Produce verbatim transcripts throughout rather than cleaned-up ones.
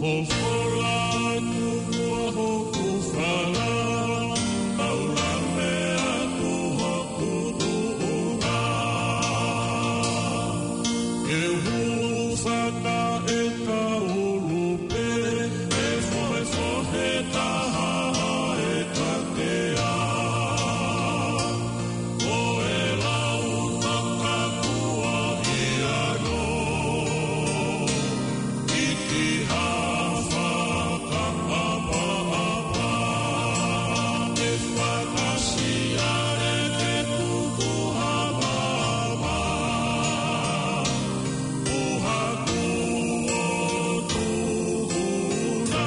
Fofola atu ʻa hoku fala, taulame atu hoku tuʻunga. Ke hūfanga ʻe kaulu pē, ʻe fohefohe taha ʻe katea. Ko e lau takakuo ia no, ʻi ha fakaʻapaʻapa, ʻe fakaʻasi ʻa e ke tuku ha vava, ʻo haku ʻo tuku na.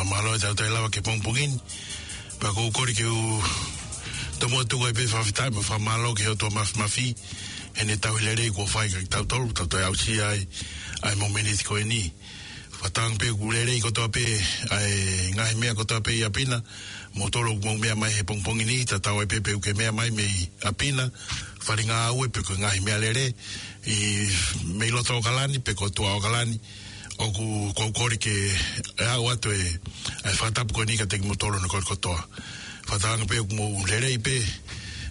Mālō e tau toe lava ki he pongipongi ni. Pea ʻoku ou kole ke u tomuʻa tuku ai pē e fakafetaʻi mo e fakamālō ki he ʻOtua Māfimafi, heʻene tauhi lelei kuo fai kiate kitautolu, tau toe aʻusia ai ʻa e mōmeniti ko eni. Fakatauange pē ʻoku lelei kotoa pē ʻa e ngaahi meʻa kotoa pē ʻi ʻapi na, moutolu ʻoku mou meʻa mai he pongipongi ni, tatau ai pē pe ʻoku ke meʻa mai mei ʻapi na, fale ngāue pe ko e ngaahi meʻalele, ʻi, mei loto ʻAokalani pe ko tuʻa ʻAokalani, ʻoku, ʻoku ou kole ke aʻu atu e, e fakatapu ko eni kiate kimoutolu hono kole kotoa. Fakatauange pē ʻoku mou lelei pē,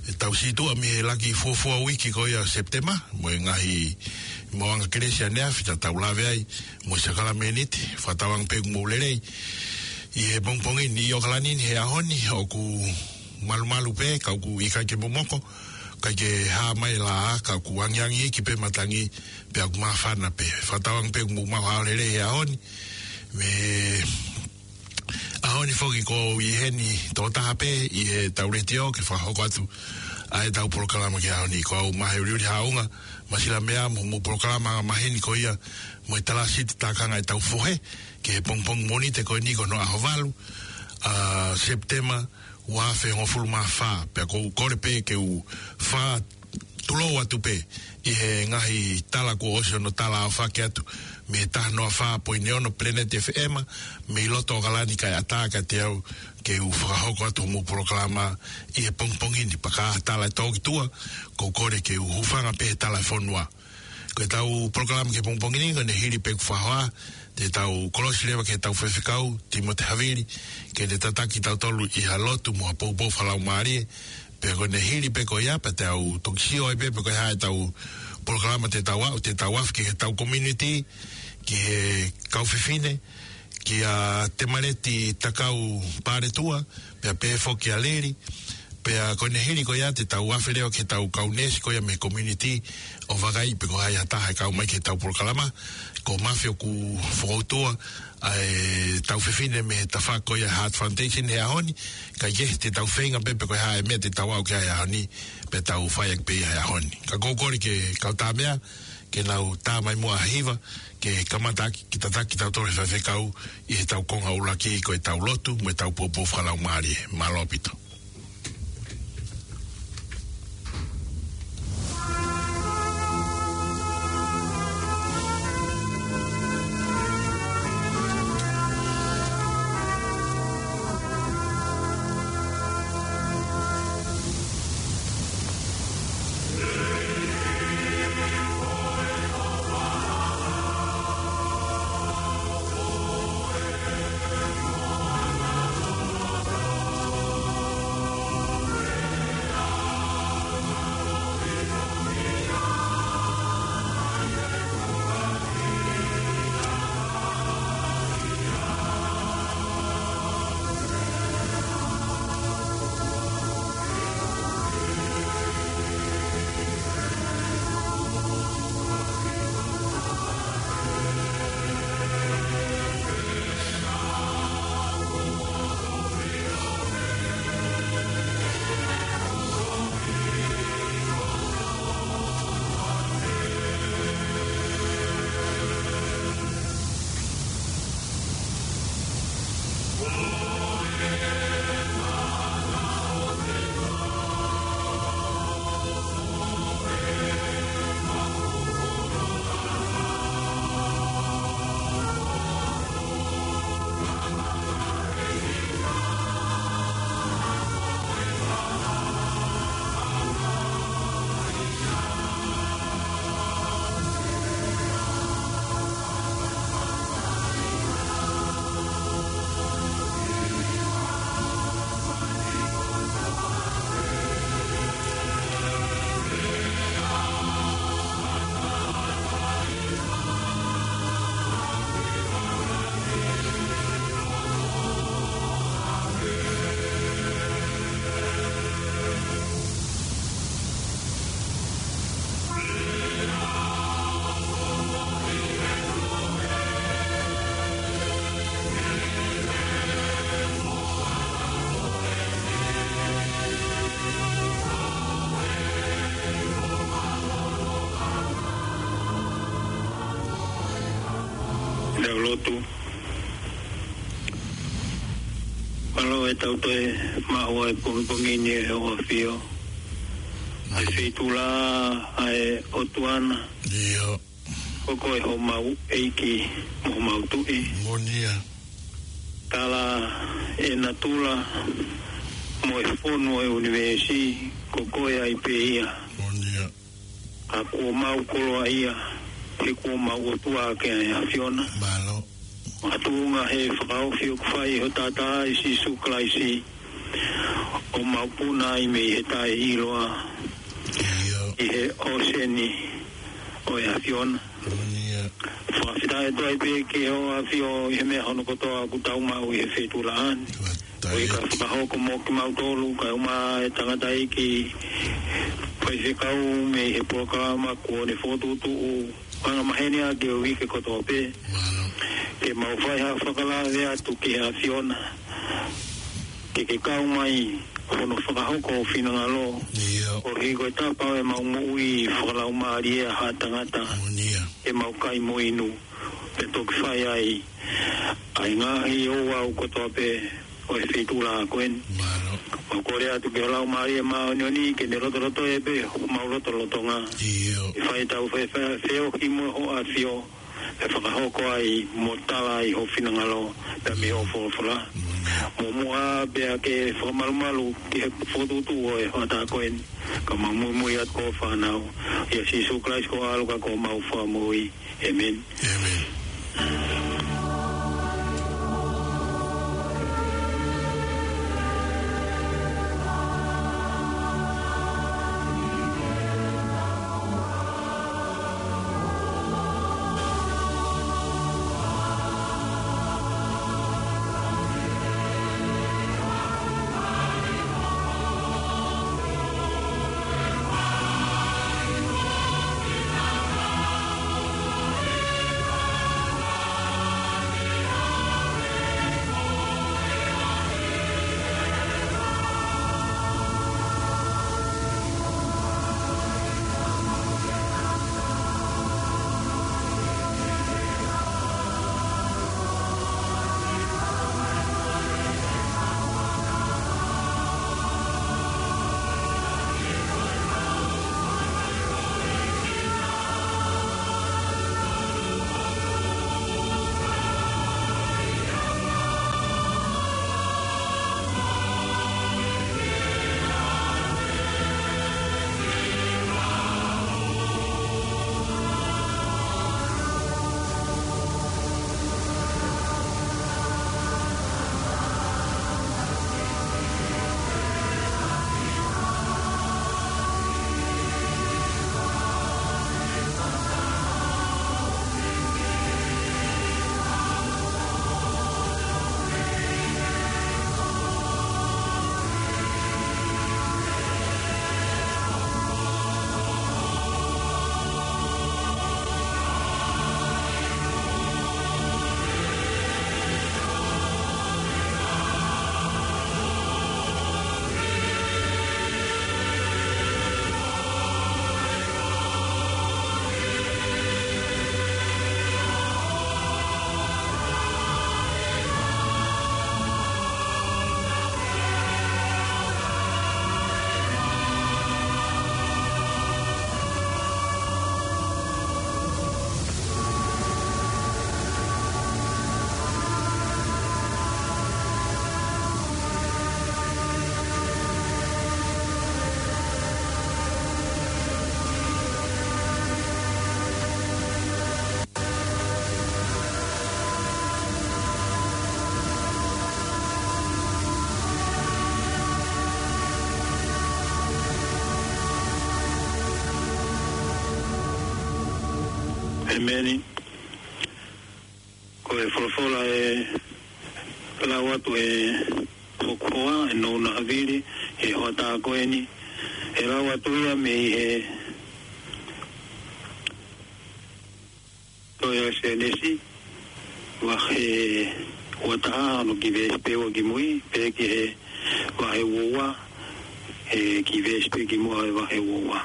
ʻe tau situʻa mei he laki fuofua uike ko ia ʻo Sepitema, mo e ngaahi maʻuʻanga kelesi ʻaneafi, ta tau lave ai mo e sākalamēniti, fakatauange pē ʻoku mou lelei. ʻI he pongipongi ni ʻi ʻAokalani ni he ʻaho ni, ʻoku malumalu pē, ka ʻoku ʻikai ke momoko, ʻikai ke hā mai e laʻā, ka ʻoku angiangi iiki pē matangi, pea ʻoku māfana pē. Fakatauange pē ʻoku mou maʻu ha ʻaho lelei he ʻaho ni. Mei he ʻaho ni foki ʻoku ou ʻi heni tokotaha pē ʻi heʻetau letiō ke fakahoko atu ʻa ʻetau polokalama ki he ʻaho ni. Ko au Mahe Uliuli Haʻunga, Masila Meʻa, mo hoʻomou polokalama angamaheni ko ia mo e Talāsiti Tākanga ʻEtau Fohe, ki he pongipongi Mōnite ko eni ko hono ʻaho valu ʻa Sepitema, ua afe hongofulu mā fā, pea ʻoku ou kole pē ke u fakatulou atu pē ʻi he ngaahi tala kuo ʻosi hono tala ʻaofaki atu mei he taha noa fā poini ono Planet F M, mei loto ʻAokalani, kae ʻatā kiate au ke u fakahoko atu hoʻomou polokalama ʻi he pongipongi ni. Pea ka tala ʻe tō ki tuʻa, ʻoku ou kole ke u hūfanga pē he tala ʻa e fonua. Ko ʻetau polokalama ki he pongipongi ni, ko ʻene hili pē ʻeku fakahoa, te tau kolosi leva ki heʻetau faifekau, Tīmote Havili, ke ne tataki kitautolu ʻi ha lotu mo ha poupou fakalaumālie. Pea ko ʻene hili pē ko ia, pea te tau toki sio ai pē, pe ko e hā ʻetau polokalama te tau aʻu, te tau afe ki heʻetau community, ki he kau fefine, kia Temaleti Takau Paletua, pea pehē foki kia Leli, pea ko ʻene hili ko ia te tau afe leva ki heʻetau kau neesi ko ia mei he community ʻo vakaiʻi pe ko hai ha taha ʻe kau mai ki heʻetau polokalama. Ko Mafi ʻoku fokoutua ʻa ʻetau fefine mei he tafaʻaki ko ia Heart Foundation he ʻaho ni, kae kehe te tau feinga pē pe ko e hā e meʻa te tau aʻu ki ai he ʻaho ni, pea tau fai ʻaki pē ia he ʻaho ni. Ka ʻoku ou kole ki he kau tāmeʻa, ke nau tā mai muʻa ha hiva, ke kamata ʻaki, ke tataki kitautolu ʻe he faifekau ʻi heʻetau konga ʻuluaki ko ʻetau lotu, mo ʻetau poupou fakalaumālie. Mālō ʻaupito. Tau lotu. Mālō e tau toe maʻu ʻa e pongipongi ni ʻe ʻOtua ʻAfio. ʻA e feituʻula ʻa e ʻOtua na. ʻIo. Ko koe homau ʻEiki mo homau Tuʻi. Moʻoni ia. Tala e natula mo e fonu ʻo e ʻunivēsi, ko koe ai pē ia. Moʻoni ia. Ka kuo mau koloaʻia, he kuo mau ʻOtua ʻaki ʻa e ʻAfiona. Mālō. Makatuʻunga he fakaofi ʻoku fai ʻe ho Tangata ʻa Sīsū Kalaisi, ʻo mau puna ai mei he taʻeʻiloa ʻIo. ʻi he ʻōseni ʻo e ʻAfiona. Moʻoni ia. Fakafetaʻi atu ai pē ki he ʻOtua ʻAfio ʻi he meʻa hono kotoa ʻoku tau maʻu ʻi he feituʻulaʻa ni. Fakafetaʻi. ʻOku ʻikai fakahoko mo kimautolu, kae ʻumaʻā e tangataʻeiki faifekau mei he polokalama kuo ne fokotuʻutuʻu anga maheni ʻaki e uike kotoa pē. Mālō. Ke mau fai ha fakalave atu ki he ʻAfiona, ke ke kau mai hono fakahoko ho finangalo. ʻIo. ʻO hiko e tapa ʻo ʻemau moʻui fakalaumālie ʻa haʻa tangata. Moʻoni ia. Ke mau kai mo inu, pea toki fai ai ʻa e ngaahi ouau kotoa pē ʻo e feituʻula ko eni. Mālō. ʻOku kole atu ki ho Laumālie Māʻoniʻoni ke ne lotolotoʻi pē homau lotolotonga. ʻIo. ʻI he fai ʻetau fe-, fe-, feohi mo ho ʻAfio, ʻe fakahoko ai mo tala ai ho finangalo, pea mei hoʻo folofola. Mālō. Muʻomuʻa pea ke fakamalumalu ki he fokotuʻutuʻu ʻo e hoʻatā ko eni, ka mau muimui atu ko ho fānau. ʻIa Sīsū Kalaisi ko ho ʻAlo ka ko homau Fakamoʻui. ʻĒmeni. ʻĒmeni. ʻĒmeni. Ko e folofola ʻe lau atu ʻe hoku hoa, ʻe Nounaʻa Vili, he hoʻatā ko eni, ʻe lau atu ia mei he tohi ʻa Sēnesi, vahe ua taha, hono kiʻi veesi pē ua kimui, pea ki he vahe ua ua, he kiʻi veesi pē kimuʻa he vahe ua ua.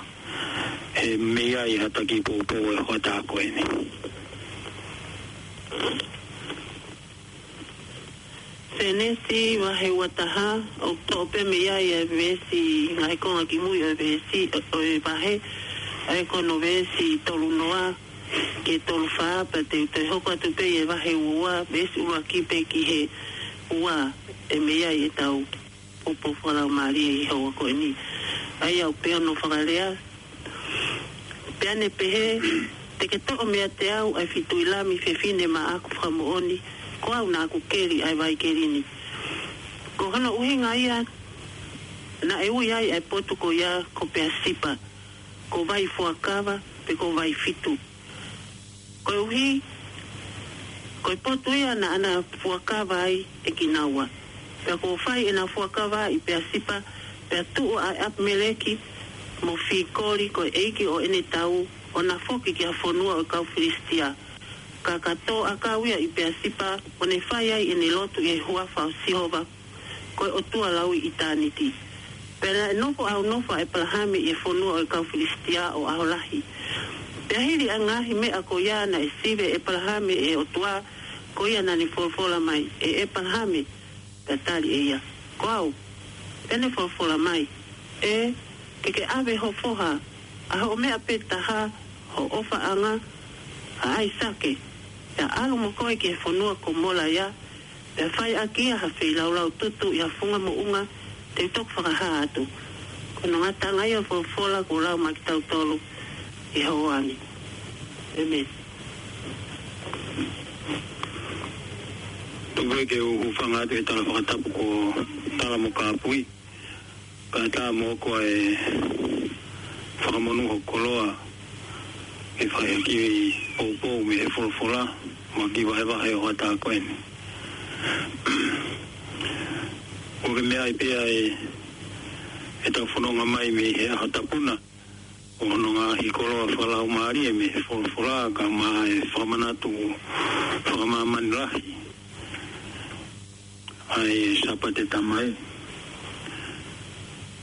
He meʻa ia ʻa e taki poupou ʻo e hoʻatā ko eni. Sēnesi vahe ua taha, ʻoku toʻo pē mei ai e veesi, ngaahi konga kimui ʻo e veesi, ʻo e vahe, ʻa ia ko hono veesi tolu noa ki he tolu fā, pea te u toe hoko atu pē ʻi he vahe ua, veesi ua ki pē ki he ua, ʻe mei ai ʻetau poupou fakalaumālie ʻi he houa ko eni. ʻA ia ʻoku pehē hono fakalea, pea ne pehē, Te ke toʻo meiate au ʻa e fitui lami fefine maʻaku fakamoʻoni, ko au naʻa ku keli ʻa e vaikeli ni. Ko hono ʻuhinga ia naʻe ui ai ʻa e potu ko ia ko Peasipa, ko Vai Fuakava, pe ko Vai Fitu. Koeʻuhi, ko e potu ia naʻa na fuakava ai ʻe kinaua. Pea kuo fai ʻena fuakava ʻi Peasipa, pea tuʻu ʻa ʻApimeleki mo Fikoli ko e ʻeiki ʻo ʻene tau, ʻo na foki ki he fonua ʻo e kau Filisitia. Ka ka tō ʻakau ia ʻi Peasipa, ʻo ne fai ai ʻene lotu ʻi he huafa ʻo Sihova, ko e ʻOtua lauʻitāniti. Pea naʻe nofo ʻaunofo ʻa ʻEpalahame ʻi he fonua ʻo e kau Filisitia ʻo ʻaho lahi. Pea hili ʻa e ngaahi meʻa ko ia naʻe sivi ʻe ʻEpalahame ʻe he ʻOtua, ko ia naʻa ne folofola mai, ʻE ʻEpalahame, pea tali ʻe ia, Ko au. Pea ne folofola mai, ʻE, ke ke ʻave ho foha, ʻa hoʻo meʻa pē taha, ho ʻofaʻanga, ʻa ʻAisake, pea ʻalu mo koe ki he fonua ko Molaia, pea fai ʻaki ia ha feilaulau tutu ʻi ha funga moʻunga te u toki fakahā atu. Ko hono ngataʻanga ia ʻo e folofola kuo lau maʻa kitautolu ʻi he houa ni. ʻĒmeni. Tuku ke u hūfanga atu he tala fakatapu ko Tala mo Kāpui. Kae ʻatā mo au e fakamonū hoku koloa ke fai ha kiʻi poupou mei he folofola mo e kiʻi vahevahe ʻo e hoʻatā ko eni. ʻOku ke meaʻi pē ʻa e, ʻetau fononga mai mei he ʻaho tapu na, ʻo hono ngaahi koloa fakalaumālie mei he folofola, kae ʻumaʻā e fakamanatu fakamāmani lahi ʻa e Sāpate Tamai.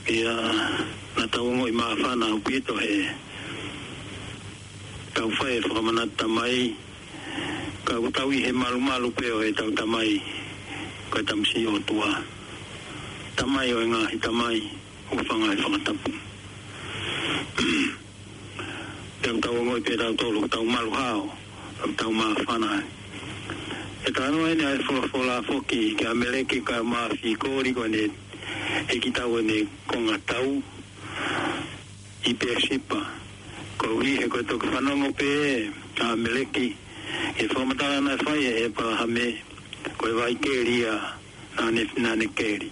Pea naʻa tau ongoʻi māfana ʻaupito he tau fai e fakamanatu Tamai, ka ʻoku tau ʻi he malumalu pē ʻo ʻetau Tamai, ko e Tamasiʻi ʻOtua, Tamai ʻo e ngaahi tamai, hūfanga he fakatapu. Pea ʻoku tau ongoʻi pē ʻe tautolu ʻoku tau malu hao, ʻoku tau māfana ai. ʻE talanoa eni ʻa e folofola foki kia ʻApimeleki kae ʻumaʻā Fikoli ko ʻene ʻeikitau, ʻene konga tau ʻi Peasipa. Koeʻuhi he ko e toki fanongo pē ʻa ʻApimeleki ʻi he fakamatala naʻe fai ʻe ʻEpalahame, ko e vaikeli ia naʻa ne, naʻa ne keli.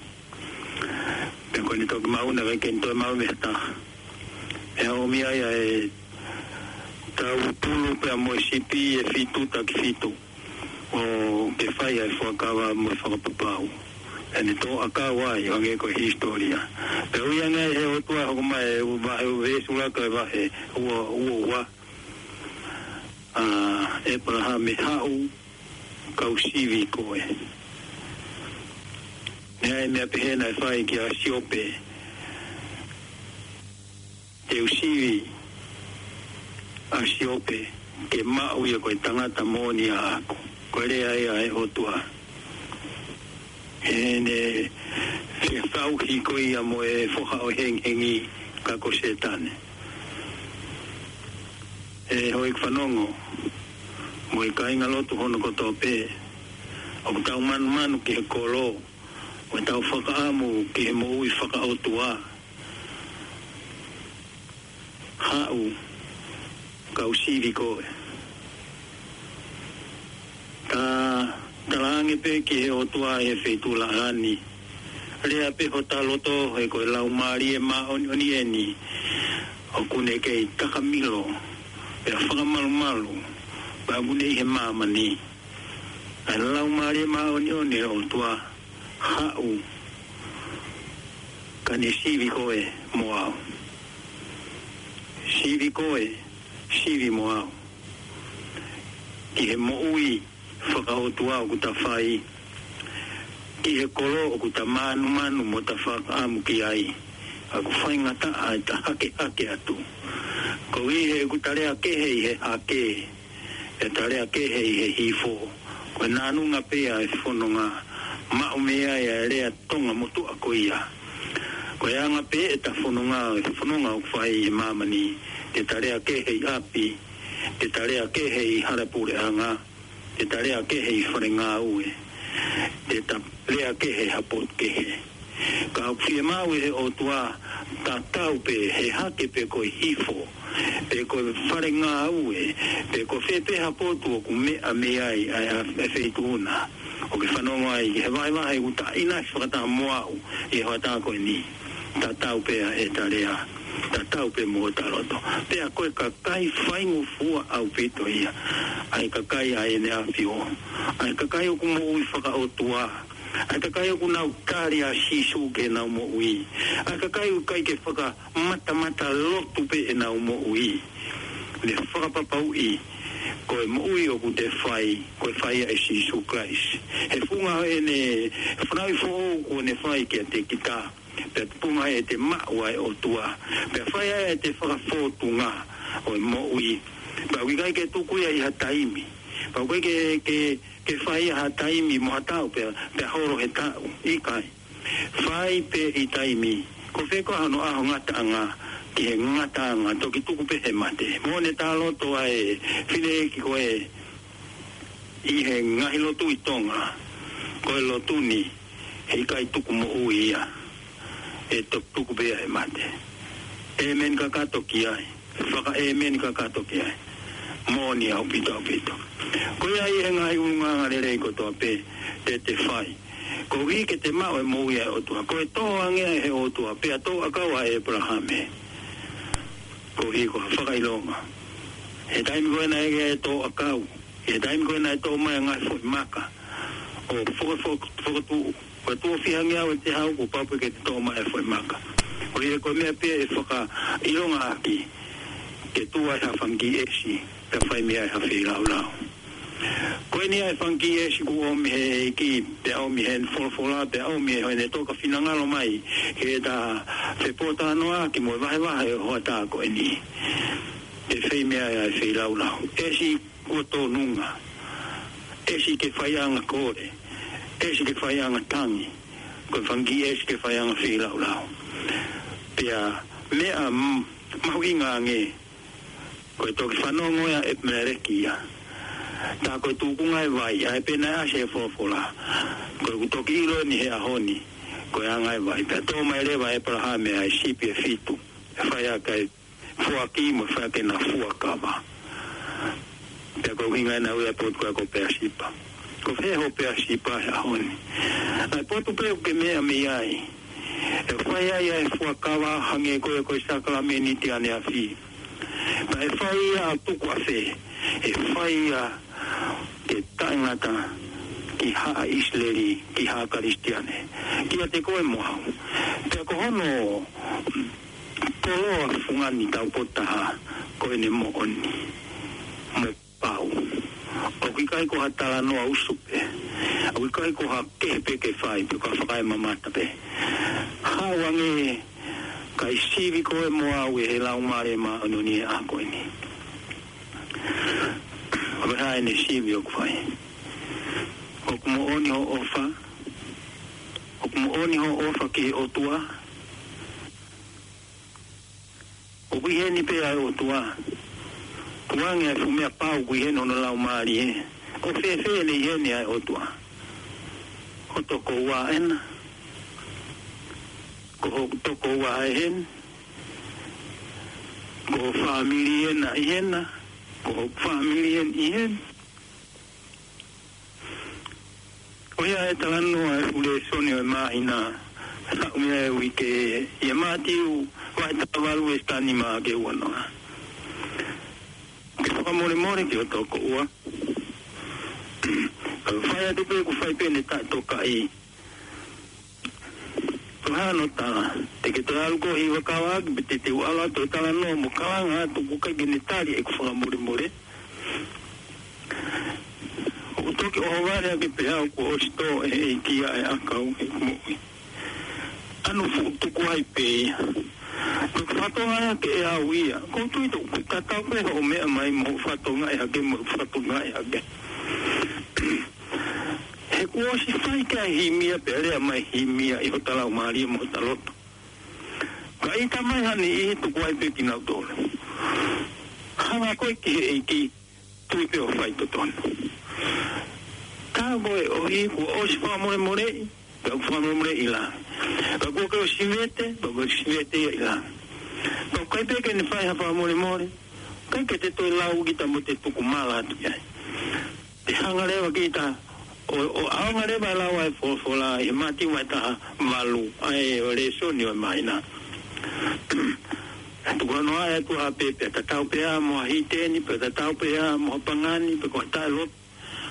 Pea ko ʻene toki maʻu, naʻe ʻikai ke ne toe maʻu mei ha taha. Pea ʻomi ai ʻa e tau tolu pea mo e sipi ʻe fitu taki fitu, ʻo ke fai ʻa e fuakava mo e fakapapau. Pea ne tō ʻakau ai, hangē ko e hisitōlia. Pea ui ange ai ʻe he ʻOtua, hoko mai ʻi he vahe, veesi ʻuluaki ʻo e vahe ua, ua ua, ʻa ʻEpalahame, Haʻu, kau sivi koe. Naʻe ʻi ai e meʻa pehē naʻe fai kia Siope, Te u sivi ʻa Siope ke maʻu ia ko e tangata moʻoni ʻaʻaku. Ko e lea ia ʻa e ʻOtua heʻene fekauʻaki ko ia mo e foha ʻo e hengihengi, ka ko Sētane. ʻE houʻeiki fanongo mo e kāingalotu hono kotoa pē, ʻoku tau manumanu ki he kolo, ʻoku tau fakaʻamu ki he moʻui fakaʻotua. Haʻu, kau sivi koe. Ta talaange pē ki he ʻOtua ʻi he feituʻu laʻā ni. Lea pē hota loto, he ko e Laumālie Māʻoniʻoni eni ʻoku ne kei takamilo pea fakamalumalu, pea ʻoku ne ʻi he māmani. ʻA e Laumālie Māʻoniʻoni ʻo e ʻOtua, haʻu, ka ne sivi koe mo au. Sivi koe, sivi mo au. Ki he moʻui fakaʻotua ʻoku ta fai, ki he kolo ʻoku ta manumanu mo ta fakaʻamu ki ai. ʻOku faingataʻa ʻeta hakehake atu. Koeʻuhi he ʻoku ta lea kehe ʻi he hake, ʻeta lea kehe ʻi he hifo. Ko e nāunga pē ia e fononga maʻu mei ai ʻa e lea Tonga motuʻa ko ia. Ko e anga pē ʻeta fononga, ʻeta fononga ʻoku fai ʻi māmani, te ta lea kehe ʻi ʻapi, te ta lea kehe ʻi hala puleʻanga, te ta lea kehe ʻi fale ngāue, te ta lea kehe ha potu kehe. Ka ʻoku fiemaʻu ʻe he ʻOtua tatau pē he hake pe ko e hifo, pe ko e fale ngāue, pe ko fē pē ha potu ʻoku meʻa mei ai ʻa e, ʻa e feituʻu na ʻoku ke fanongo ai, he vahevahe ʻoku taʻina fakataha mo au ʻi he hoʻatā ko eni. Tatau pē ʻeta lea, tatau pē mo hota loto. Pea ko e kakai faingofua ʻaupito ia, ʻa e kakai ʻa ʻEne ʻAfio, ʻa e kakai ʻoku moʻui fakaʻotua, ʻa e kakai ʻoku nau tali ʻa Sīsū ke nau moʻui, ʻa e kakai ʻoku ʻikai ke fakamatamata lotu pē ʻenau moʻui. Ne fakapapauʻi ko e moʻui ʻoku te fai, ko e fai ʻa Sīsū Kalaisi. He funga ʻene fanauʻi foʻou kuo ne fai kiate kita, pea tupunga ʻete maʻu ʻa e ʻOtua, pea fai ai ʻete fakafōtunga ʻo e moʻui. Pea ʻoku ʻikai ke tuku ia ʻi ha taimi, pea ʻoku ʻikai ke, ke, ke fai ia ha taimi mo ha taʻu pea, pea holo he taʻu, ʻikai. Fai pē ʻi taimi, ko fē koā hono ʻaho ngataʻanga ki he ngataʻanga, toki tuku pē he mate. Mo ne tā loto ʻa e fineʻeiki ko ē ʻi he ngaahi lotu ʻi Tonga, ko e lotu ni, heʻikai tuku moʻui ia, ʻe toki tuku pē ia he mate. ʻĒmeni kakato ki ai, fakaʻēmeni kakato ki ai. Moʻoni ʻaupito ʻaupito. Ko ia ʻi he ngaahi ʻulungaanga lelei kotoa pē te te fai, koeʻuhi ke te maʻu e moʻui ʻa e ʻOtua. Ko e tō ange ʻa e ʻOtua, pea tō ʻakau ʻa ʻĒpalahame. Koeʻuhi ko ha fakaʻilonga. He taimi ko ē naʻe ʻi ai e tō ʻakau, he taimi ko ē naʻe tō mai ʻa e ngaahi foʻi maka ʻo foko-, foko-, fokotuʻu, ko e tuʻo fiha ngeau ʻe te hau kuo pau pē ke te tō mai e foʻi maka. Ko ia ko e meʻa pē ʻe fakaʻilonga ʻaki ke tuʻu ai ha fanga kiʻi ʻesi, pea fai mei ai ha feilaulau. Ko eni ʻa e fanga kiʻi ʻesi kuo ʻomi he ʻEiki, pea ʻomi he folofola, pea ʻomi he hoʻene toka finangalo mai ke ta fepōtalanoaʻaki mo e vahevahe ʻo e hoʻatā ko eni. Ke fai mei ai ʻa e feilaulau. ʻEsi kuo tōnunga, ʻesi ke faiʻanga kole, ʻesi ke faiʻanga tangi, ko e fanga kiʻi ʻesi ke faiʻanga feilaulau. Pea meʻa m-, mahuʻinga ange, ko e toki fanongo ia ʻa ʻEpimeleki ia. Tā ko e tukunga e vai, ʻa ē pē naʻe ʻasi he folofola. Ko ʻeku toki ʻilo eni he ʻaho ni, ko e anga e vai. Pea tō mai leva ʻe ʻĒpalahame ʻa e sipi ʻe fitu, ʻe fai ʻaki ʻa e foaki mo e fai ʻaki ʻena fuakava. Pea ko e ʻuhinga ʻena ui ʻa e potu ko ē ko Peasipa. Ko fē hoʻo Peasipa he ʻaho ni? ʻA e potu pē ʻoku ke meʻa mei ai, ʻe fai ai ʻa e fuakava hangē ko e, ko e sākalamēniti ʻaneafi. Pea ʻe fai ia ʻo tuku ʻafē? ʻE fai ia ke taʻengata ki haʻa ʻIsileli, ki haʻa Kalisitiane, kiate koe mo au. Pea ko hono koloa fungani taupotu taha, ko ʻene moʻoni mo e pau. ʻOku ʻikai ko ha talanoa usu pē, ʻoku ʻikai ko ha kehe pē ke fai, pe ko ha fakaemamata pē. Haʻu ange kae sivi koe mo au ʻe he Laumālie Māʻoniʻoni he ʻaho ko eni. Ko e hā ʻene sivi ʻoku fai? ʻOku moʻoni hoʻo ʻofa? ʻOku moʻoni hoʻo ʻofa ki he ʻOtua? ʻOku ʻi heni pē ʻa e ʻOtua? Tuku ange ʻa e fuʻu meʻa pau ʻoku ʻi heni hono Laumālie. ʻOku fēfē ʻene ʻi heni ʻa e ʻOtua? Ko ho tokoua ena? Ko ho tokoua ʻi heni? Ko ho fāmili ena ʻi hena? Ko ho fāmili ena ʻi heni? Ko ia e talanoa e fuʻu lēsoni ʻo e māhina, haʻu mei ai e uike, ʻia Mātiu vahe taha valu veesi taha nima ki he ua noa. Ke fakamolemole ki ho tokoua. Ka fai atu pē ʻoku fai pē ʻene taʻetokaʻi. Ko e hā hono tala? Te ke toe ʻalu koe ʻo hiva kava ʻaki, pe te te u ʻalu atu ʻo talanoa mo kalanga atu ʻoku ʻikai ke ne tali ʻeku fakamolemole? ʻOku toki ʻohovale ʻaki pē au kuo ʻosi tō ʻe he ʻEiki ʻa e ʻakau ʻi heʻeku moʻui. ʻAno fuʻu tuku ai pē ia. Ko e fatongia ia ke ʻe au ia. ʻOku ou tui ʻoku tatau pē hoʻo meʻa mai mo hoʻo fatongia hake mo ʻeku fatongia hake. He ʻoku Kuo ʻosi fai ki ai e himi ia pea lea mai e himi ia ʻi hota laumālie mo hota loto. Ka ʻita mai ha niʻihi, tuku ai pē kinautolu. Hanga koe ki he ʻEiki, tui pē ʻo fai totonu. Ka ko e ʻohi kuo ʻosi fakamolemoleʻi, pea ʻoku fakamolemoleʻi ʻi langi. Ka kuo ke ʻosi vete, pea kuo ke ʻosi vete ia ʻi langi. Pea ʻoku ʻikai pē ke ne fai ha fakamolemole, ʻikai ke te toe lau kita mo te tuku mala atu ki ai. Te hanga leva kita ʻo, ʻo ʻaonga leva ʻo lau ʻa e folofola ʻi he Mātiu vahe taha valu, ʻa e ʻo e lēsoni ʻo e māhina. Tuku hono ʻai atu ʻa pē, pea tatau pē ia mo ha hiteni, pea tatau pē ia mo ha pangani, pe ko ha taʻelotu.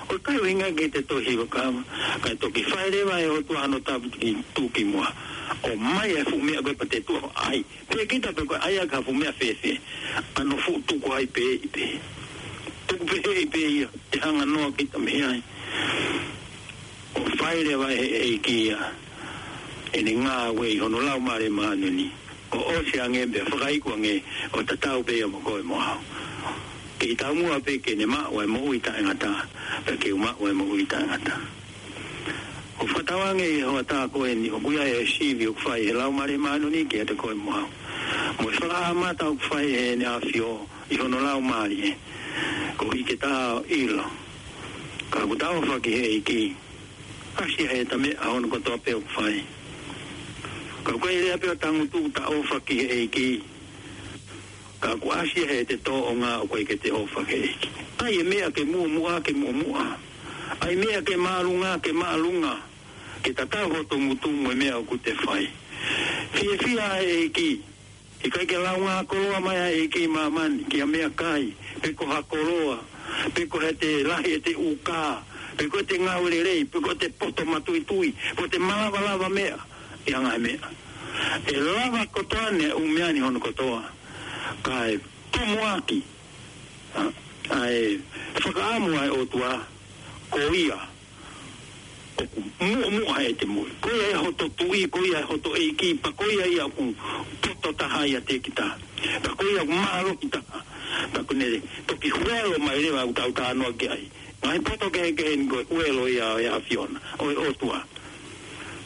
ʻOku ʻikai ʻuhinga ke te toe hiva kava, kae toki fai leva ʻe he ʻOtua hono tapu ki tuʻukimuʻa. ʻOmai e fuʻu meʻa ko ē pea te tuʻu ai. Pea kita pe ko e ʻai ʻaki ha fuʻu meʻa fēfē, ʻa hono fuʻu tuku ai pē ʻi pē. Tuku pē ʻi pē ia, te hanga noa kita mei ai. ʻO fai leva ʻe he ʻEiki ia ʻene ngāue ʻi hono Laumālie Māʻoniʻoni, ʻo ʻosi ange pea fakaiku ange, ʻo tatau pē ia mo koe mo au. Kei taumuʻa pē ke ne maʻu ʻa e moʻui taʻengata, pea ke u maʻu ʻa e moʻui taʻengata. ʻOku fakatauange ʻi he hoʻatā ko eni, ʻoku ʻi ai e sivi ʻoku fai ʻe he Laumālie Māʻoniʻoni kiate koe mo au. Mo e fakaʻamata ʻoku fai ʻe heʻene ʻAfio ʻi hono Laumālie, koeʻuhi ke ta ʻilo. Ka ʻoku ta ʻofa ki he ʻEiki, ʻasi ia he ta meʻa hono kotoa pē ʻoku fai. Ka ʻoku ʻikai lea pē ʻo tangutu ta ʻofa ki he ʻEiki, ka ʻoku ʻasi ia he te tōʻonga ʻoku ʻikai ke te ʻofa ki he ʻEiki. ʻAi e meʻa ke muʻomuʻa, ke muʻomuʻa. ʻAi e meʻa ke māʻolunga, ke māʻolunga. Ke tatau hoto ngutu mo e meʻa ʻoku te fai. Fiefia ʻa e ʻEiki. ʻIkai ke launga koloa mai ʻa e ʻEiki ʻi māmani, ki ha meʻakai, pe ko ha koloa, pe ko ʻete lahi ʻete ʻūkā, pe ko ʻete ngāue lelei, pe ko ʻete poto matuitui, pe ko ʻete malavalava meʻa, ʻi ha ngaahi meʻa. ʻE lava kotoa ʻene ʻū meʻa ni hono kotoa, kae tumuʻaki ʻa, ʻa e fakaʻamu ʻa e ʻOtua, ko ia ʻoku muʻomuʻa ʻete moʻui. Ko ia ʻa hoto tuʻi, ko ia ʻa hoto ʻEiki, pea ko ia ia ʻoku poto taha ʻiate kita. Pea ko ia ʻoku mālohi taha. Pea ʻoku ne toki huelo mai leva ʻoku tau talanoa ki ai. Ngaahi poto kehekehe ni ko e huelo ia ʻo e ʻAfiona, ʻo e ʻOtua.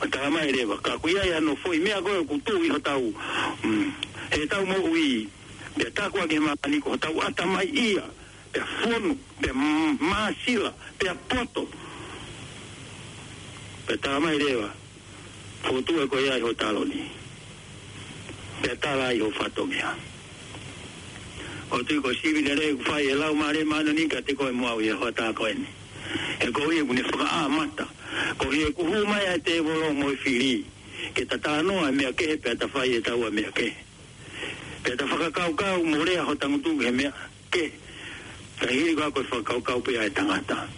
ʻO talamai leva, ka ʻoku ʻi ai hano foʻi meʻa ko ē ʻoku tuʻu ʻi hotau, mm, heʻetau moʻui, pea tākuakiʻi ʻe māmani ko hotau ʻatamai ia, pea fonu, pea m-, māsila, pea poto. Pea talamai leva, fokotuʻu ʻe koe ia ʻi ho taloni. Pea tala ʻi ho fatongia. ʻOku ou tui ko e sivi lelei ʻoku fai ʻe he Laumālie Māʻoniʻoni kiate koe mo au ʻi he hoʻatā ko eni. He koeʻuhi ʻoku ne fakaʻamata. Koeʻuhi ʻoku hū mai ʻa e tēvolo mo e fili. Ke ta talanoa e meʻa kehe pea ta fai ʻe taua e meʻa kehe. Pea ta fakakaukau mo lea ʻo tangutu ki he meʻa kehe. Ka hili ko ia ko e fakakaukau pē ʻa e tangata.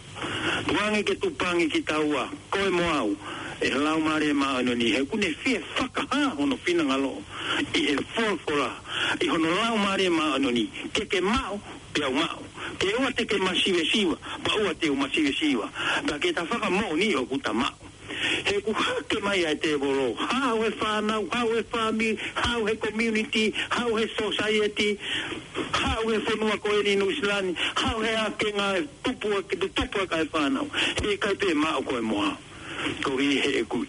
Tuku ange ke tupangi kitaua, koe mo au, ʻe he Laumālie Māʻoniʻoni, he ʻoku ne fie fakahā hono finangalo ʻi he folofola, ʻi hono Laumālie Māʻoniʻoni, ke ke maʻu, pea u maʻu. Ke ʻoua te ke masivesiva, pea ʻoua te u masivesiva. Pea ke ta fakamoʻoni ʻoku ta maʻu. He ʻoku hake mai ʻa e tēvolo, haʻu he fānau, haʻu he fāmili, haʻu he community, haʻu he society, haʻu he fonua ko eni Nuʻusila ni, haʻu he ʻākenga ʻe tupu ʻa e, ke tupu ʻa e fānau. He ʻikai pē maʻu koe mo au. Koeʻuhi he ʻoku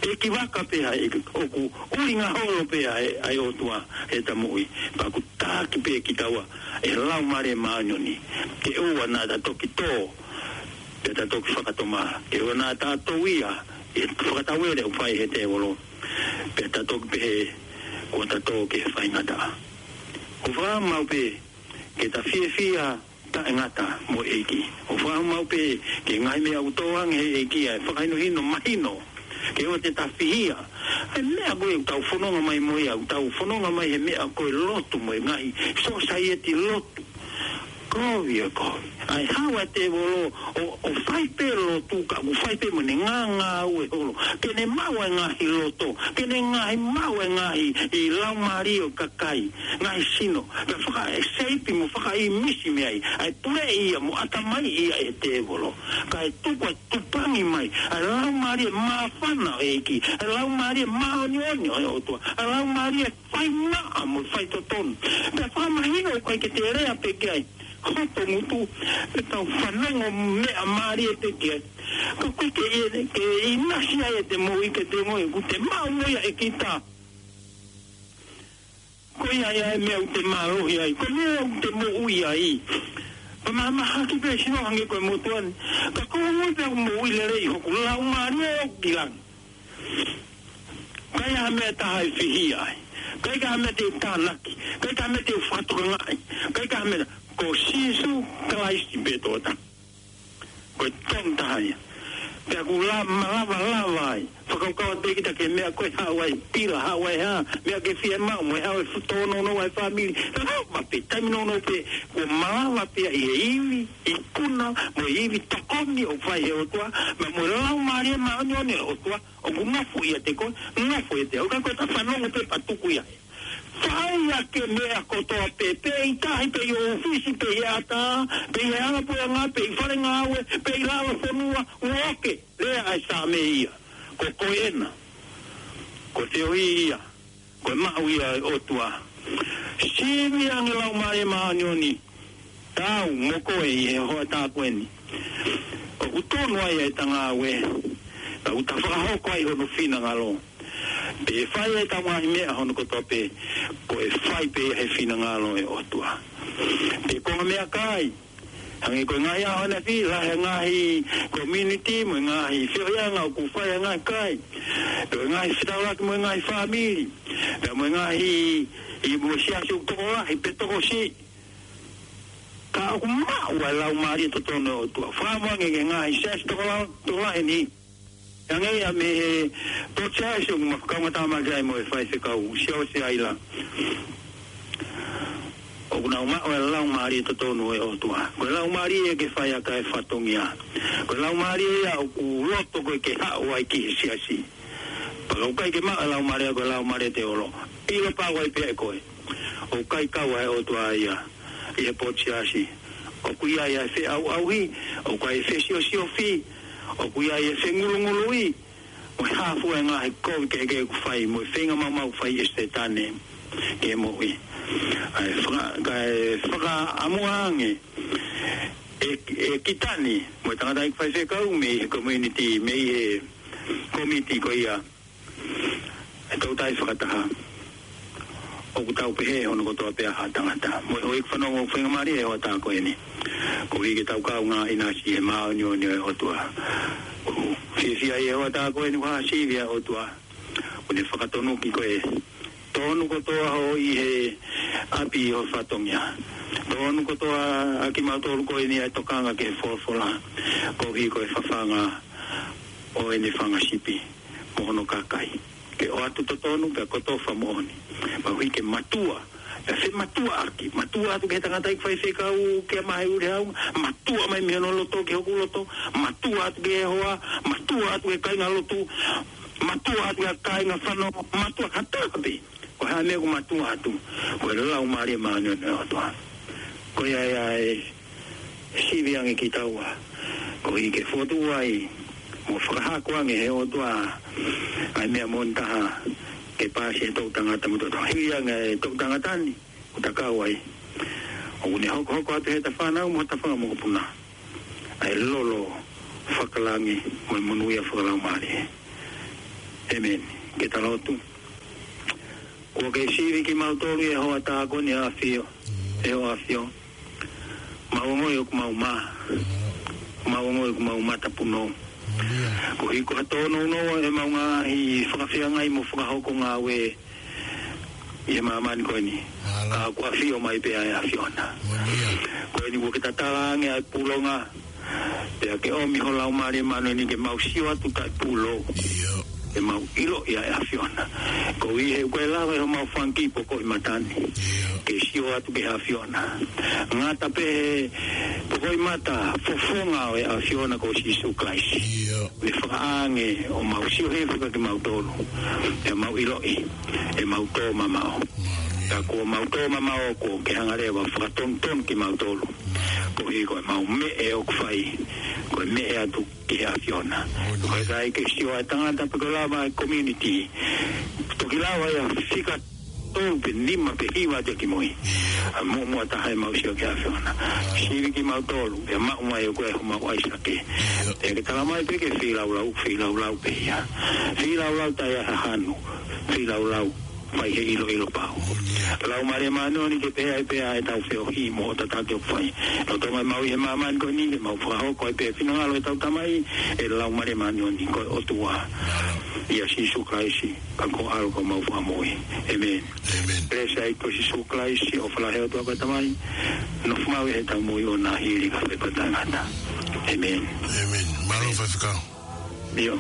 ʻeikivaka pē ʻa e, ʻoku ʻuhinga holo pē ʻa e, ʻa e ʻOtua heʻeta moʻui. Pea ʻoku taki pē kitaua ʻe he Laumālie Māʻoniʻoni. Ke ʻoua naʻa ta toki tō, pea ta toki fakatomala. Ke ʻoua naʻa ta tō ia ʻi he fakatauele ʻoku fai ʻe he tēvolo, pea ta toki pehē kuo ta tō ki he faingataʻa. ʻOku ou fakaʻamu pē ke ta fiefia taʻengata mo e ʻEiki. ʻOku ou fakaʻamu pē ki he ngaahi meʻa ʻoku tō ange ʻe he ʻEiki ʻa e fakahinohino mahino. Ke ʻoua te ta fihia. ʻA e meʻa ko ē ʻoku tau fononga mai mo ia, ʻoku tau fononga mai he meʻa ko e lotu mo e ngaahi society lotu. Kovi ʻa e kovi. ʻA e haʻu ʻa e tēvolo ʻo, ʻo fai pē lotu ka ʻoku fai pē mo ʻene ngāngāue holo. Ke ne maʻu ʻa e ngaahi loto. Ke ne ngaahi maʻu ʻa e ngaahi ʻi laumālie ʻo e kakai. Ngaahi sino. Pea fakaʻeseipi mo fakaʻimisi mei ai ʻa e puleʻi ia mo ʻatamaiʻi ia ʻe he tēvolo. Kae tuku ʻa e tupangi mai ʻa e Laumālie māfana ʻo e ʻEiki, ʻa e Laumālie māʻoniʻoni ʻo e ʻOtua, ʻa e Laumālie fai maʻa mo fai totonu. Pea fakamahino ʻoku ʻikai ke te lea pē ki ai. hoto ngutu, ʻetau fanongo meʻa mālie pē ki ai. Ka ʻoku ʻikai ke ʻi ai, ke ʻinasi ai ʻete moʻui ke te ongoʻi ʻoku te maʻu mo ia ʻe kita. Ko ia ia e meʻa ʻoku te mālohi ai, ko e meʻa ʻoku te moʻui ai. Pea mahaki pē sino hangē ko e motuʻa ni. Ka ko e moʻui pē ʻoku moʻui lelei hoku laumālie ʻoku ki langi. ʻIkai ha meʻa ʻe taha ʻe fihia ai. ʻIkai ha meʻa te u tānaki. ʻIkai ha meʻa te u fakatokangaʻi. ʻIkai ha meʻa, ko Sīsū Kalaisi pē tokotaha. Ko e tokotaha ia. Pea ʻoku la-, malava lava ai. Fakakaukau atu pē kita ki he meʻa ko e haʻu ai pila, haʻu ai hā, meʻa ke fiemaʻu, mo e haʻu e fu-, tōnounou ʻa e fāmili. Lava pē, taimi nounou pē, kuo malava pē ia ʻi he ivi, ikuna, mo e ivi tokoni ʻoku fai he ʻOtua, pea mo e Laumālie Māʻoniʻoni ʻo e ʻOtua, ʻoku nofo ʻiate koe, nofo ʻiate au, ka ko e ta fanongo pē pea tuku ia. Fai ʻaki e meʻa kotoa pē, pe ʻi tahi, pe ʻi ʻōfisi, pe ʻi he ʻatā, pe ʻi he hala puleʻanga, pe ʻi fale ngāue, pe ʻi lalo fonua, ʻoku ʻoke, lea ʻa e Saame ia. Ko koe ena, ko e feohi ia, ko e maʻu ia ʻa e ʻOtua. Sivi ange Laumālie Māʻoniʻoni, tau mo koe ʻi he hoʻatā ko eni. ʻOku tonu ai e ta ngāue, ka ʻoku ta fakahoko ai hono finangalo. Pe fai e ta ngaahi meʻa hono kotoa pē, ko e fai pē he finangalo e ʻOtua. Pe ko e meʻakai, hangē ko e ngaahi ʻaho ʻanefē, lahi e ngaahi community, mo e ngaahi feohiʻanga ʻoku fai e ngaahi kai. Pe ko e ngaahi fetaulaki mo e ngaahi fāmili. Pe mo e ngaahi, ʻi mo e siasi ʻoku tokolahi, pe tokosiʻi. Ka ʻoku maʻu ʻa e Laumālie totonu ʻo e ʻOtua. Fakamoʻoni ki he ngaahi siasi tokola-, tokolahi ni. Hangē ia mei he Potu Siasi ʻoku ma fakaongo tamaki ai mo e faifekau, Siaosi ʻAila. ʻOku nau maʻu ʻa e Laumālie totonu ʻo e ʻOtua. Ko e Laumālie ia ke fai ʻaki e fatongia. Ko e Laumālie ia ʻoku loto koe ke haʻu ai ki he siasi. Pea ka ʻoku ʻikai ke maʻu e Laumālie, ko e Laumālie te olo. ʻIlo pau ai pē ʻe koe. ʻOku ʻikai kau ʻa e ʻOtua ia ʻi he Potu Siasi. ʻOku ʻi ai e feʻauʻauhi, ʻoku ʻi ai e fesiosiofaki, ʻoku ʻi ai e fengulunguluʻi, mo e hā fua e ngaahi kovi kehekehe ʻoku fai, mo e feinga maumau ʻoku fai ʻe Sētane ki he moʻui. ʻA e faka-, kae fakaʻamuʻanga ange ʻe, ʻe kita ni, mo e tangataʻeiki faifekau mei he community, mei he kōmiti ko ia, ʻe toutai fakataha. ʻOku tau pehē hono kotoa pē ʻa e tangata. Mo e houʻeiki fanongo ʻoku faingamālie he hoʻatā ko eni. Koeʻuhi ke tau kaungā ʻinasi he māʻoniʻoni ʻo e ʻOtua. ʻOku fiefia he hoʻatā ko eni ʻoku hā sivi ʻa e ʻOtua. ʻOku ne fakatonuki koe. Tonu kotoa hoʻo ʻi he ʻapi ʻo e fatongia. Tonu kotoa ʻa kimautolu ko eni ʻa e tokanga ki he folofola. Koeʻuhi ko e fafanga ʻo ʻene fanga sipi mo hono kakai. Ke ʻoatu totonu pea kotofa moʻoni. Pea ʻuhi ke matua, pea fematuʻaki, matua atu ki he tangataʻeiki faifekau, ke mahe ule hau, matua mai mei hono loto ki hoku loto, matua atu ki he hoa, matua atu ki he kāingalotu, matua atu ki he kāinga fanongo, matua kātoa pē. Ko e hā e meʻa ʻoku matua atu, ko e Laumālie Māʻoniʻoni ʻo e ʻOtua. Ko ia ia e sivi ange kitaua. Koeʻuhi ke fotu ai, mo fakahako ange he ʻOtua ʻa e meʻa moʻoni taha ke paasi he toʻu tangata mo e toʻu tangata. Hili ange e toʻu tangata ni, ʻoku ta kau ai. ʻOku ne hokohoko atu he ta fānau mo ta fanga mokopuna ʻa e lolo fakalangi mo e monūʻia fakalaumālie. ʻĒmeni. Ke ta lotu. Kuo ke sivi kimautolu he hoʻatā ko eni ʻe ʻAfio, ʻe ʻAfio. Mau ongoʻi ʻoku mau mā. Mau ongoʻi ʻoku mau matapunou. Koeʻuhi ko ha tōnounou ʻemau ngaahi fakafeangai mo fakahoko ngāue ʻi he māmani ko eni. Ka kuo ʻafio mai pē ʻa e ʻAfiona. Ko eni kuo ke tatala ange ʻa e pūlonga. Pea ke ʻomi ho Laumālie Māʻoniʻoni ke mau sio atu kae pulou. Ke mau ʻiloʻi ʻa e ʻAfiona. Koeʻuhi he ʻoku ʻikai lava ʻe homau fanga kiʻi poko ʻi mata ni ke sio atu ki he ʻAfiona. Ngata pē he poko ʻi mata fofonga ʻo e ʻAfiona ko Sīsū Kalaisi. Ne fakaange ʻo mau sio hifo kiate kimautolu. Ke mau ʻiloʻi ʻemau tō mamaʻo. Ka kuo mau tō mamaʻo kuo ke hanga leva fakatonutonu kimautolu. Koeʻuhi ko ʻemau meʻe ʻoku fai, ko e meʻe atu ki he ʻAfiona. Ko e ʻikai ke sio ʻa e tangata pe ko e lava e community. Toki lava ia fika tolu pe nima pe hiva atu ki mui. ʻA, muʻomuʻa taha ʻemau sio ki he ʻAfiona. Sivi kimautolu, ʻe maʻu mai ʻe koe homau ʻAisake. Pea ke tala mai pē ke feilaulau, feilaulau pē ia. Feilaulau taʻe ʻi ai ha hanu, feilaulau fai he ʻiloʻilo pau. Laumālie Māʻoniʻoni ke pehē ai pē ʻetau feohi mo e tataki ʻoku fai. Lolotonga ʻemau ʻi he māmani ko eni, ke mau fakahoko ai pē finangalo ʻetau Tamai, ʻe Laumālie Māʻoniʻoni ko e ʻOtua. ʻIa Sīsū Kalaisi, ka ko e ʻAlo ko homau Fakamoʻui. ʻĒmeni. ʻĒmeni. Pea ʻi he ʻEiki ko Sīsū Kalaisi, ʻofa lahi ʻa e ʻOtua ko e Tamai, nofo maʻu ʻi heʻetau moʻui ʻo nā hili ka fepatangata. ʻĒmeni. ʻĒmeni. Mālō Faifekau. ʻIo.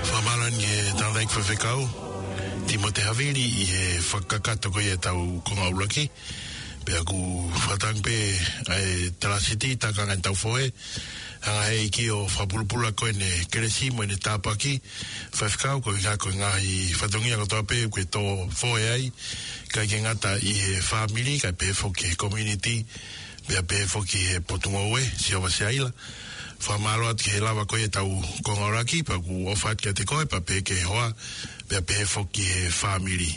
Fakamālō ʻaupito ki he tangataʻeiki Faifekau Tīmote Havili ʻi he fakakakato ko ia ʻetau konga ʻuluaki. Pea ʻoku fakatauange pē ʻa e Talāsiti Tākanga ʻa e Taufohe, hanga ʻe he ʻEiki ʻo fakapulupulu ko ʻene kelesi mo ʻene tāpuaki. Faifekau, ko e ʻuhinga ko e ngaahi fatongia kotoa pē ʻoku ke tō fohe ai, ʻikai ke ngata ʻi he fāmili, kae pehē foki he community, pea pehē foki he potungāue, Sihova Siaila. Fakamālō atu ki he lava ko ia ʻetau konga ʻuluaki, pea ʻoku ʻofa atu kiate koe, pea pehē ki he hoa, pea pehē foki he fāmili.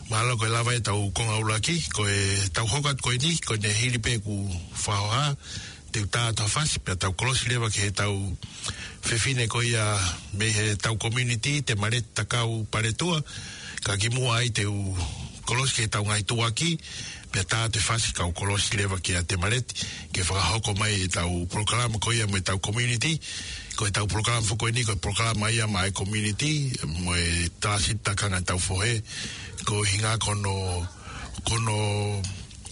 Mālō, ko e lava ʻetau konga ʻuluaki, ko ʻetau hoko atu ko eni, ko ʻene hili pē ʻeku fakahoha, te u tā atu ha fasi, pea tau kolosi leva ki heʻetau fefine ko ia mei heʻetau community, Temaleti Takau Paletua, ka kimuʻa ai te u kolosi ki heʻetau ngaahi tuʻuaki, pea tā atu e fasi kau kolosi leva kia Temaleti, ke fakahoko mai ʻetau polokalama ko ia mo ʻetau community, ko ʻetau polokalama foki ko eni, ko e polokalama ia maʻá e community, mo e Talāsiti Tākanga ʻa e Taufohe, ko e ʻuhinga ko hono, ko hono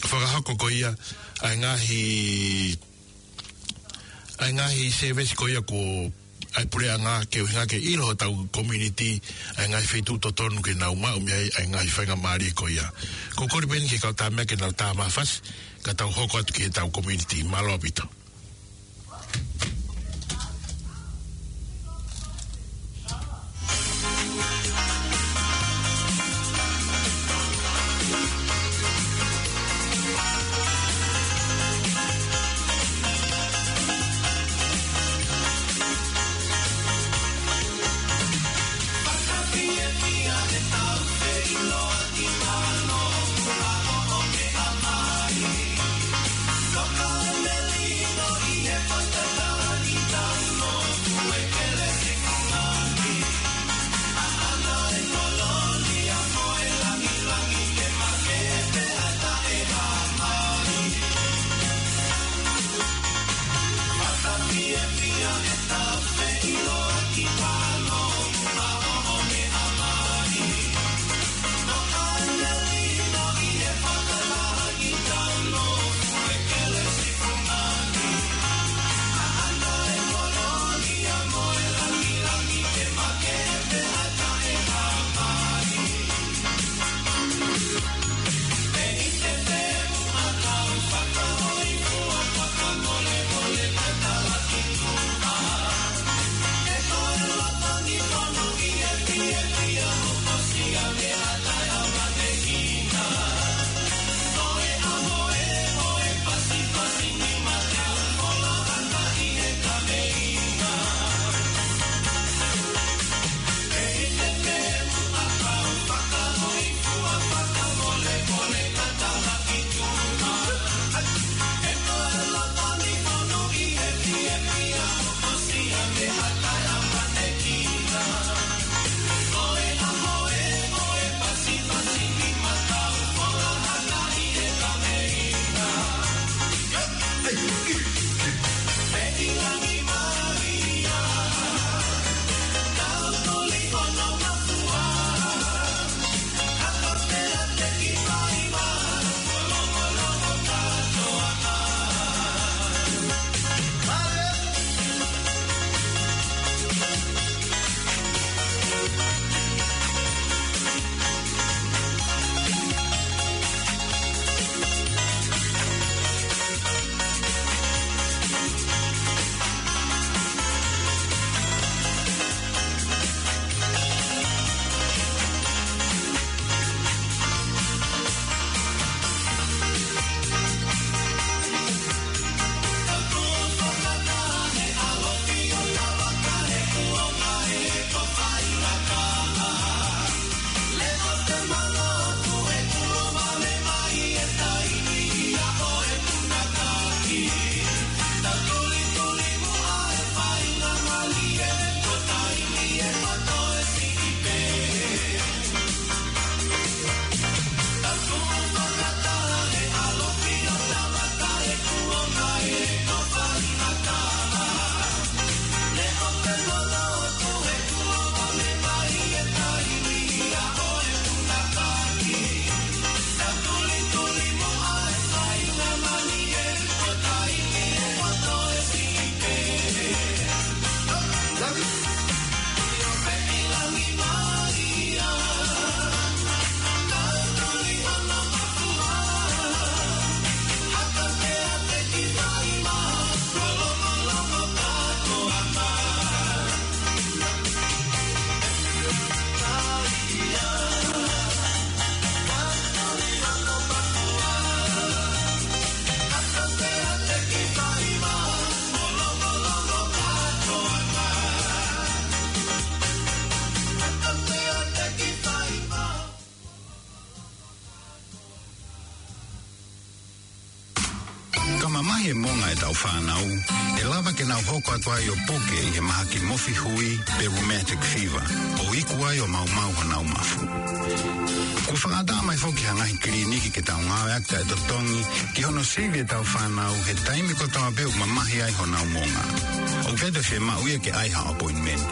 fakahoko ko ia ʻa e ngaahi, ʻa e ngaahi service ko ia ko ʻa e puleʻanga ke ʻuhinga ke ʻilo hotau community, ʻa e ngaahi feituʻu totonu ke nau maʻu mei ai ʻa e ngaahi faingamālie ko ia. Ko e kole pē eni ki he kau Tamea ke nau tā mai ha fasi, ka tau hoko atu ki heʻetau community. Mālō ʻaupito. ʻetau fānau, ʻe lava ke nau hoko atu ai ʻo puke ʻi he mahaki mofi hui pe rheumatic fever, ʻo iku ai ʻo maumau honau mafu. Kuo fakaʻatā mai foki ha ngaahi kiliniki ke tau ngāueʻaki taʻetotongi ki hono sivi ʻetau fānau he taimi kotoa pē ʻoku mamahi ai honau monga. ʻOku ʻikai toe fiemaʻu ia ke ʻai ha appointment.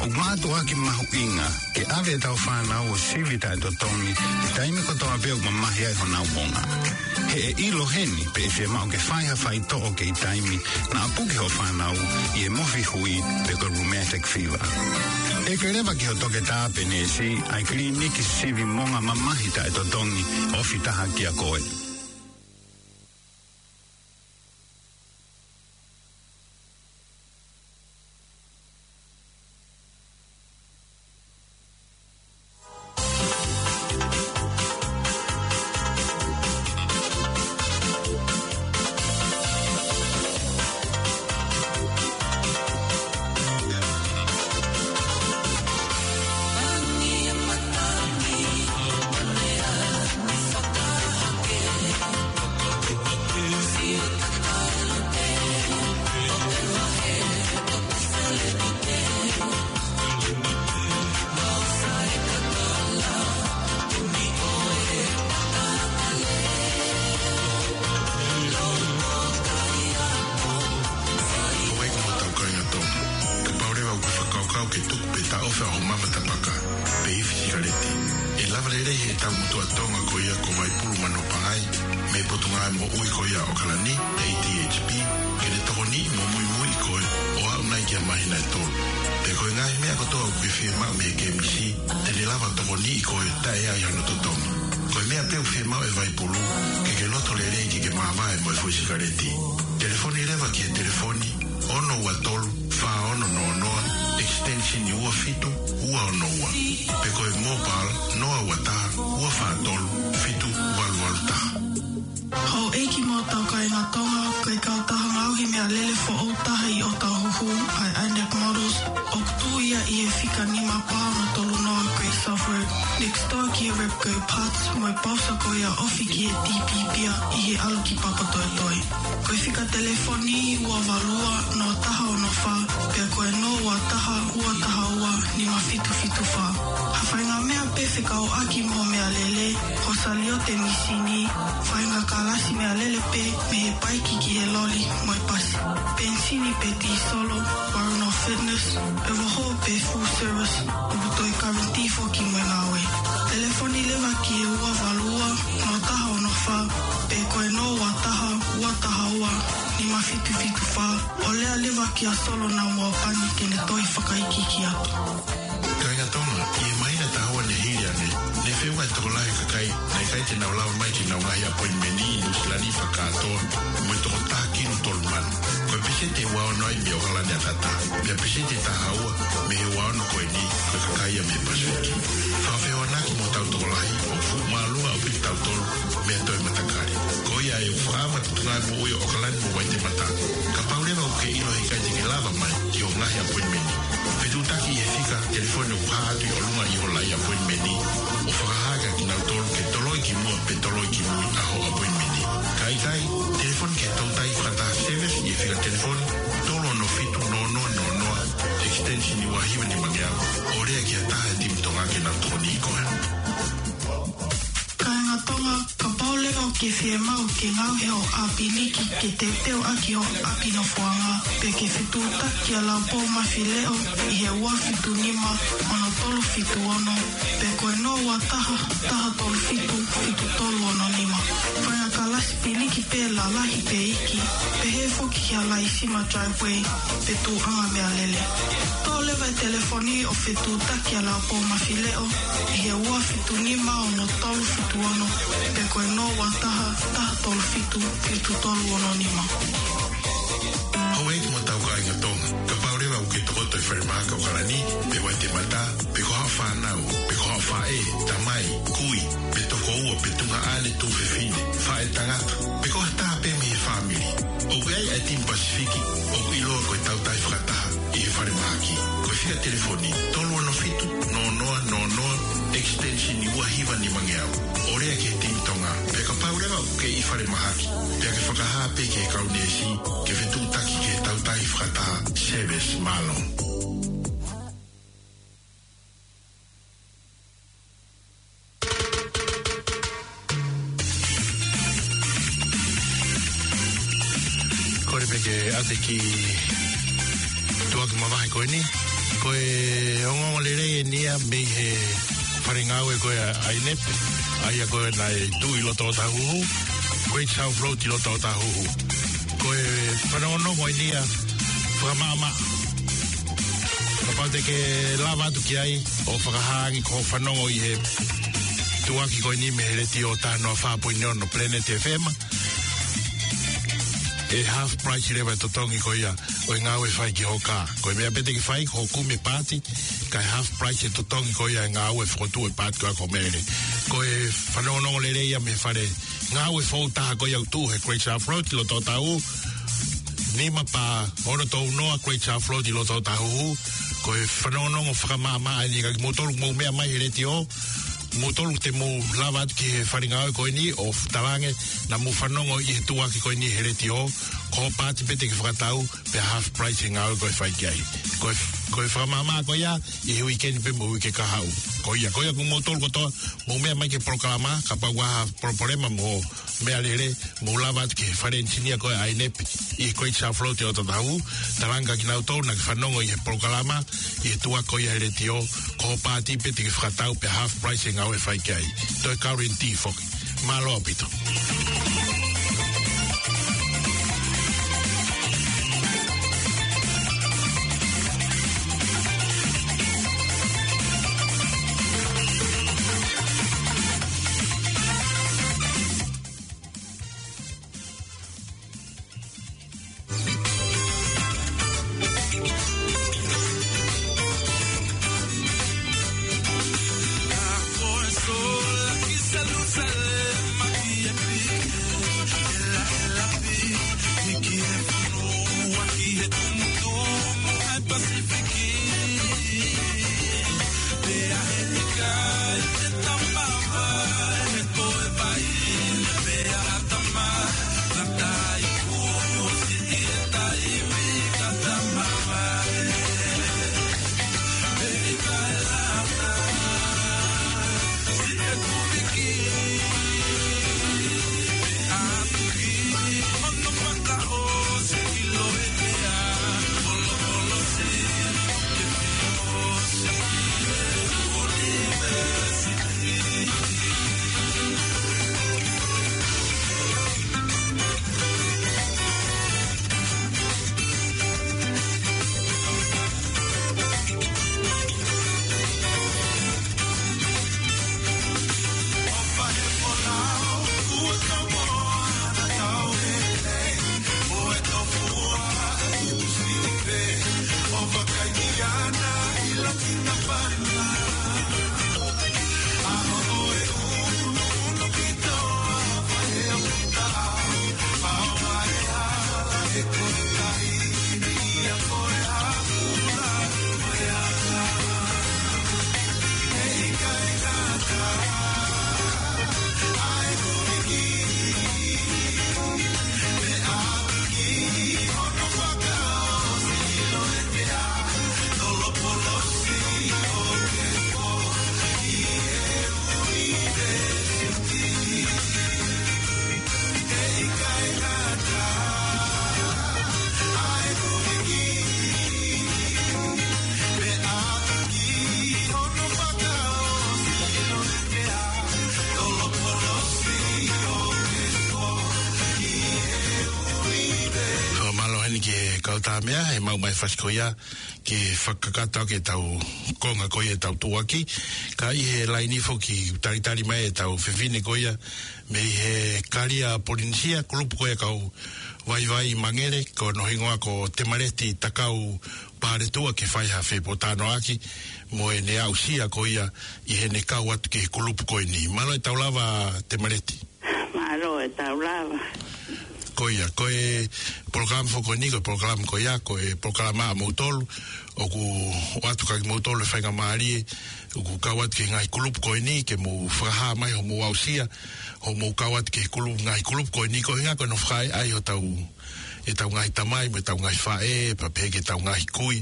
ʻOku mātuʻaki mahuʻinga ke ʻave ʻetau fānau ʻo sivi taʻetotongi he taimi kotoa pē ʻoku mamahi ai honau monga. He ʻe ʻilo heni pe ʻe fiemaʻu ke fai ha faitoʻo kei taimi naʻa puke hoʻo fānau ʻi he mofi hui pe ko e rheumatic fever. ʻEke leva ki ho toketā pe neesi ʻa e kiliniki sivi monga mamahi taʻetotongi ofi taha kiate koe. Houʻeiki mo hotau kāinga Tonga, kapau leva ʻoku ke fakakaukau ke tuku pe taʻofi hoʻo mama tapaka pe ifi sikaleti, ʻe lava lelei he tau motuʻa Tonga ko ia ko Vaipulu Manopangai, mei he Potungāue Moʻui ko ia ʻo ʻOkalani, A D H P, ke ne tokoniʻi mo muimui koe ʻo aʻu nai ki ha māhina ʻe tolu. Pea ko e ngaahi meʻa kotoa ʻoku ke fiemaʻu mei he kemisi, te ne lava tokoniʻi koe taʻe ʻi ai hano totongi. Ko e meʻa pē ʻoku fiemaʻu ʻe Vaipulu, ke ke loto lelei ke ke māvae mo e foʻi sikaleti. Telefoni leva ki he telefoni ono ua tolu fā ono noa noa, extension ua fitu ua ono ua. Pe ko e mobile noa ua taha ua fā tolu fitu valu valu taha. Houʻeiki mo hotau kāinga Tonga, ko e kautaha ngaohi meʻalele foʻou taha ʻi ʻOtahuhu, ʻa e Anek Models, ʻoku tuʻu ia ʻi he fika nima pā ono tolu noa Great South Road, next door ki he Repco Parts, mo e pausa ko ia ofi ki he T P Pia ʻi he ʻalu ki Papatoetoe. Ko e fika telefoni ua valu ua noa taha ono fā, pea ko e noa ua taha ua taha ua nima fitu fitu fā. Ha faʻahinga meʻa pē fekauʻaki mo e meʻalele, ko e saliote mīsini, faʻahinga kalasi meʻalele pē mei he paiki ki he loli mo e pasi. Penisini pe tīsolo, Warano Fitness, ʻe vaho pe full service, ʻoku toe guarantee foki mo e ngāue. Telefoni leva ki he ua valu ua noa taha ono fā, pe ko e noa ua taha ua taha ua nima fitu fitu fā, ʻo lea leva kia Solo Naumua Pani ke ne toe fakaikiiki atu. Kāinga Tonga, ʻi he māhina ʻe taha ua ne hili ange, ne feʻunga e tokolahi e kakai naʻe ʻikai te nau lava mai ki heʻenau ngaahi appointment ʻi Nuʻusila ni fakakātoa, mo e toko taha kilu tolu mano. Ko e peseti ʻe ua ono ai mei ʻOkalani ʻataʻatā, pea peseti ʻe taha ua mei he ua ono ko eni, ko e kakai ia mei he Pasifiki. Fakafehoanaki mo hotau tokolahi, ʻoku fuʻu māʻolunga ʻaupito kitautolu mei ha toe matakali. Ko ia ai ʻoku fakaava e Potungāue Moʻui ʻo ʻOkalani mo Vaitemata. Kapau leva ʻoku ke ʻilo he ʻikai te ke lava mai ki hoʻo ngaahi appointment, fetuʻutaki ʻi he fika telefoni ʻoku hā atu ʻi ʻolunga ʻi ho laʻi appointment, ʻo fakahā kia kinautolu ke toloi ki muʻa pe toloi ki mui ʻa hoʻo appointment. Ka ʻikai, telefoni ki he toutai fakataha service ʻi he fika telefoni tolu ono fitu noa noa noa noa, extension ua hiva nima ngeau, ʻo lea ki ha taha he timi Tonga ke nau tokoniʻi koe. Kāinga Tonga, kapau leva ʻoku ke fiemaʻu ke ngaohi hoʻo ʻāpiliki ke teuteu ʻaki hoʻo ʻapi nofoʻanga, pe ke fetuʻutaki kia Laupou Mafileʻo ʻi he ua fitu nima ono tolu fitu ono, pe ko e noa ua taha taha tolu fitu fitu tolu ono nima. Faʻahinga kalasi piliki pē lalahi pe iiki, pehē foki ki ha laisima driveway pe tuʻuʻanga meʻalele. Toʻo leva e telefoni ʻo fetuʻutaki kia Laupou Mafileʻo ʻi he ua fitu nima ono tolu fitu ono, pe ko e noa ua taha taha tolu fitu fitu tolu ono nima. Houʻeiki mo hotau kāinga Tonga, kapau leva ʻoku ke tokoto ʻi falemahaki ʻOkalani pe Vaitemata, pe ko haʻo fānau, pe ko haʻo faʻē, tamai, kui, pe tokoua, pe tuongaʻane, tuofefine, faʻētangata, pe ko ha taha pē mei he fāmili, ʻoku ʻi ai e timi Pasifiki ʻoku ʻiloa ko e Tautai Fakataha ʻi he falemahaki. Ko e fika telefoni tolu ono fitu noa noa noa noa, extension ua hiva nima ngeau. ʻO lea ki he timi Tonga, pea kapau leva ʻoku ke ʻi fale mahaki, pea ke fakahā pē ki he kau neesi ke fetuʻutaki ki he tautai fakataha service. Mālō. Kole pē ke ʻoatu e kiʻi tuʻuaki mavahe ko eni. Ko e ongoongo lelei eni ia mei he fale ngāue ko ia ʻa INEP, ʻa ia ko ē naʻe tuʻu ʻi loto Ōtāhuhu, Great South Road ʻi loto Ōtāhuhu. Ko e fanongonongo eni ia fakamaʻamaʻa. Kapau te ke lava atu ki ai ʻo fakahā ange ko hoʻo fanongo ʻi he tuʻuaki ko eni mei he letiō taha noa fā poini ono Planet F M, ʻe half price leva e totongi ko ia ʻo e ngāue fai ki ho kā. Ko e meʻa pē te ke fai, ko hoʻo kumi e paati, kae half price e totongi ko ia e ngāue fokotuʻu e paati ko ia ko Mele. Ko e fanongonongo lelei ia mei he fale ngāue foʻou taha ko ia ʻoku tuʻu he Great South Road ʻi loto Ōtāhuhu, nima pā ono tolu noa Great South Road ʻi loto Ōtāhuhu. Ko e fanongonongo fakamaʻamaʻa eni kia kimoutolu ʻoku mou meʻa mai he letiō, moutolu te mou lava atu ki he fale ngāue ko eni ʻo talaange naʻa mou fanongo ʻi he tuʻuaki ko eni he letiō, ko hoʻo paati pē te ke fakatau, pea half price e ngāue ko ē ʻe fai ki ai. Ko e, ko e fakamaʻamaʻa ko ia ʻi he uike ni pea mo e uike kahaʻu. Ko ia, ko ia ʻoku moutolu kotoa mou meʻa mai ki he polokalama, kapau ʻoku ʻi ai ha palopalema mo e meʻalele, mou lava atu ki he fale enisinia ko ia ʻa INEP ʻi Great South Road ʻi loto Ōtāhuhu, talaange kia kinautolu naʻa ke fanongo ʻi he polokalama, ʻi he tuʻuaki ko ia he letiō, ko hoʻo paati pē te ke fakatau pea half price e ngāue ʻe fai ki ai. Toe guarantee foki. Mālō ʻaupito. Fakamālō heni ki he kau tā meʻa, he maʻu mai fasi ko ia, ke fakakakato ʻaki ʻetau konga ko ia ʻetau tuʻuaki. Ka ʻi he laini foki, talitali mai ʻetau fefine ko ia, mei he Kalia Polinisia, kulupu ko ia kau vaivai mangele, ko hono hingoa ko Temaleti Takau Paletua ke fai ha fepōtalanoaʻaki mo ʻene aʻusia ko ia ʻi heʻene kau atu ki he kulupu ko eni. Mālō e tau lava Temaleti. Mālō e tau lava. Ko ia, ko e polokalama foki ko eni, ko e polokalama ko ia, ko e polokalama ʻa moutolu, ʻoku ʻoatu kia kimoutolu e faingamālie, ʻoku kau atu ki he ngaahi kulupu ko eni, ke mou fakahā mai hoʻomou aʻusia, hoʻomou kau atu ki he kulupu, ngaahi kulupu ko eni, ko e ʻuhinga ko hono fakaʻaiʻai hotau, ʻetau ngaahi tamai, mo ʻetau ngaahi faʻē, pea pehē ki heʻetau ngaahi kui,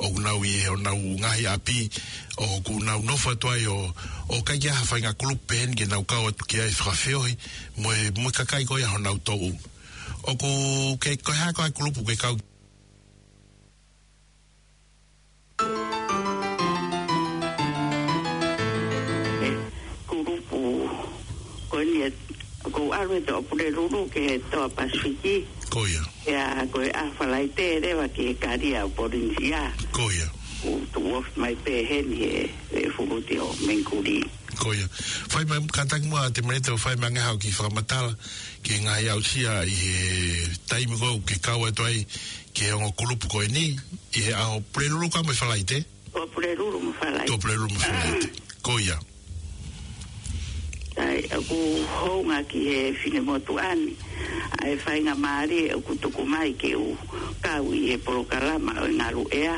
ʻoku nau ʻi honau ngaahi ʻapi, ʻoku nau nofo atu ai ʻo, ʻo ʻikai ke ʻi ai ha faʻahinga kulupu pehē ni ke nau kau atu ki ai fakafeohi, mo e, mo e kakai ko ia honau toʻu. ʻOku ke, ko e hā koā e kulupu ke kau? Kulupu ko eni ē, ʻoku ou ʻalu he Toʻa Pulelulu ki he Toa Pasifiki. Ko ia. Ia, ko e ʻaho Falaite leva ki he Kalia ʻo Polinisia. Ko ia. ʻOku tuʻu ofi mai pē heni he, he fuluti ʻo Mengikuli. Ko ia. Fai mai, kātaki muʻa Tēmēneta ʻo fai mai ange haʻo kiʻi fakamatala ki he ngaahi aʻusia ʻi he taimi ko ē ʻoku ke kau atu ai ki he ongo kulupu ko eni, ʻi he ʻaho Pulelulu ka mo e Falaite? Toʻa Pulelulu mo Falaite. Toʻa Pulelulu mo Falaite. Ko ia. ʻAi, ʻoku hounga ki he finemotuʻa ni ʻa e faingamālie ʻoku tuku mai ke u kau ʻi he polokalama ʻo e ngaluʻea.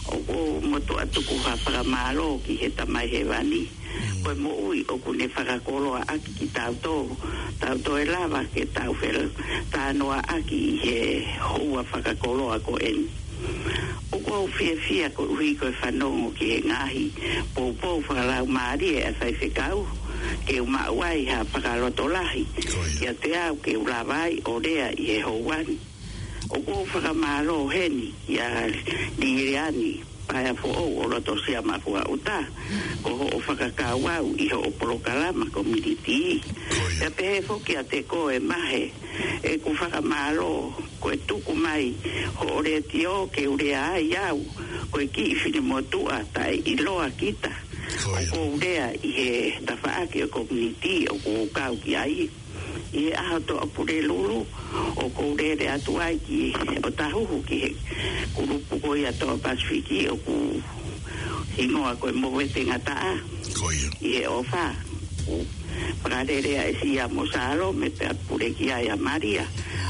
ʻOku ou motuʻa tuku ha fakamālō ki he Tamai Hēvani. Mm. Ko e moʻui ʻoku ne fakakoloaʻaki kitautolu, tau toe lava ke tau fela tānoaʻaki ʻi he houa fakakoloa ko eni. ʻOku ou fiefia koeʻuhi ko e fanongo ki he ngaahi poupou fakalaumālie ʻa e faifekau, ke u maʻu ai ha fakalotolahi. Ko ia. Kiate au ke u lava ai ʻo lea ʻi he houa ni. ʻOku ou fakamālō heni kia Liliani Paea Foʻou ʻo Lotosia Mafuaʻuta, ko hoʻo fakakau au ʻi hoʻo polokalama kominitī. Ko ia. Pea pehē foki kiate koe Mahe, ʻeku fakamālō ko e tuku mai hoʻo letiō ke u lea ai au, ko e kiʻi finemotuʻa taʻeʻiloa kita. Ko ia. ʻOku ou lea ʻi he tafaʻaki ʻo e kominitī ʻoku ou kau ki ai. ʻI he ʻaho Toʻa Pulelulu, ʻoku ou lele atu ai ki ʻOtahuhu ki he kulupu ko ia Toa Pasifiki ʻoku hingoa ko e Movete Ngataʻa. Ko ia. ʻI he ʻofa, ʻoku fakalele ai ʻe Sia mo Salome pea pule ki ai ʻa Malia.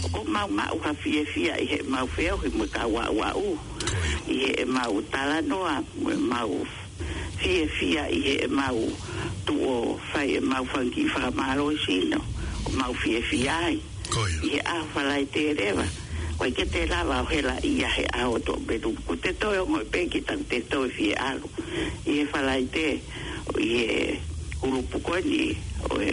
ʻOku mau maʻu ha fiefia ʻi heʻemau feohi mo e kau aʻuaʻu. Ko ia. ʻI heʻemau talanoa mo ʻemau fiefia ʻi heʻemau tuʻu ʻo fai ʻemau fanga kiʻi fakamālohisino, ʻoku mau fiefia ai. Ko ia. ʻI he ʻaho Falaite leva, ʻoku ʻikai ke te lava ʻo hela ia he ʻaho Toʻa Pulelulu. ʻOku te toe ongoʻi pē kita ʻoku te toe fie ʻalu. ʻI he Falaite, ʻi he kulupu ko eni, ʻo e,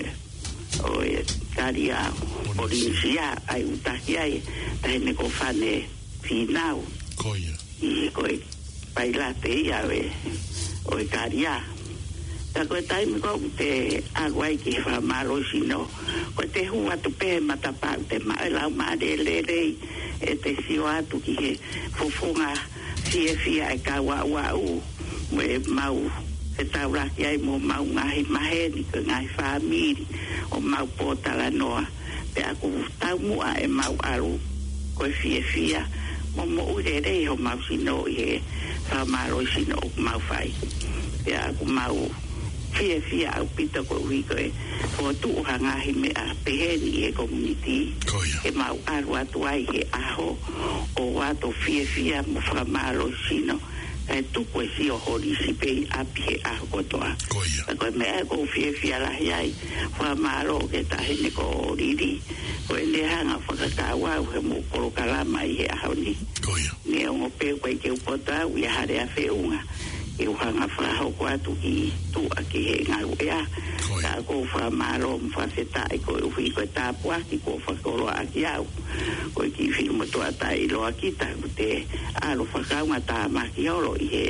ʻo e Kalia Polinisia, ʻa ia ʻoku taki ai, Taʻahine ko Fane Fīnau. Ko ia. ʻI he ko e pailate ia ʻo e, ʻo e Kalia. Ka ko e taimi ko ē ʻoku te ʻalu ai ki he fakamālohisino, ko e te hū atu pē he matapā ʻoku te maʻu e laumālie lelei, ʻe te sio atu ki he fofonga fiefia e kau aʻuaʻu, mo ʻemau fetaulaki ai mo homau ngaahi maheni, ko e ngaahi fāmili, ʻo mau pōtalanoa. Pea ʻoku taumuʻa ʻemau ʻalu ko e fiefia mo moʻui lelei homau sino ʻi he fakamālohisino ʻoku mau fai. Pea ʻoku mau fiefia ʻaupito koeʻuhi ko e fokotuʻu ha ngaahi meʻa pehē ni ʻi he kominitī. Ko ia. Ke mau ʻalu atu ai he ʻaho ʻo ʻoatu fiefia mo fakamālohisino, kae tuku e sio holisi pē ʻi ʻapi he ʻaho kotoa. Ko ia. Ka ko e meʻa ʻoku ou fiefia lahi ai, fakamālō ki he Taʻahine ko Lili, ko ʻene hanga fakakau au heʻemau polokalama ʻi he ʻaho ni. Ko ia. Neongo pē ʻoku ʻikai ke u poto au ʻi ha lea feʻunga, ke u hanga fakahoko atu ki tuʻa ki he ngaluʻea. Ko ia. Ka ʻoku ou fakamālō mo fakafetaʻi koeʻuhi ko e tāpuaki kuo fakakoloaʻaki au. Ko e kiʻi finemotuʻa taʻeʻiloa kita, ʻoku te ʻalu fakaungatāmaki holo ʻi he,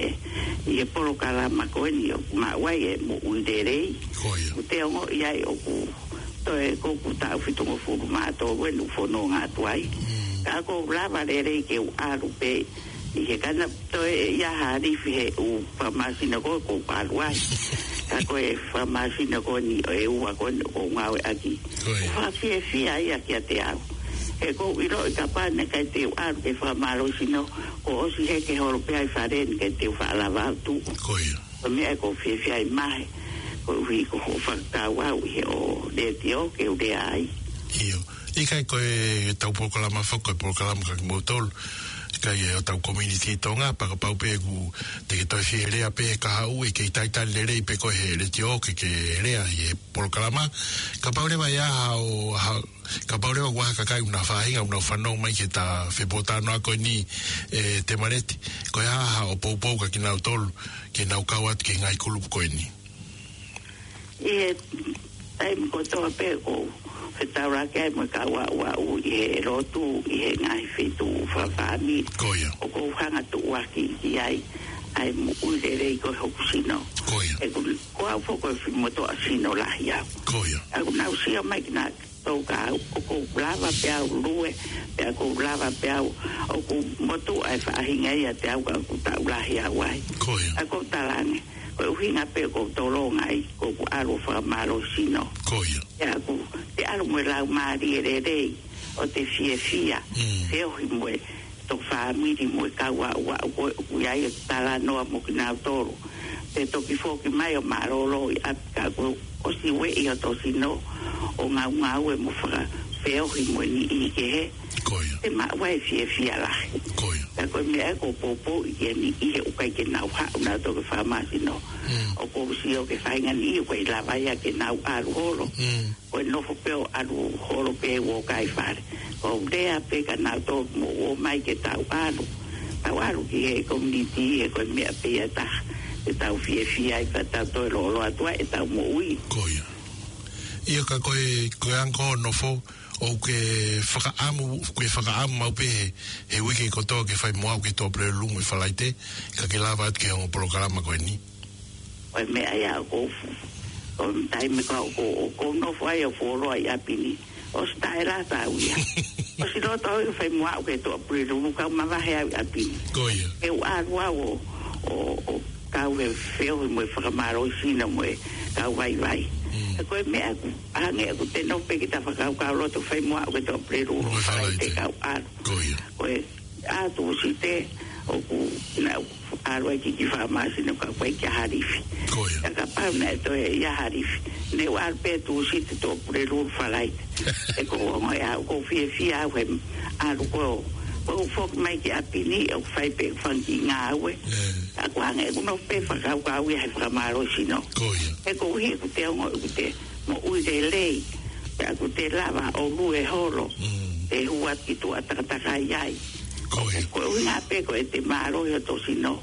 ʻi he polokalama ko eni ʻoku maʻu ai e moʻui lelei. Ko ia. ʻOku te ongoʻi ai ʻoku toe, ko ʻeku taʻu fitungofulu mā tolu eni ʻoku fononga atu ai. Mm. Ka ʻoku ou lava lelei ke u ʻalu pē ʻi he kana toe ʻi ai ha lifi he ʻū fakamālohisino ko ē ʻoku ou ʻalu ai. Ka ko e fakamālohisino ko eni ʻe ua ko eni ʻoku ou ngāueʻaki. Ko ia. Fakafiefia ia kiate au. He ʻoku ou ʻiloʻi kapau naʻe ʻikai te u ʻalu ki he fakamālohisino, kuo ʻosi heke holo pē ʻa e fale ni kae te u faʻa lava atu. Ko ia. Ko e meʻa ʻoku ou fiefia ai Mahe, koeʻuhi ko hoʻo fakakau au ʻi he ʻū letiō ke u lea ai. ʻIo. ʻIkai ko ʻetau polokalama foki, ko e polokalama kia kimoutolu. ʻIkai ʻe hotau community Tonga, pea kapau pē ʻoku te ke toe fie lea pē he kahaʻu, ʻe kei talitali lelei pē koe he letiō ke ke lea ʻi he polokalama. Kapau leva ʻe ʻi ai ha, kapau leva ʻoku ʻi ai ha kakai ʻoku nau faʻahinga, ʻoku nau fanongo mai ki heʻeta fepōtalanoa ko eni, ʻe Temaleti, ko e hā haʻo poupou kia kinautolu, ke nau kau atu ki he ngaahi kulupu ko eni. ʻI he taimi kotoa pē ʻoku ou fetaulaki ai mo e kau aʻuaʻu ʻi he lotu, ʻi he ngaahi feituʻu fakafāmili. Ko ia. ʻOku ou hanga ʻo tuʻuaki ki ai ʻa e moʻui lelei ko ē hoku sino. Ko ia. ʻOku, ko au foki ko e fuʻu motuʻa sino lahi au. Ko ia. ʻOku nau sio mai kinautolu kia au, ʻoku ou lava pē au ʻo lue, pea ʻoku ou lava pē au, ʻoku motuʻa e faʻahinga ʻiate au ka ʻoku taʻu lahi au ai. Ko ia. ʻOku ou talaange, ko e ʻuhinga pē ʻoku ou tolonga ai, ko ʻeku ʻalu ʻo fakamālohisino. Ko ia. Pea ʻoku te ʻalu mo e laumālie lelei, ʻo te fiefia, Mm. feohi mo e toko fāmili mo e kau aʻuaʻu ko ē ʻoku ʻi ai ʻo talanoa mo kinautolu. Te toki foki mai ʻo mālōlō ʻi ʻapi ka kuo ʻosi ueʻi hoto sino ʻo ngaungaue mo fakafeohi mo e niʻihi kehe. Ko ia. Te maʻu ai e fiefia lahi. Ko ia. Ka ko e meʻa ē ʻoku ou poupouʻi ki he niʻihi ʻoku ʻikai ke nau haʻu nautolu ki he fakamālohisino. Mm. ʻOku ou sio ki he faʻahinga niʻihi ʻoku ʻikai lava ia ke nau ʻalu holo. Mm. Ko e nofo pē ʻo ʻalu holo pē ʻo kai fale. ʻOku ou lea pē kia nautolu mou ō mai ke tau ʻalu. Tau ʻalu ki he community he ko e meʻa pē ia ʻe taha. Ke tau fiefia ai pea tau toe lōloa atu ai ʻetau moʻui. Ko ia. ʻIo ka ko e, ko e anga hoʻo nofo, ʻoku ke fakaʻamu, ke fakaʻamu maʻu pē he, he uike kotoa ke fai mo au ke tō pule lumu e Falaite, ka ke lava atu ki he ongo polokalama ko eni. Ko e meʻa ia ʻoku ou fu-, ko e taimi ko ē ʻoku ou, ʻoku ou nofo ai ʻo fuoloa ʻi ʻapi ni. ʻOsi taʻelata au ia. ʻOsi loto au ia fai mo au ke tō pule lumu kau mavahe au ʻi ʻapi ni. Ko ia. Ke u ʻalu au ʻo, ʻo, ʻo kau he feohi mo e fakamālohisino mo e kau vaivai. Mm. Ko e meʻa ʻoku, hangē ʻoku te nofo pē kita fakakaukau loto fai mo au ke tō pule lumu Mo e Falaite Falaite. Kau ʻalu. Ko ia. Ko e ʻa Tūsite, ʻoku, naʻa ku ʻalu ai ki he kiʻi fakamālohisino ka ʻoku ʻikai ke ʻi ai ha lifi. Ko ia. Ka kapau naʻe toe ʻi ai ha lifi, ne u ʻalu pē Tūsite tō pule lumu Falaite. ʻOku ou ongoʻi au, ʻoku ou fiefia au he ʻalu ko ē. ʻOku ou foki mai ki ʻapi ni, ʻoku fai pē ʻeku fanga kiʻi ngāue. ʻE. Ka ʻoku hangē ʻoku nofo pē fakakaukau ia he fakamālohisino. Ko ia. He koeʻuhi ʻoku te ongoʻi ʻoku te moʻui lelei, pea ʻoku te lava ʻo lue holo, Mm. te hū atu ki tuʻa takatakai ai. Ko ia. Ko e ʻuhinga pē ko ʻete mālohi hoto sino,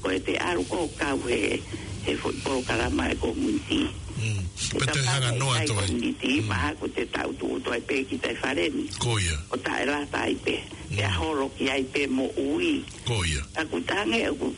ko ʻete ʻalu ko ē ʻo kau he, he foʻi polokalama ʻa e community. Mm. Pea te hanga noa atu ai. Community, Mm. mahalo ʻoku te tau tuʻu atu ai pē kita ʻi fale ni. Ko ia. ʻO taʻelata ai pē. Pea Mm. holo ki ai pē moʻui. Ko ia. ʻOku hangē ʻoku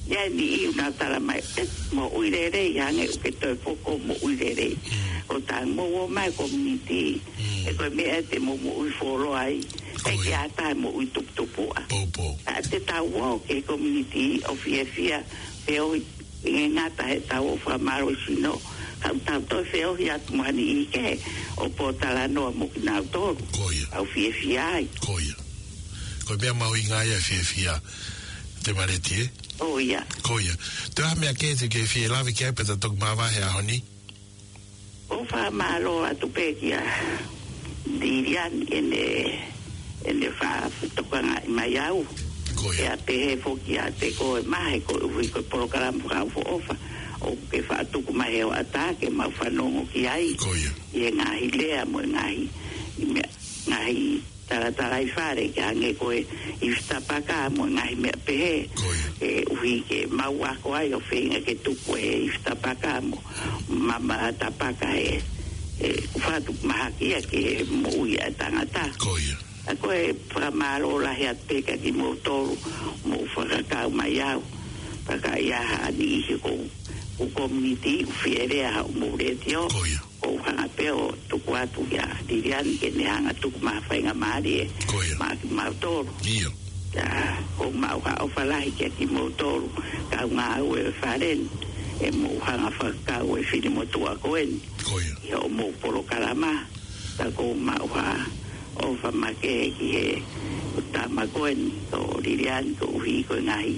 ʻi ai e niʻihi ʻoku nau tala mai, ʻe, moʻui lelei, hangē ʻoku ke toe foki ʻo moʻui lelei. Mm. ʻO tau mou ō mai community, Mm. ʻe ko e meʻa ʻete mou moʻui fuoloa ai, Ko ʻikai ke ia. ʻi ai ha taha moʻui tuputupuʻa. Poupou. Ka te tau ō ki he community, ʻo fiefia, feohi, ʻikai ngata heʻetau ō fakamālohisino, ka tau toe feohi atu mo ha niʻihi kehe, ʻo pōtalanoa mo kinautolu. Ko ia. ʻOku ou fiefia ai. Ko ia. Ko e meʻa mahuʻinga ia e fiefia, Temaleti, ē? ʻO ia. Ko ia. Toe ʻi ai ha meʻa kehe te ke fie lave ki ai pea ta toki māvae he ʻaho ni? ʻOku ou fakamālō atu pē kia Lilian ʻene, ʻene fakatokangaʻi mai au. Ko ia. Pea pehē foki kiate koe Mahe koeʻuhi ko e polokalama fakaʻofoʻofa ʻoku ke faʻa tuku mai he hoʻatā ke mau fanongo ki ai. Ko ia. ʻI he ngaahi lea mo e ngaahi, ʻi meʻa, ngaahi talatalaifale ke hangē ko e ifi tapaka mo e ngaahi meʻa pehē. Ko ia. ʻE ʻuhi ke mau ako ai ʻo feinga ke tuku e ifi tapaka mo mama tapaka he, he ʻoku faʻa tuku mahaki ia ki he moʻui ʻa e tangata. Ko ia. ʻA ko e fakamālō lahi atu pē kia kimoutolu mou fakakau mai au. Pea ka ʻi ai ha niʻihi ʻoku, ʻoku community ʻoku fie lea haʻamou letiō. Ko ia. ʻOku ou hanga pē ʻo tuku atu kia Lilian ke ne hanga tuku mai ha faingamālie Ko ia. maʻa kimautolu. ʻIo. Pea ʻoku ou maʻu ha ʻofa lahi kia kimoutolu kau ngāue ʻo e fale ni, ʻe mou hanga fakakau e fili motuʻa ko eni. Ko ia. ʻI hoʻomou polokalama, pea ʻoku ou maʻu ha ʻofa makehe ki he tama ko eni, ko Lilian, koeʻuhi ko e ngaahi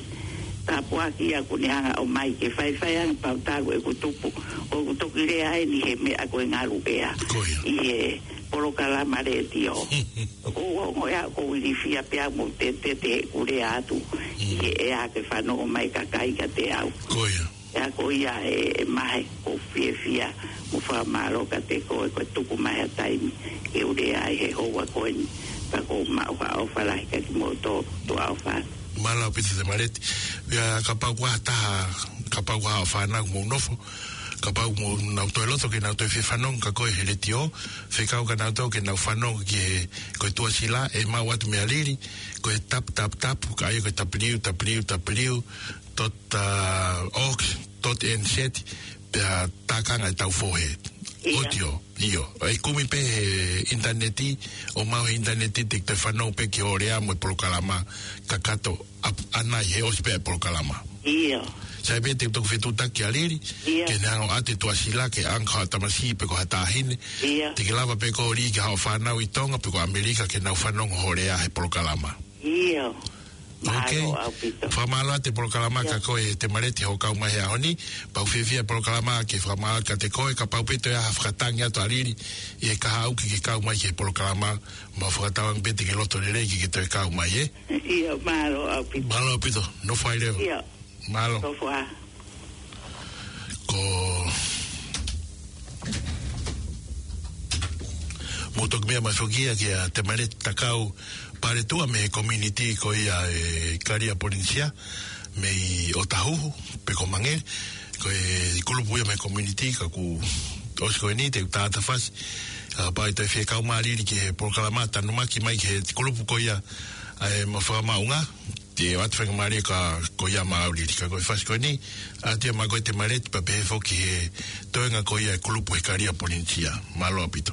tāpuaki ia ʻoku ne hanga ʻo ʻomai ke faifai ange pau talu ʻeku tupu, ʻoku toki lea eni he meʻa ko e ngalu ʻea. Ko ia. ʻI he polokalama letiō. ʻOku ou ongoʻi ʻoku ou ilifia pea mo te, te, te kule atu. ʻI he ʻea ke fanongo mai kakai kiate au. Ko ia. ʻA ia ko ia e, e mahe ʻoku ou fiefia mo fakamālō kiate koe ko e tuku mai ha taimi ke u lea ai he houa ko eni. Pea ʻoku ou maʻu ha ʻofa lahi kiate kimoutolu, tuʻa ʻofa. Mālō ʻaupito Temaleti. Ia kapau ʻoku ʻi ai ha taha, kapau ʻoku ʻi ai ha fānau ʻoku mou nofo, kapau ʻoku nau toe loto ke nau toe fie fanongo kia koe he letiō, fekau kia nautolu ke nau fanongo ki he, ko e tuʻasila, ʻe maʻu atu mei a Lili, ko e tap, tap, tap, ka ʻai ko e W W W dot org dot N Z, pea tākanga ʻetau fohe. ʻIo. ʻOtiō, ʻio. ʻE kumi pē he ʻinitaneti, ʻo maʻu he ʻinitaneti te ke fanongo pē ki hoʻo lea mo e polokalama kakato ʻa, ʻanai he ʻosi pē ʻa e polokalama. ʻIo. Sai pē te u toki fetuʻutaki kia Lili, ʻio, ke ne hanga ʻo ʻoatu e tuʻasila ki he ʻaonga ʻo ha tamasiʻi pe ko ha taʻahine. ʻIo. Te ke lava pē koe Lili ki haʻo fānau ʻi Tonga pe ko ʻAmelika ke nau fanongo hoʻo lea he polokalama. ʻIo. Ok. Mālō ʻaupito. Fakamālō atu e polokalama, ʻio, kia koe Temaleti hoʻo kau mai he ʻaho ni. Pea ʻoku fiefia e polokalama ke fakamālō kiate koe, kapau pē toe ʻi ai ha fakatangi atu ʻa Lili ʻi he kahaʻu ke ke kau mai ki he polokalama, mau fakatauange pē te ke loto lelei ke ke toe kau mai, ē? ʻIo, mālō ʻaupito. Mālō ʻaupito, nofo ā leva. ʻIo. Mālō. Nofo ā. Ko mou toki meʻa mai foki ia kia Temaleti Takau Paletua mei he community ko ia ʻi Kalia Polinisia, mei ʻOtahuhu, pe ko Mangere, ko e kulupu ia mei he community, ka kuo ʻosi ko eni, te u tātafasi, ā, pea ʻe toe fie kau mai Lili ki he polokalama, tanumaki mai ki he kulupu ko ia, ʻa e Maʻu Fakamaauʻanga, te u ʻoatu faingamālie kia koe ia Maʻau Lili, ka ko e fasi ko eni, ʻoatu ia maʻa koe Temaleti pea pehē foki he toenga ko ia e kulupu he Kalia Polinisia. Mālō ʻaupito.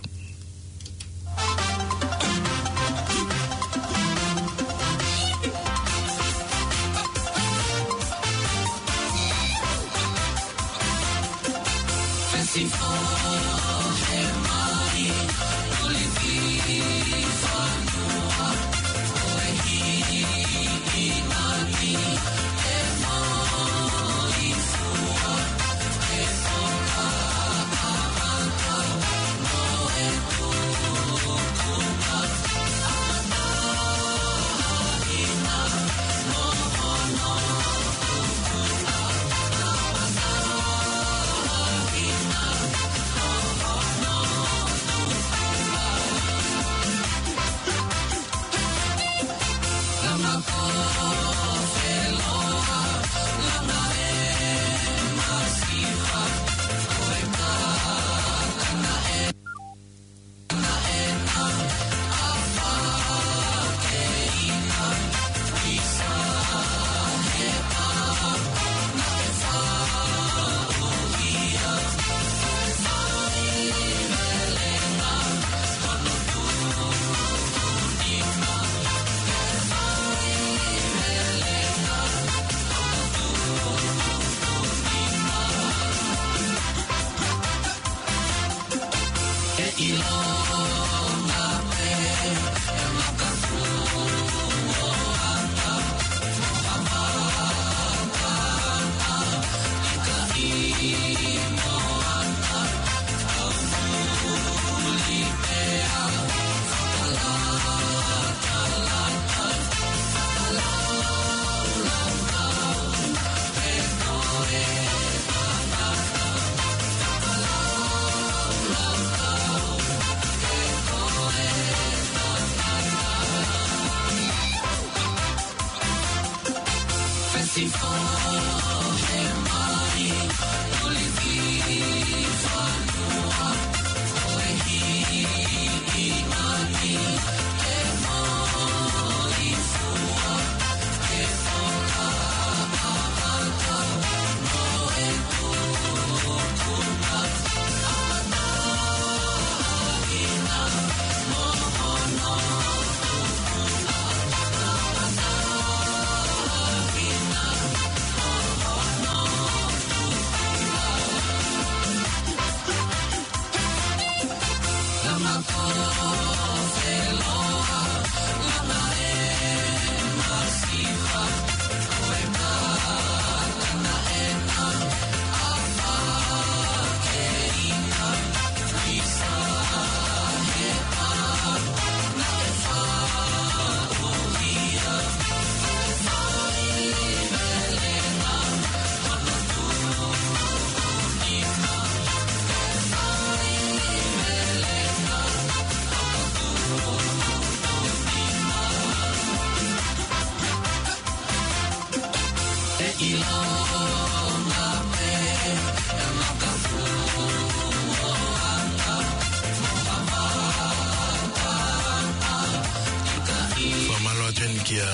Fakamālō atu eni kia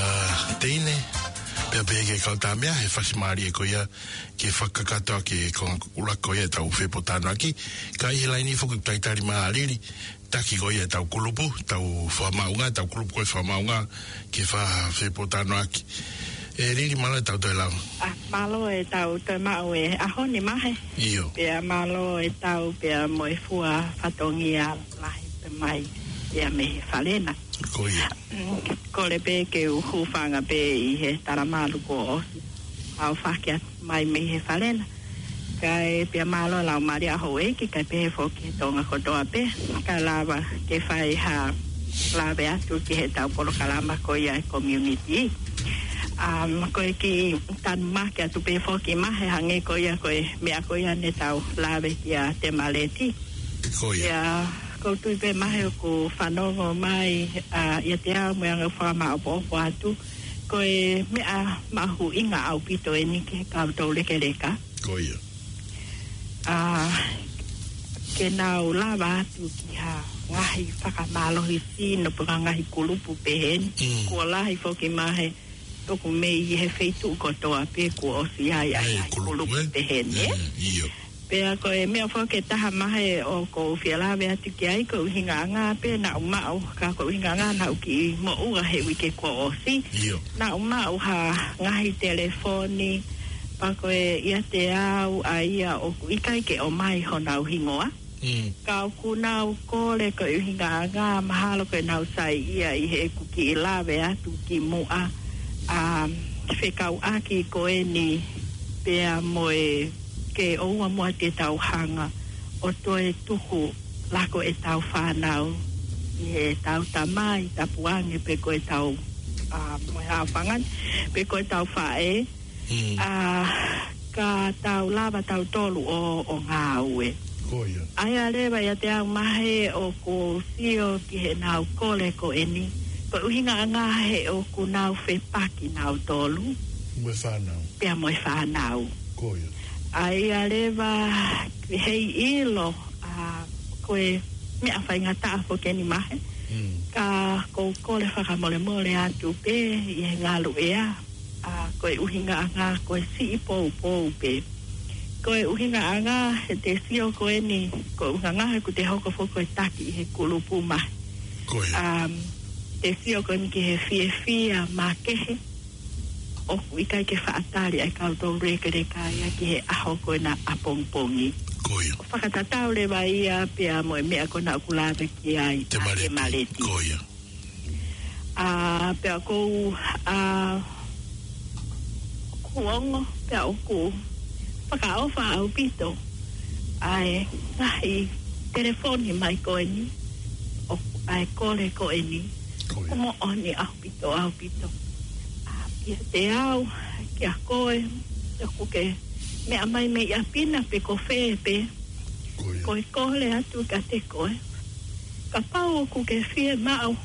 Teine, pea pehē ki he kau tāmea, he fasimālie ko ia ke fakakakato ʻaki e konga ʻuluaki ko ia ʻetau fepōtalanoaʻaki, ka ʻi he laini foki ʻoku talitali mai ʻa Lili, taki ko ia ʻetau kulupu, tau fakamaʻunga, tau kulupu ko e fakamaʻunga, ke fa-, fepōtalanoaʻaki. ʻE Lili, mālō ʻetau toe lava. ʻA, mālō ʻetau toe maʻu e ʻaho ni Mahe. ʻIo. Pea mālō ʻetau pea mo e fua fatongia lahi pē mai ia mei he Falena. Ko ia. Mm, kole pē ke u hūfanga pē ʻi he talamalu kuo ʻosi aofaki atu mai mei he Falena. Kae pea mālō e laumālie ʻa houʻeiki, kae pehē foki Tonga kotoa pē, ka lava ke fai ha lave atu ki heʻetau polokalama ko ia e community. Um, ko e kiʻi tanumaki atu pē foki Mahe, hangē ko ia ko e meʻa ko ia ne tau lave kia Temaleti. Ko ia. Ia, ʻoku ou tui pē Mahe ʻoku fanongo mai, ʻa, ʻiate au mo e anga fakamaʻopoʻopo atu. Ko e meʻa mahuʻinga ʻaupito eni ki he kau toulekeleka. Ko ia. ʻA, ke nau lava atu ki ha ngaahi fakamālohisino pe ko ha ngaahi kulupu pehē ni. Mm. Kuo lahi foki Mahe, ʻoku mei he feituʻu kotoa pē kuo ʻosi ʻi ai ʻa e ngaahi kulupu, kulupu, eh? Pehē ni, eh? Mm, ʻio. Pea ko e meʻa foki ʻe taha Mahe ʻoku ou fie lave atu ki ai, ko e ʻuhingaʻanga pē naʻa ku maʻu, ka ko e ʻuhingaʻanga naʻa ku kiʻi moʻua he uike kuo ʻosi. ʻIo. Naʻa ku maʻu ha ngaahi telefoni, pea ko e ʻiate au ʻa ia ʻoku ʻikai ke ʻomai honau hingoa. Mm. Ka ʻoku nau kole ko e ʻuhingaʻanga mahalo ko ʻenau saiʻia ʻi heʻeku kiʻi lave atu kimuʻa, ʻa, fekauʻaki ko eni pea mo e ke ʻoua muʻa te tau hanga ʻo toe tuku lako ʻetau fānau ʻi heʻetau tamai, tapuange pe ko ʻetau, ʻa, mo e haʻofanga ni, pe ko ʻetau faʻē, Mm. ʻA, ka tau lava tautolu ʻo, ʻo ngāue. Ko ia. ʻA ia leva ʻiate au Mahe ʻoku ou sio ki heʻenau kole ko eni. Ko e ʻuhingaʻanga he ʻoku nau fepaki nautolu. Mo e fānau. Pea mo e fānau. Ko ia. ʻA ia leva heiʻilo, ʻa, ko e meʻa faingataʻa foki eni Mahe. Mm. Ka ʻoku ou kole fakamolemole atu pē ʻi he ngaluʻea. ʻA, ko e ʻuhingaʻanga, ko e siʻi poupou pē. Ko e ʻuhingaʻanga, he te sio ko eni, ko e ʻuhingaʻanga, he ʻoku te hoko foki ko e taki ʻi he kulupu Mahe. Ko ia. Um, te sio ko eni ki he fiefia makehe, ʻoku ʻikai ke faʻa tali ʻa e kau toulekeleka ia ki he ʻaho ko ena ʻapongipongi. Ko ia. ʻO fakatatau leva ia pea mo e meʻa ko ena ʻoku lave ki ai ʻa Temaleti. Temaleti. Ko ia. ʻA, pea ʻoku ou, ʻa, ʻoku ou ongo, pea ʻoku fakaʻofa ʻaupito ʻa e ngaahi telefoni mai ko eni, ʻo, ʻa e kole ko eni. Ko ia. ʻOku moʻoni ʻaupito, ʻaupito. ʻA, ʻiate au, kia koe, ʻoku ke meʻa mai mei ʻapi na pe ko fē pē. Ko ia. Ko e kole atu kiate koe. Kapau ʻoku ke fiemaʻu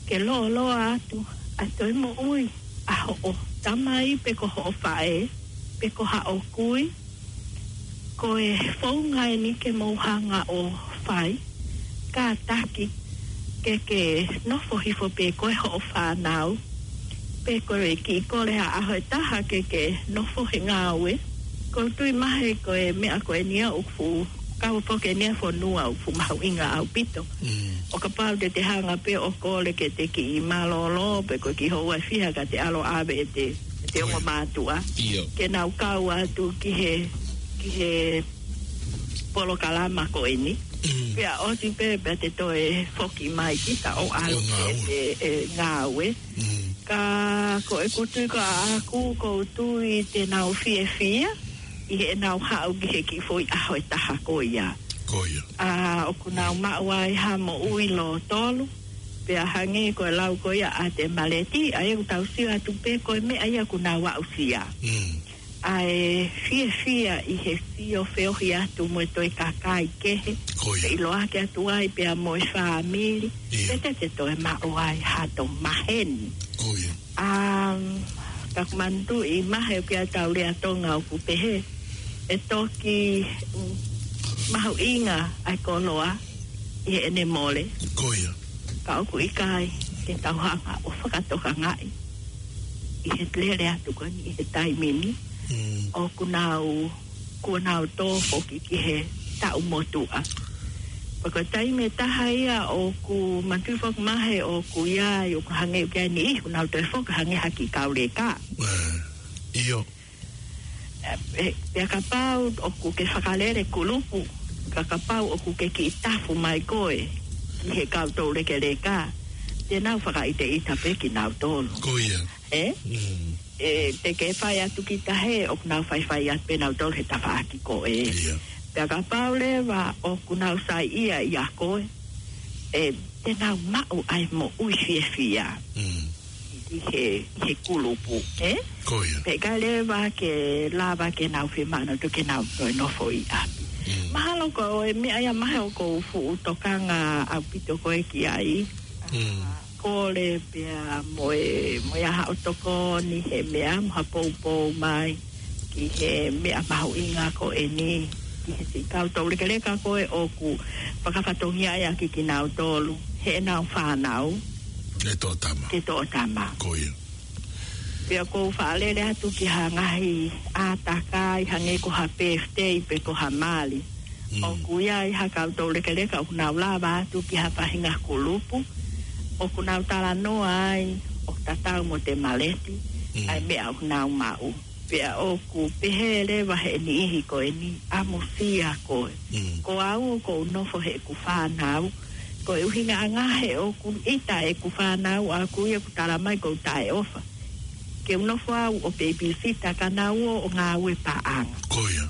ke lōloa atu ʻa e toe moʻui ʻa hoʻo tamai pe ko hoʻo faʻē, pe ko haʻo kui, ko e founga eni ke mou hanga ʻo fai, kātaki ke ke nofo hifo pē koe hoʻo fānau, pe ko e kiʻi kole ha ʻaho ʻe taha ke ke nofo he ngāue. ʻOku ou tui Mahe ko e meʻa ko eni ia ʻoku fuʻu, kau foki eni ʻa e fonua ʻoku fuʻu mahuʻinga ʻaupito. Mm. ʻO kapau te te hanga pē ʻo kole ke te kiʻi mālōlō, pe ko e kiʻi houa ʻe fiha ka te ʻalu ʻo ʻave ʻete, ʻete ongo mātuʻa. ʻIo. Ke nau kau atu ki he, ki he polokalama ko eni. Mm. Pea ʻosi pē, pea te toe foki mai kita ʻo ʻalu ʻo ngāue. ʻE, ʻe, ʻe ngāue. Mm. Ka ko ʻeku tui ko ʻaʻaku ʻoku ou tui te nau fiefia ʻi heʻenau haʻu ki he kiʻi foʻi ʻaho ʻe taha ko ia. Ko ia. ʻA, ʻoku nau maʻu ai ha moʻui lōtolu. Pea hangē ko e lau ko ia ʻa Temaleti, ʻa ia ʻoku tau sio atu pē ko e meʻa ia ʻoku nau aʻusia. Mm. ʻA e fiefia ʻi he sio feohi atu mo e toe kakai kehe. Ko ia. Ke ʻiloa atu ai pea mo e fāmili. ʻIo. Pea te te toe maʻu ai hato maheni. Ko ia. Um, Ka ʻoku manatuʻi mai ʻoku ʻi ai ʻetau lea Tonga ʻoku pehē, ʻe toki, mm, mahuʻinga ʻa e koloa ʻi heʻene mole. Ko ia. Ka ʻoku ʻikai ke tau hanga ʻo fakatokangaʻi ʻi he lele atu ko eni ʻi he taimi ni. Mm. ʻOku nau, kuo nau tō foki ki he taʻu motuʻa. Pea ko e taimi ʻe taha ia ʻoku manatuʻi foki mai ʻoku ʻi ai, ʻoku hangē ʻoku ʻi ai e niʻihi ʻoku nau toe foki hangē ha kiʻi kau leka. Eh, ʻio. Eh, eh, pea kapau ʻoku ke fakalele kulupu, ka kapau ʻoku ke kiʻi tafu mai koe ki he kau toulekeleka, te nau fakaʻiteʻita pē kinautolu. Ko ia. Eh? Mm. Eh, te ke fai atu ki tahi, ʻoku nau faifai atu pē nautolu he tafaʻaki ko ē. Ia. Pea kapau leva ʻoku nau saiʻia ʻia koe, eh, te nau maʻu ʻa e moʻui fiefia. Mm. ʻI he, ʻi he kulupu, eh? Ko ia. Pea ʻikai leva ke lava ke nau fiemaʻu nautolu ke nau toe nofo ʻi ʻapi. Mm. Mahalo ko e meʻa ia mai ʻoku ou fuʻu tokanga ʻaupito koe ki ai. Mm. Kole pea mo e, mo ia haʻo tokoni he meʻa mo ha poupou mai ki he meʻa mahuʻinga ko eni, ki he siʻi kau toulekeleka ko ē ʻoku fakafatongia ia ki kinautolu, heʻenau fānau. Ke toʻo tama. Ke toʻo tama. Ko ia. Pea ʻoku ou faʻa lele atu ki ha ngaahi ʻātakai, hangē ko ha birthday pe ko ha mali. Mm. ʻOku ʻi ai ha kau toulekeleka ʻoku nau lava atu ki ha faʻahinga kulupu, ʻoku nau talanoa ai, ʻoku tatau mo Temaleti, mm, ʻa e meʻa ʻoku nau maʻu. Pea ʻoku pehē leva he niʻihi ko eni, ʻamusia koe. Mm. Ko au ʻoku ou nofo heʻeku fānau, ko e ʻuhinga ange he ʻoku ʻita ʻeku fānau ʻaʻaku ia ʻoku tala mai ʻoku ou taʻeʻofa. Ke u nofo au ʻo babysitter ka nau ō ʻo ngāue paʻanga. Ko ia.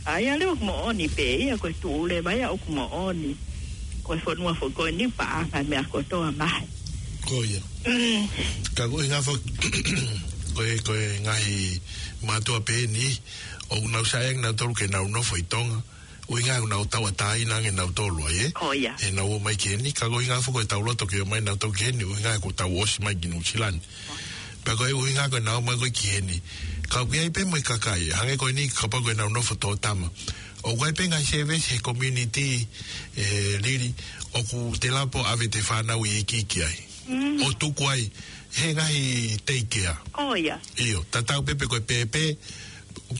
ʻA ia leva ʻoku moʻoni pē ia, ko e tuʻu leva ia ʻoku moʻoni. Ko e fonua foʻi ko eni paʻanga meʻa kotoa mai. Ko ia. Mm. Ka ko e ngaahi fo-, ko e, ko e ngaahi mātuʻa pē eni, ʻoku nau saiʻia nautolu ke nau nofo ʻi Tonga. ʻUhinga ʻoku nau tauʻatāina ange nautolu ai, eh? Ko ia. ʻEnau ō mai ki heni, ka ko e ʻuhinga foki ʻetau loto ke ō mai nautolu ki heni, ʻuhinga ʻoku tau ʻosi mai ki Nuʻusila ni. Pea ko e ʻuhinga ko ʻenau ō mai ko ē ki heni. Ka ʻoku ʻi ai pē mo e kakai, hangē ko eni kapau ko ʻenau nofo toʻo tama. ʻOku ʻi ai pē ngaahi service he community, eh, Lili, ʻoku te lava pē ʻo ʻave ʻete fānau ʻi he ikiiki ai. Mm. ʻO tuku ai, he ngaahi daycare. Ko ia. ʻIo, tatau pē pe ko e pēpē,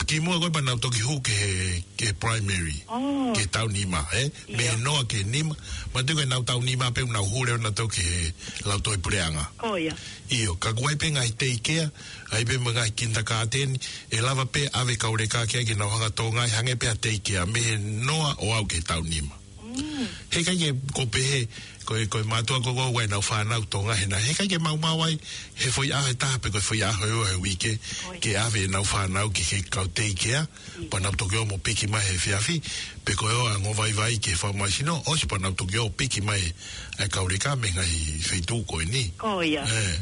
kimuʻa ko ē pea nau toki hū ki he, ki he primary. Oh. Ki he taʻu nima, eh? Mei he, ʻio, noa ki he nima. Manatuʻi ko ʻenau taʻu nima pē ʻoku nau hū leva nautolu ki he lautohi puleʻanga. Ko ia. ʻIo, ka ʻoku ʻi ai pē ngaahi daycare, ʻi ai pē mo e ngaahi kindergarten, ʻe lava pē ʻave kau leka ki ai ke nau hanga ʻo toʻo ngaahi hangē pē ha daycare, mei he noa ʻo aʻu ki he taʻu nima. Mm. Heʻikai ke, ko e pehē, ko e, ko e mātuʻa ko ē ʻoku ʻi ai ʻenau fānau toʻo ngaahi hena. Heʻikai ke maumau ai, he foʻi ʻaho ʻe taha pe ko e foʻi ʻaho ʻe ua he uike, ko ia, ke ʻave ʻenau fānau ki he kau daycare, pea nau toki ō mo piki mai he efiafi, pe ko e ō ʻo ango vaivai ki he fakamoʻui sino, ʻosi pea nau toki ō ʻo piki mai ʻa e kau leka mei he ngaahi feituʻu ko eni. Ko ia. Eh,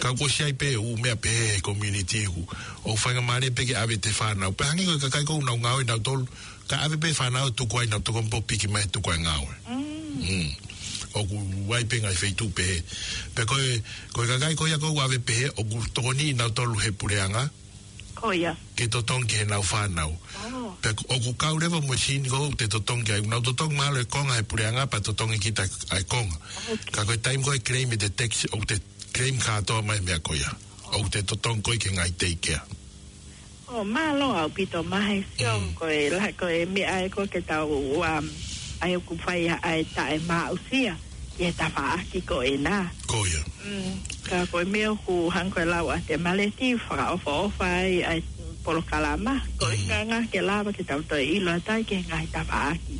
ka kuo ʻosi ʻi ai pē ʻū meʻa pehē he community ʻoku, ʻoku faingamālie pē ke ʻave ʻete fānau. Pea hangē ko e kakai ko ē ʻoku nau ngāue nautolu, ka ʻave pē fānau tuku ai nau toki ō mo piki mai tuku ai ngāue. Mm. Mm. ʻOku ʻi ai pē ngaahi feituʻu pehē. Pea ko e, ko e kakai ko ia ʻoku ʻave pehē, ʻoku tokoniʻi nautolu he puleʻanga. Ko ia. Ke totongi ki heʻenau fānau. Oh. Pea ʻoku kau leva mo e sini ko ē ʻoku te totongi ai. Nau totongi mahalo e konga he puleʻanga pea totongi kita ʻa e konga. Okay. Ka ko e taimi ko ē ʻe claim ʻete tax, ʻoku te claim kātoa mai e meʻa ko ia. ʻOku te totongi koe ki he ngaahi daycare. ʻO mālō ʻaupito mai he sio, mm, ko e la-, ko e meʻa ē ko ē ke tau, um, ʻai ʻoku fai ʻa e taʻemaʻusia ki he tafaʻaki ko ena. Ko ia. Mm, ka ko e meʻa ʻoku hangē ko e lau ʻa Temaleti, fakaʻofoʻofa ai ʻa e polokalama. Ko e, mm, ʻuhinga ke lava ke tau toe ʻilo atu ai ki he ngaahi tafaʻaki,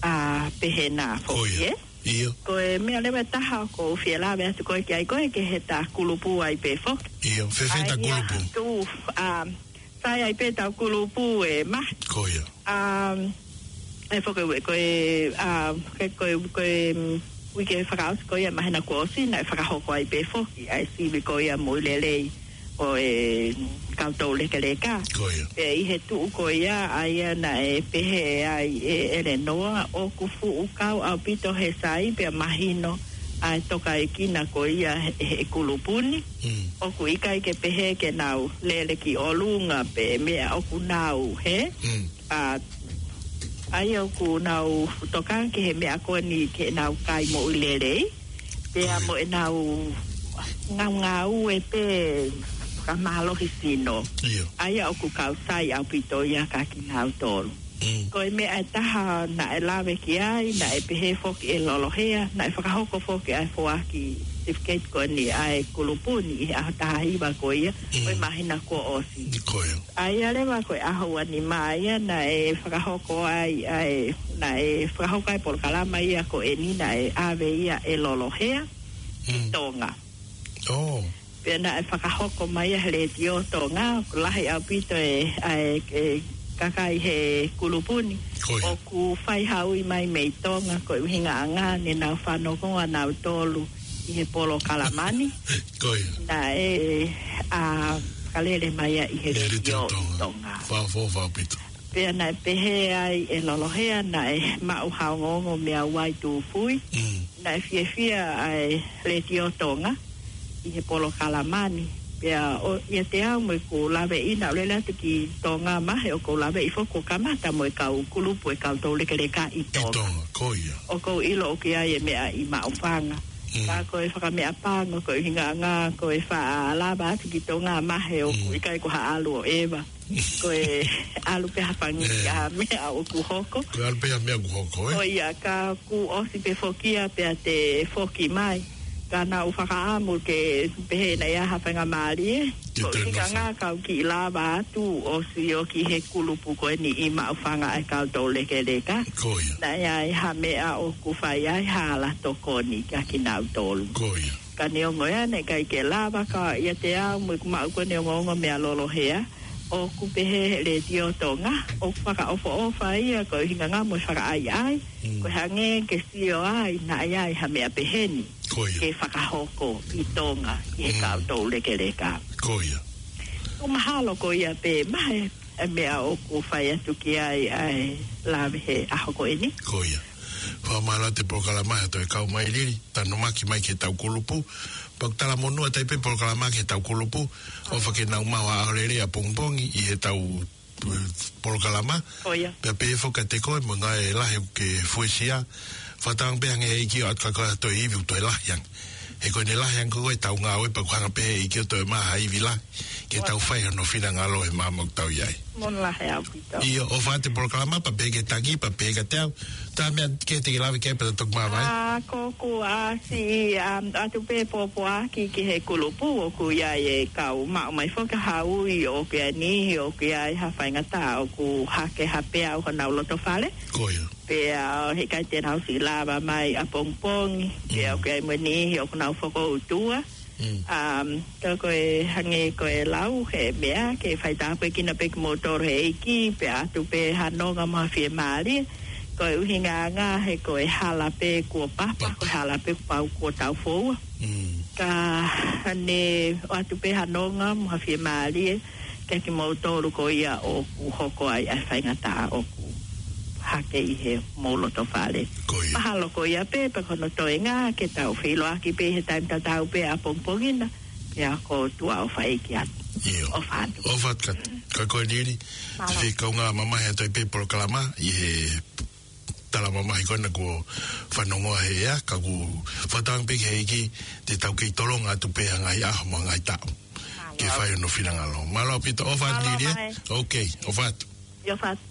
ʻa, pehē na foki, ko ia, eh? ʻIo. Ko e meʻa leva ʻe taha ʻoku ou fie lave atu ko ē ki ai ko ē ki heʻeta kulupu ai pē foki. ʻIo, fēfē ʻeta kulupu? ʻAi, ʻa, tuʻu, um, sai ai pē ʻetau kulupu ē, Maʻake. Ko ia. Um, ʻe foki ue, ko e, um, ko e, ko e, ko e, um, uike fakaʻosi ko ia māhina kuo ʻosi naʻe fakahoko ai pē foki ʻa e sivi ko ia moʻui lelei ʻo e kau toulekeleka. Ko ia. Pea ʻi he tuʻu ko ia, ʻa ia naʻe pehē ai ʻe ʻElenoa, ʻoku fuʻu kau ʻaupito he sai pea mahino ʻa e tokaikina ko ia he, he kulupu ni. Mm. ʻOku ʻikai ke pehē ke nau lele ki ʻolunga pe meʻa ʻoku nau, hē? Mm. ʻA, ʻa ia ʻoku nau tokanga ki he meʻa ko eni ke nau kai moʻui lelei. Pea, mm, mo ʻenau ngaungaue pē fakamālohi sino. ʻIo. ʻA ia ʻoku kau sai ʻaupito ia kia kinautolu. Mm. Ko e meʻa ʻe taha naʻe lave ki ai, naʻe pehē foki ʻe Lolohea, naʻe fakahoko foki ʻa e foaki certificate ko eni ʻa e kulupu ni ʻi he ʻaho taha hiva ko ia, mm, ʻo e māhina kuo ʻosi. Ko ia. ʻA ia leva ko e ʻaho ua nima ia naʻe fakahoko ai, ʻa e, naʻe fakahoko ai polokalama ia ko eni naʻe ʻave ia ʻe Lolohea ki, mm, Tonga. Oh. Pea naʻe fakahoko mai ia he Letiō Tonga, ʻoku lahi ʻaupito e, ʻa e, e kakai he kulupu ni. Ko ia. ʻOku fai ha ui mai mei Tonga, ko e ʻuhinga ʻanga ne nau fanongo ʻa nautolu ʻi he polokalama ni. Ko ia. Naʻe, ʻa, fakalele mai ia ʻi he, ʻi he Letiō, Letiō Tonga. Tonga. Fakaʻofoʻofa ʻaupito. Pea naʻe pehē ai ʻe Lolohea naʻe maʻu ha ongoongo meʻa ʻoku ʻi ai e tūfui. Mm. Naʻe fiefia ʻa e Letiō Tonga ʻi he polokalama ni. Pea ʻo, ʻiate au mo ʻeku laveʻi naʻa ku lele atu ki Tonga mai, he ʻoku ou laveʻi foki kuo kamata mo e kau kulupu e kau toulekeleka ʻi, ʻi Tonga. Tonga, ko ia. ʻOku ou ʻilo ʻoku ʻi ai e meʻa ʻi Maʻufanga. Mm. Ka ko e fakameʻapango, ko e ʻuhinga ʻanga, ko e faʻa lava atu ki Tonga mai, ʻoku, mm, ʻikai ko ha ʻalu ʻo ʻeva. Ko e ʻalu pē ha fanga kiʻi, eh, meʻa ʻoku hoko. Ko e ʻalu pē ha meʻa ʻoku hoko, eh? Ko ia, ka kuo ʻosi pē foki ia pea te foki mai. Ka naʻa ku fakaʻamu ke pehē naʻe ʻi ai ha faingamālie. Ke, ko e toe ʻuhinga nofo. ʻanga ka u kiʻi lava atu ʻo sio ki he kulupu ko eni ʻi Maʻufanga ʻa e kau toulekeleka. Ko ia. Naʻe ʻi ai ha meʻa ʻoku fai ai ha ala tokoni kia kinautolu. Ko ia. Ka neongo ia naʻe ʻikai ke lava ka ʻiate au mo ʻeku maʻu ko eni ongoongo meia Lolohea, ʻoku pehē he Letiō Tonga, ʻoku fakaʻofoʻofa ia ko e ʻuhinga ʻanga mo e fakaʻaiʻai, mm, ko e hangē ke sio ai naʻe ʻi ai ha meʻa pehē ni, ko ia, ke fakahoko ʻi Tonga ʻi he, mm, kau toulekeleka. Ko ia. ʻOku mahalo ko ia pē mai e meʻa ʻoku fai atu ki ai ʻa e lave he ʻaho ko eni. Ko ia. Fakamālō atu e polokalama he toe kau mai Lili, tanomaki mai ki heʻetau kulupu. Pea ʻoku talamonū atu ai pē polokalama ki heʻetau kulupu, ʻofa ke nau maʻu ha ʻaho lelei ʻapongipongi ʻi heʻetau, eh, polokalama. Ko ia. Pea pehē foki kiate koe mo e ngaahi lahi ʻoku ke fuesia. Fakatauange pē hangē ʻEiki ʻoku ʻatu kia koe ha toe ivi ʻoku toe lahi ange. He ko ʻene lahi ange ko ē ʻetau ngāue pea ʻoku hanga pē ʻEiki ʻo toe maʻu ha ivi lahi ke tau fai hono finangalo he māmani ʻoku tau ʻi ai. Monū lahi ʻaupito. ʻIo, ʻofa atu e polokalama pea pehē ki he taki, pea pehē kiate au. Ko e hā e meʻa kehe te ke lave ki ai pea toki māvae? ʻA, ko ʻeku ʻasi, um, atu pē pōpoaki ki he kulupu ʻoku ʻi ai e kau maʻu mai foki ha ui ʻoku ʻi ai e niʻihi ʻoku ʻi ai ha faingataʻa ʻoku hake ha peau honau loto fale. Ko ia. Pea heʻikai te nau siʻi lava mai ʻapongipongi, pea, mm, ʻoku ʻi ai mo e niʻihi ʻoku nau fokoutua. Mm. Um, ka ko e hangē ko e lau he meʻa, ke faitāpuekina pē kimoutolu he ʻEiki, pea ʻatu pē ha nonga mo ha fiemālie, ko e ʻuhinga ʻanga he ko e hala pē kuo papa, papa, ko e hala pē kuo pau kuo tau foua. Mm. Ka ne ʻoatu pē ha nonga mo ha fiemālie, kia kimoutolu ko ia ʻoku hoko ai ʻa e faingataʻa ʻoku hake ʻi homou loto fale. Ko ia. Mahalo ko ia pē, pea ko hono toenga ke tau feʻiloaki pē he taimi tatau pē ʻapongipongi na, pea ko e ʻOtua ʻofa ʻeiki atu. ʻIo. ʻOfa atu. ʻOfa atu kia, kia koe Lili. Mālō. Te u fie kaungā mamahi atu ai pē polokalama ʻi he tala mamahi ko ena kuo fanongoa he ʻea, ka ʻoku fakatauange pē ki he ʻEiki te tau kei tolonga atu pē ha ngaahi ʻaho mo e ngaahi taʻu. Mālō. Ke fai hono finangalo. Mālō ʻaupito, ʻofa atu Lili, ē? Mālō mai. Ok, ʻofa atu. ʻIo, ʻofa atu.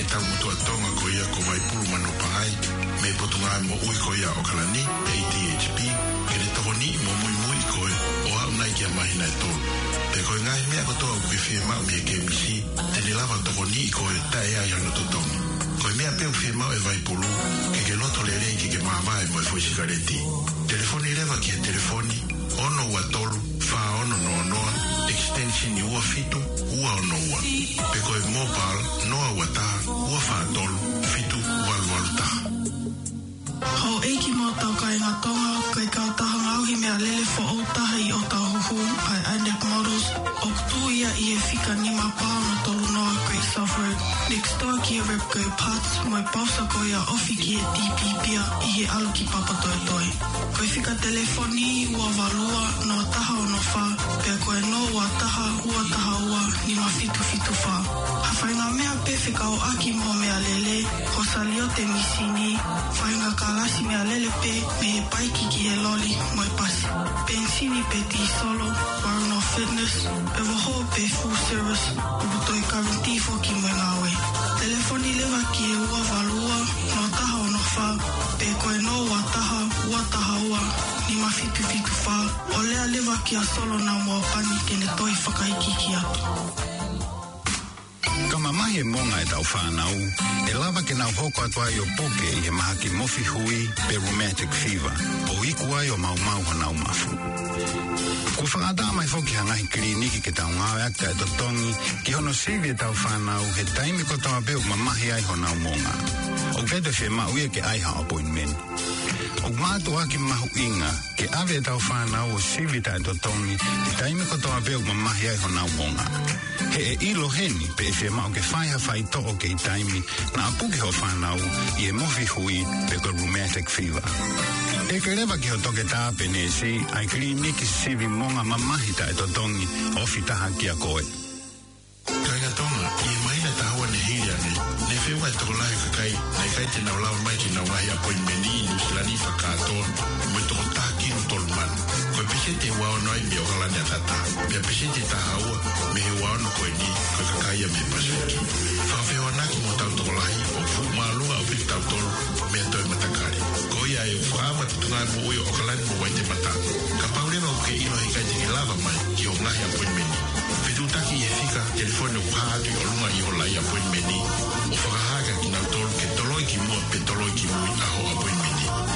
Tau motuʻa Tonga ko ia ko Vaipulu Manupangai, mei he Potungāue Moʻui ko ia ʻAokalani, A D H P, ke ne tokoniʻi mo muimui koe ʻo aʻu nai ki ha māhina ʻe tolu. Pea ko e ngaahi meʻa kotoa ʻoku ke fiemaʻu mei he K M C, te ne lava ʻo tokoniʻi koe taʻe ʻi ai hano totongi. Ko e meʻa pē ʻoku fiemaʻu ʻe Vaipulu, ke ke loto lelei ke ke māvae mo e foʻi sikaleti. Telefoni leva ki he telefoni ono ua tolu, fā ono noa noa, extension ua fitu ua ono ua. Pe ko e mobile, noa ua taha, ua fā tolu, fitu valu valu taha. Houʻeiki mo e tau kāinga Tonga, ko e kautaha ngaohi meʻalele foʻou taha ʻi ʻŌtāhuhu, ʻa e Inek Models, ʻoku tuʻu ia ʻi he fika nima pā ono tolu noa Great South Road, next door ki he Repco Parts, mo e pausa ko ia ofi ki he D P Pier ʻi he ʻalu ki Papatoetoe. Ko e fika telefoni ua valu ua, noa taha ono fā, pea ko e noa ua taha, ua taha ua, nima fitu fitu fā. Ha faʻahinga meʻa pē fekauʻaki mo e meʻalele, ko e saliote misini, faʻahinga kalasi meʻalele pē, mei he paiki ki he loli mo e pasi. Penisini pe tīsolo, Warano Fitness, pe vaho pe full service, ʻoku toe guarantee foki mo e ngāue. Telefoni leva ki he ua valu ua, noa taha ono fā, pe ko e noa ua taha, ua taha ua, nima fitu fitu fā, ʻo lea leva kia Solo Naumua Pani ke ne toe fakaikiiki atu. Ka mamahi e monga ʻetau fānau, ʻe lava ke nau hoko atu ai ʻo puke ʻi he mahaki mofi hui pe rheumatic fever, ʻo iku ai ʻo maumau honau mafu. Kuo fakaʻatā mai foki ha ngaahi kiliniki ke tau ngāueʻaki taʻetotongi ki hono sivi ʻetau fānau he taimi kotoa pē ʻoku mamahi ai honau monga. ʻOku ʻikai toe fiemaʻu ia ke ʻai ha appointment. ʻOku mātuʻaki mahuʻinga ke ʻave ʻetau fānau ʻo sivi taʻetotongi he taimi kotoa pē ʻoku mamahi ai honau monga. He ʻe ʻilo heni pe ʻe fiemaʻu ke fai ha faitoʻo kei taimi naʻa puke hoʻo fānau ʻi he mofi hui pe ko e rheumatic fever. ʻEke leva ki ho toketā pe neesi ʻa e kiliniki sivi monga mamahi taʻetotongi ofi taha kia koe. Kāinga Tonga, ʻi he māhina ʻe taha ua ne hili ange, ne feʻunga e tokolahi ʻo e kakai naʻe ʻikai te nau lava mai ki heʻenau ngaahi appointment ʻi Nuʻu Sila ni fakakātoa, mo e toko taha kilu tolu mano. Ko e peseti ʻe ua ono ai mei ʻAokalani ʻAtatā, pea peseti ʻe taha ua mei he ua ono ko eni, ko e kakai ia mei he Pasifiki. Fakafehoanaki mo hotau tokolahi, ʻoku fuʻu māʻolunga ʻaupito kitautolu mei ha toe matakali. Ko ia ai ʻoku fakaava e Potungāue Moʻui ʻo ʻAokalani mo Waitemata. Kapau leva ʻoku ke ʻilo he ʻikai te ke lava mai ki hoʻo ngaahi appointment, fetuʻutaki ʻi he fika telefoni ʻoku hā atu ʻi ʻolunga ʻi hoʻo lai appointment, ʻo fakahā kia kinautolu ke toloi ki muʻa pe toloi ki mui ʻa hoʻo appointment.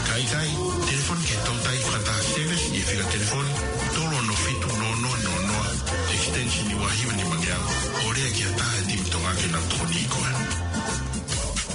Ka ʻikai, telefoni ki he toutai fakataha service ʻi he fika telefoni tolu ono fitu noa noa noa noa, extension ua hiva nima ngeau, ʻo lea ki ha taha he timi Tonga ke nau tokoniʻi koe.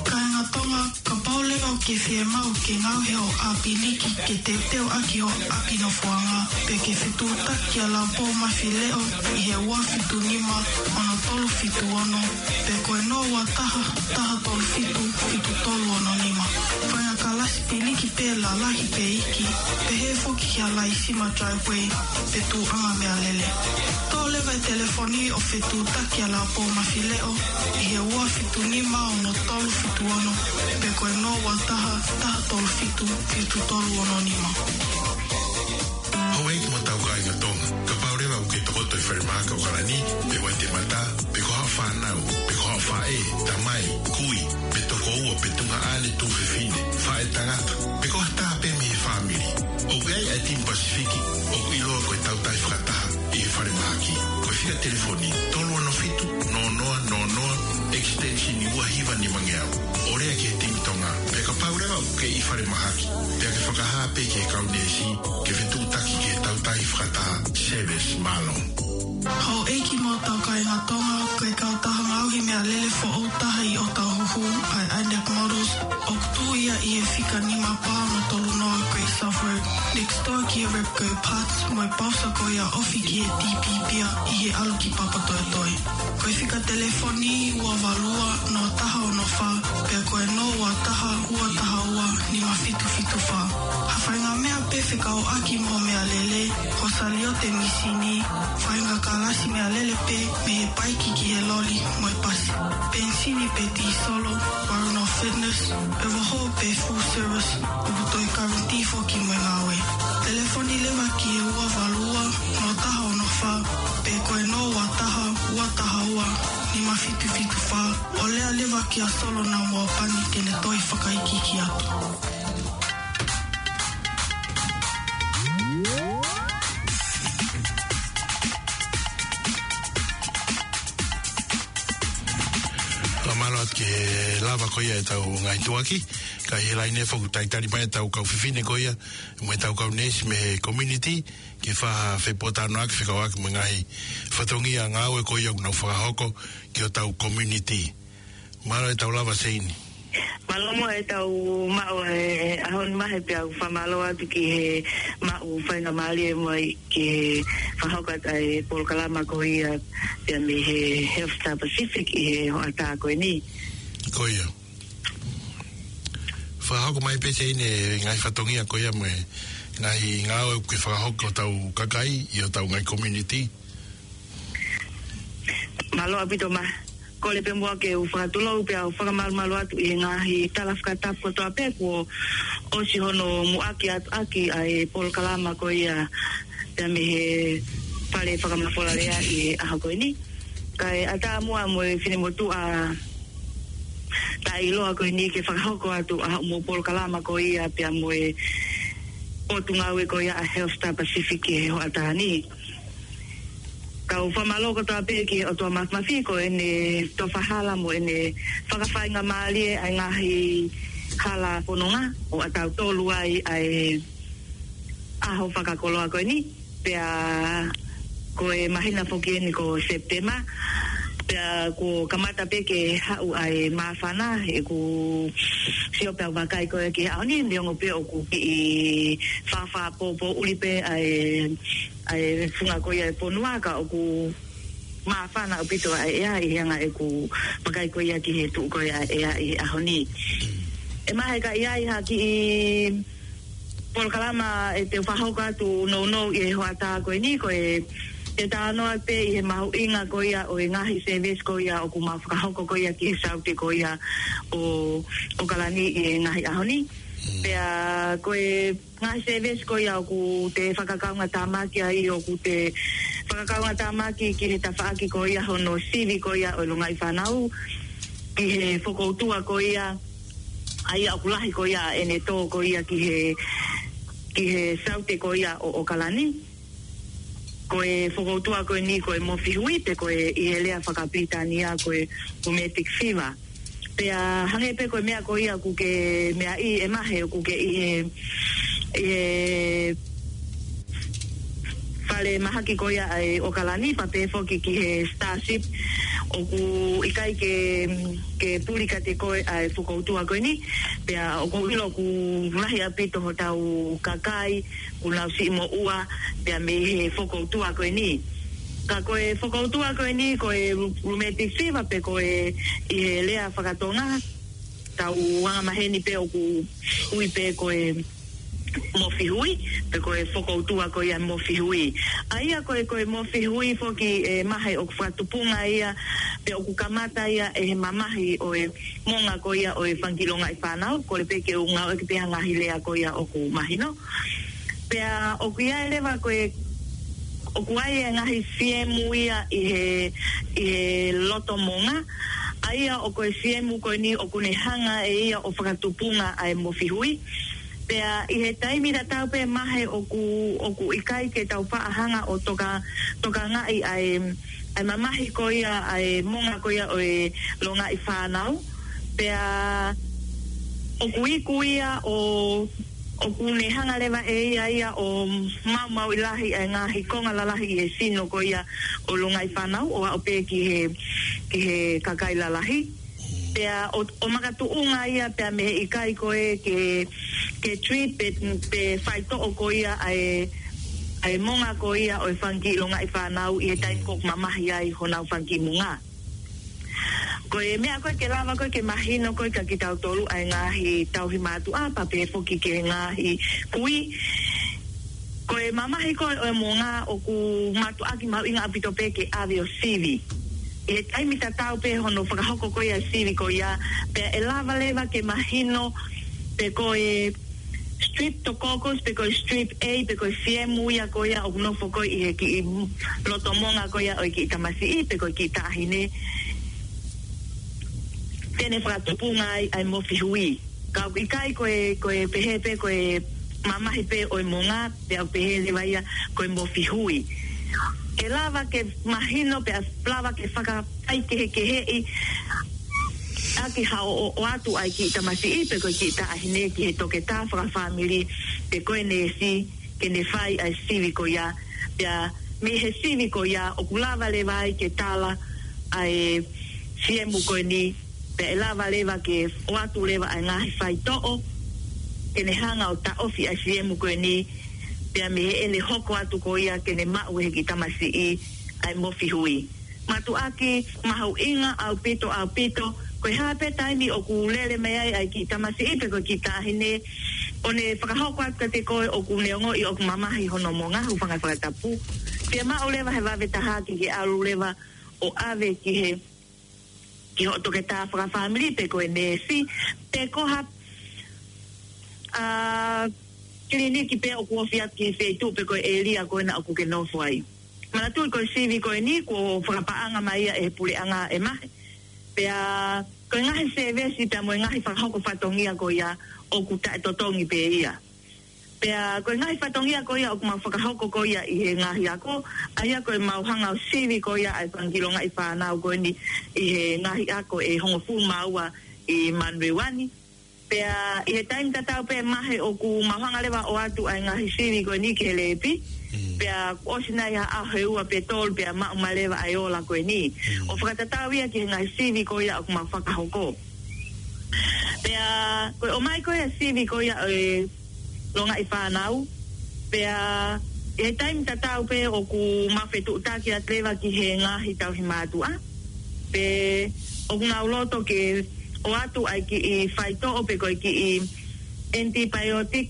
Kāinga Tonga, kapau leva ʻoku ke fiemaʻu ke ngaohi hoʻo ʻapi liki ke teuteu ʻaki hoʻo ʻapi nofoʻanga, pe ke fetuʻutaki kia Laupō Mafi Leʻo ʻi he ua fitu nima ono tolu fitu ono, pe ko e noa ua taha, taha tolu fitu, fitu tolu ono nima. Fai ha kalasi piliki pē lalahi pe iiki, pehē foki ki ha laisima driveway, pe tuʻuʻanga meʻalele. Toʻo leva e telefoni ʻo fetuʻutaki kia Laupō Mafi Leʻo ʻi he ua fitu nima ono tolu fitu ono, pe ko e noa ua taha, taha tolu fitu, fitu tolu ono nima. Houʻeiki mo hotau kāinga Tonga, kapau leva ʻoku ke tokoto ʻi falemahaki ʻAokalani, pe Waitemata, pe ko haʻo fānau, pe ko haʻo faʻē, tamai, kui, pe tokoua, pe tuongaʻane, tuofefine, faʻētangata, pe ko ha taha pē mei he fāmili, ʻoku ʻi ai e timi Pasifiki ʻoku ʻiloa ko e Tautai Fakataha ʻi he falemahaki. Ko e fika telefoni tolu ono fitu noa noa noa noa, extension ua hiva nima ngeau, ʻo lea ki he timi Tonga. Pea kapau leva ʻoku ke ʻi falemahaki, pea ke fakahā pē ki he kau neesi ke fetuʻutaki ki he Tautai Fakataha service. Mālō. Houʻeiki mo hotau kāinga Tonga, ko e kautaha ngaohi meʻalele foʻou taha ʻi ʻŌtāhuhu, ʻa e Inek Models, ʻoku tuʻu ia ʻi he fika nima pā ono tolu noa Great South Road, next door ki he Repco Parts, mo e pausa ko ia ofi ki he D P Pier ʻi he ʻalu ki Papatoetoe. Ko e fika telefoni ua valu ua, noa taha ono fā, pea ko e noa ua taha, ua taha ua, nima fitu fitu fā. Ha faʻahinga meʻa pē fekauʻaki mo e meʻalele, ko e saliote misini, faʻahinga kalasi meʻalele pē, mei he paiki ki he loli mo e pasi. Penisini pe tīsolo, Warano Fitness, pe vaho pe full service, ʻoku toe guarantee foki mo e ngāue. Telefoni leva ki he ua valu ua, noa taha ono fā, pe ko e noa ua taha, ua taha ua, Nima fitu fitu fā, ʻo lea leva kia Solona mo Pani ke ne toe fakaikiiki atu. Fakamālō atu ki he lava ko ia ʻetau ngaahi tuʻuaki, ka ʻi he laine foki talitali mai ʻetau kau fefine ko ia, mo ʻetau kau neesi mei he community, ke fai ha fepōtalanoaʻaki fekauʻaki mo e ngaahi fatongia ngāue ko ia ʻoku nau fakahoko ki hotau community. Mālō ʻetau lava Seini. Mālō mo ʻetau maʻu e ʻaho ni Mahe pea ʻoku fakamālō atu ki he maʻu faingamālie mo e ki he fakahoko atu ʻa e polokalama ko ia pea mei he Health Star Pacific ʻi he hoʻatā ko eni. Ko ia. Fakahoko mai pē Seini e ngaahi fatongia ko ia mo e ngaahi ngāue ʻoku ke fakahoko ki hotau kakai ʻi hotau ngaahi community. Mālō ʻaupito Mahe. Kole pē muʻa ke u fakatulou pea u fakamalumalu atu ʻi he ngaahi tala fakatapu kotoa pē kuo ʻosi hono muʻaki atu ʻaki ʻa e polokalama ko ia pea mei he Fale Fakamafola Lea ʻi he ʻaho ko eni. Kae ʻatā muʻa mo e finemotuʻa taʻeʻiloa ko eni ke fakahoko atu ʻa hoʻomo polokalama ko ia pea mo e potungāue ko ia ʻa Health Star Pacific ʻi he hoʻatā ni. Kau fakamālō kotoa pē ki he ʻOtua Mafimafi ko ʻene tofa hala mo ʻene fakafaingamālie ʻa e ngaahi hala fononga ʻo ʻatautolu ai ʻa e ʻaho fakakoloa ko eni. Pea ko e māhina foki eni ko Sepitema. Pea kuo kamata pē ke haʻu ʻa e māfana, ʻeku sio pea vakai ko ē ki he ʻaho ni, neongo pē ʻoku kiʻi fāfā pōpōʻuli pē ʻa e, ʻa e funga ko ia e fonua ka ʻoku māfana ʻaupito ʻa e ʻea ʻi he anga ʻeku vakai ko ia ki he tuʻu ko ia ʻa e ʻea ʻi he ʻaho ni. ʻE Mahe ka ʻi ai ha kiʻi polokalama ʻe te u fakahoko atu nounou ʻi he hoʻatā ko eni ko e, te talanoa pē ʻi he mahuʻinga ko ia ʻo e ngaahi service ko ia ʻoku mau fakahoko ko ia ki he saute ko ia ʻo, ʻo ʻOkalani ʻi he ngaahi ʻaho ni. Pea ko e ngaahi service ko ia ʻoku te fakakaungatāmaki ai ʻoku te fakakaungatāmaki ki he tafaʻaki ko ia hono sivi ko ia ʻo e longaʻi fānau ki he fokoutua ko ia ʻa ia ʻoku lahi ko ia ʻene tō ko ia ki he, ki he saute ko ia ʻo ʻOkalani. Ko e fokoutua ko eni ko e mofihui pe ko e ʻi he lea fakapilitānia ko e rheumatic fever. Pea hangē pē ko e meʻa ko ia ʻoku ke meaʻi ʻe Mahe ʻoku ke ʻi he, ʻi he fale mahaki ko ia ʻa e ʻOkalani pea pehē foki ki he Starship ʻoku ʻikai ke, ke puli kiate koe ʻa e fokoutua ko eni. Pea ʻoku ou ʻilo ʻoku lahi ʻaupito hotau kakai ʻoku nau siʻi moʻua pea mei he fokoutua ko eni. Ka ko e fokoutua ko eni ko e rheumatic fever pe ko e ʻi he lea fakatonga, tau angamaheni pē ʻoku ui pē ko e mofihui, pe ko e fokoutua ko ia mofihui. ʻA ia ko e, ko e mofihui foki ʻe Mahe ʻoku fakatupunga ia, pe ʻoku kamata ia ʻe he mamahi ʻo e monga ko ia ʻo e fanga kiʻi longaʻi fānau, kole pē ke u ngāueʻaki pē ha ngaahi lea ko ia ʻoku mahino. Pea ʻoku ʻi ai leva ko e, ʻoku ʻi ai e ngaahi fiemu ia ʻi he, ʻi he loto monga. ʻA ia ʻoku ʻi ai e fiemu ko eni ʻoku ne hanga ʻe ia ʻo fakatupunga ʻa e mofihui. Pea ʻi he taimi tatau pē Mahe ʻoku, ʻoku ʻikai ke tau faʻa hanga ʻo toka, tokangaʻi ʻa e, ʻa e mamahi ko ia, ʻa e monga ko ia ʻo e longaʻi fānau. Pea ʻoku iku ia ʻo, ʻoku ne hanga leva ʻe ia ia ʻo maumauʻi lahi ʻa e ngaahi konga lalahi ʻi he sino ko ia ʻo e longaʻi fānau ʻo aʻu pē ki he, ki he kakai lalahi. Pea ʻo, ʻo makatuʻunga ia pea mei he ʻikai ko ē ke, ke treat pe, pe faitoʻo ko ia ʻa e, ʻa e monga ko ia ʻo e fanga kiʻi longaʻi fānau ʻi he taimi ko ē ʻoku mamahi ai honau fanga kiʻi monga. Ko e meʻa ko ē ke lava ko ē ke mahino ko ē kia kitautolu ʻa e ngaahi tauhi mātuʻa pea pehē foki ki he ngaahi kui. Ko e mamahi ko ē ʻo e monga ʻoku mātuʻaki mahuʻinga ʻaupito pē ke ʻave ʻo sivi. ʻI he taimi tatau pē hono fakahoko ko ia sivi ko ia, pea ʻe lava leva ke mahino pe ko e streptococcus, pe ko e strep A, pe ko e fiemu ia ko ia ʻoku nofo ko ē ʻi he kiʻi loto monga ko ia ʻo e kiʻi tamasiʻi, pe ko e kiʻi taʻahine. te ne fakatupunga ai ʻa e mofi hui. Ka ʻoku ʻikai ko e, ko e pehē pē ko e mamahi pē ʻo e monga, pea ʻoku pehē leva ia ko e mofi hui. ʻE lava ke mahino pea lava ke fakafaikehekeheʻi ʻaki ha ʻo, ʻo, ʻoatu ʻa e kiʻi tamasiʻi pe ko e kiʻi taʻahine ki he toketā fakafāmili pe ko e neesi ke ne fai ʻa e sivi ko ia. Pea mei he sivi ko ia ʻoku lava leva ai ke tala ʻa e siemu ko eni, pea ʻe lava leva ke ʻoatu leva ʻa e ngaahi faitoʻo ke ne hanga ʻo taʻofi ʻa e siemu ko eni, pea mei heʻene hoko atu ko ia ke ne maʻu ʻe he kiʻi tamasiʻi ʻa e mofi hui. Mātuʻaki, mahuʻinga ʻaupito, ʻaupito, ko e hā pē taimi ʻoku lele mai ai ʻa e kiʻi tamasiʻi pe ko e kiʻi taʻahine, ʻo ne fakahoko atu kiate koe ʻoku ne ongoʻi ʻoku mamahi hono monga, hūfanga he fakatapu. Pea maʻu leva he vave taha ke ke ʻalu leva ʻo ʻave ki he, ki hoʻo toketā fakafāmili pe ko e neesi, pe ko ha, ʻa, kiliniki pē ʻoku ofi atu ki he feituʻu pe ko e ʻēlia ko ena ʻoku ke nofo ai. Manatuʻi ko e sivi ko eni kuo fakapaʻanga mai ia ʻe he puleʻanga ʻe mahe. Pea ko e ngaahi sēvesi pea mo e ngaahi fakahoko fatongia ko ia ʻoku taʻetotongi pē ia. Pea ko e ngaahi fatongia ko ia ʻoku mau fakahoko ko ia ʻi he ngaahi ako, ʻa ia ko e mau hanga ʻo sivi ko ia ʻa e fanga kiʻi longaʻi fānau ko eni ʻi he ngaahi ako ʻe hongofulu mā ua ʻi Manurewa ni. Pea ʻi he taimi tatau pē mahe ʻoku mau hanga leva ʻo ʻoatu ʻa e ngaahi sivi ko eni ki he lēpi. Pea kuo ʻosi nai ha ʻaho ʻe ua pe tolu pea maʻu mai leva ʻa e ola ko eni. ʻO fakatatau ia ki he ngaahi sivi ko ia ʻoku mau fakahoko. Pea ko e ʻomai ko ia sivi ko ia ʻo e longaʻi fānau. Pea ʻi he taimi tatau pē ʻoku mau fetuʻutaki atu leva ki he ngaahi tauhi mātuʻa. Pe ʻoku nau loto ke ʻoatu ʻa e kiʻi faitoʻo pe ko e kiʻi antibiotic,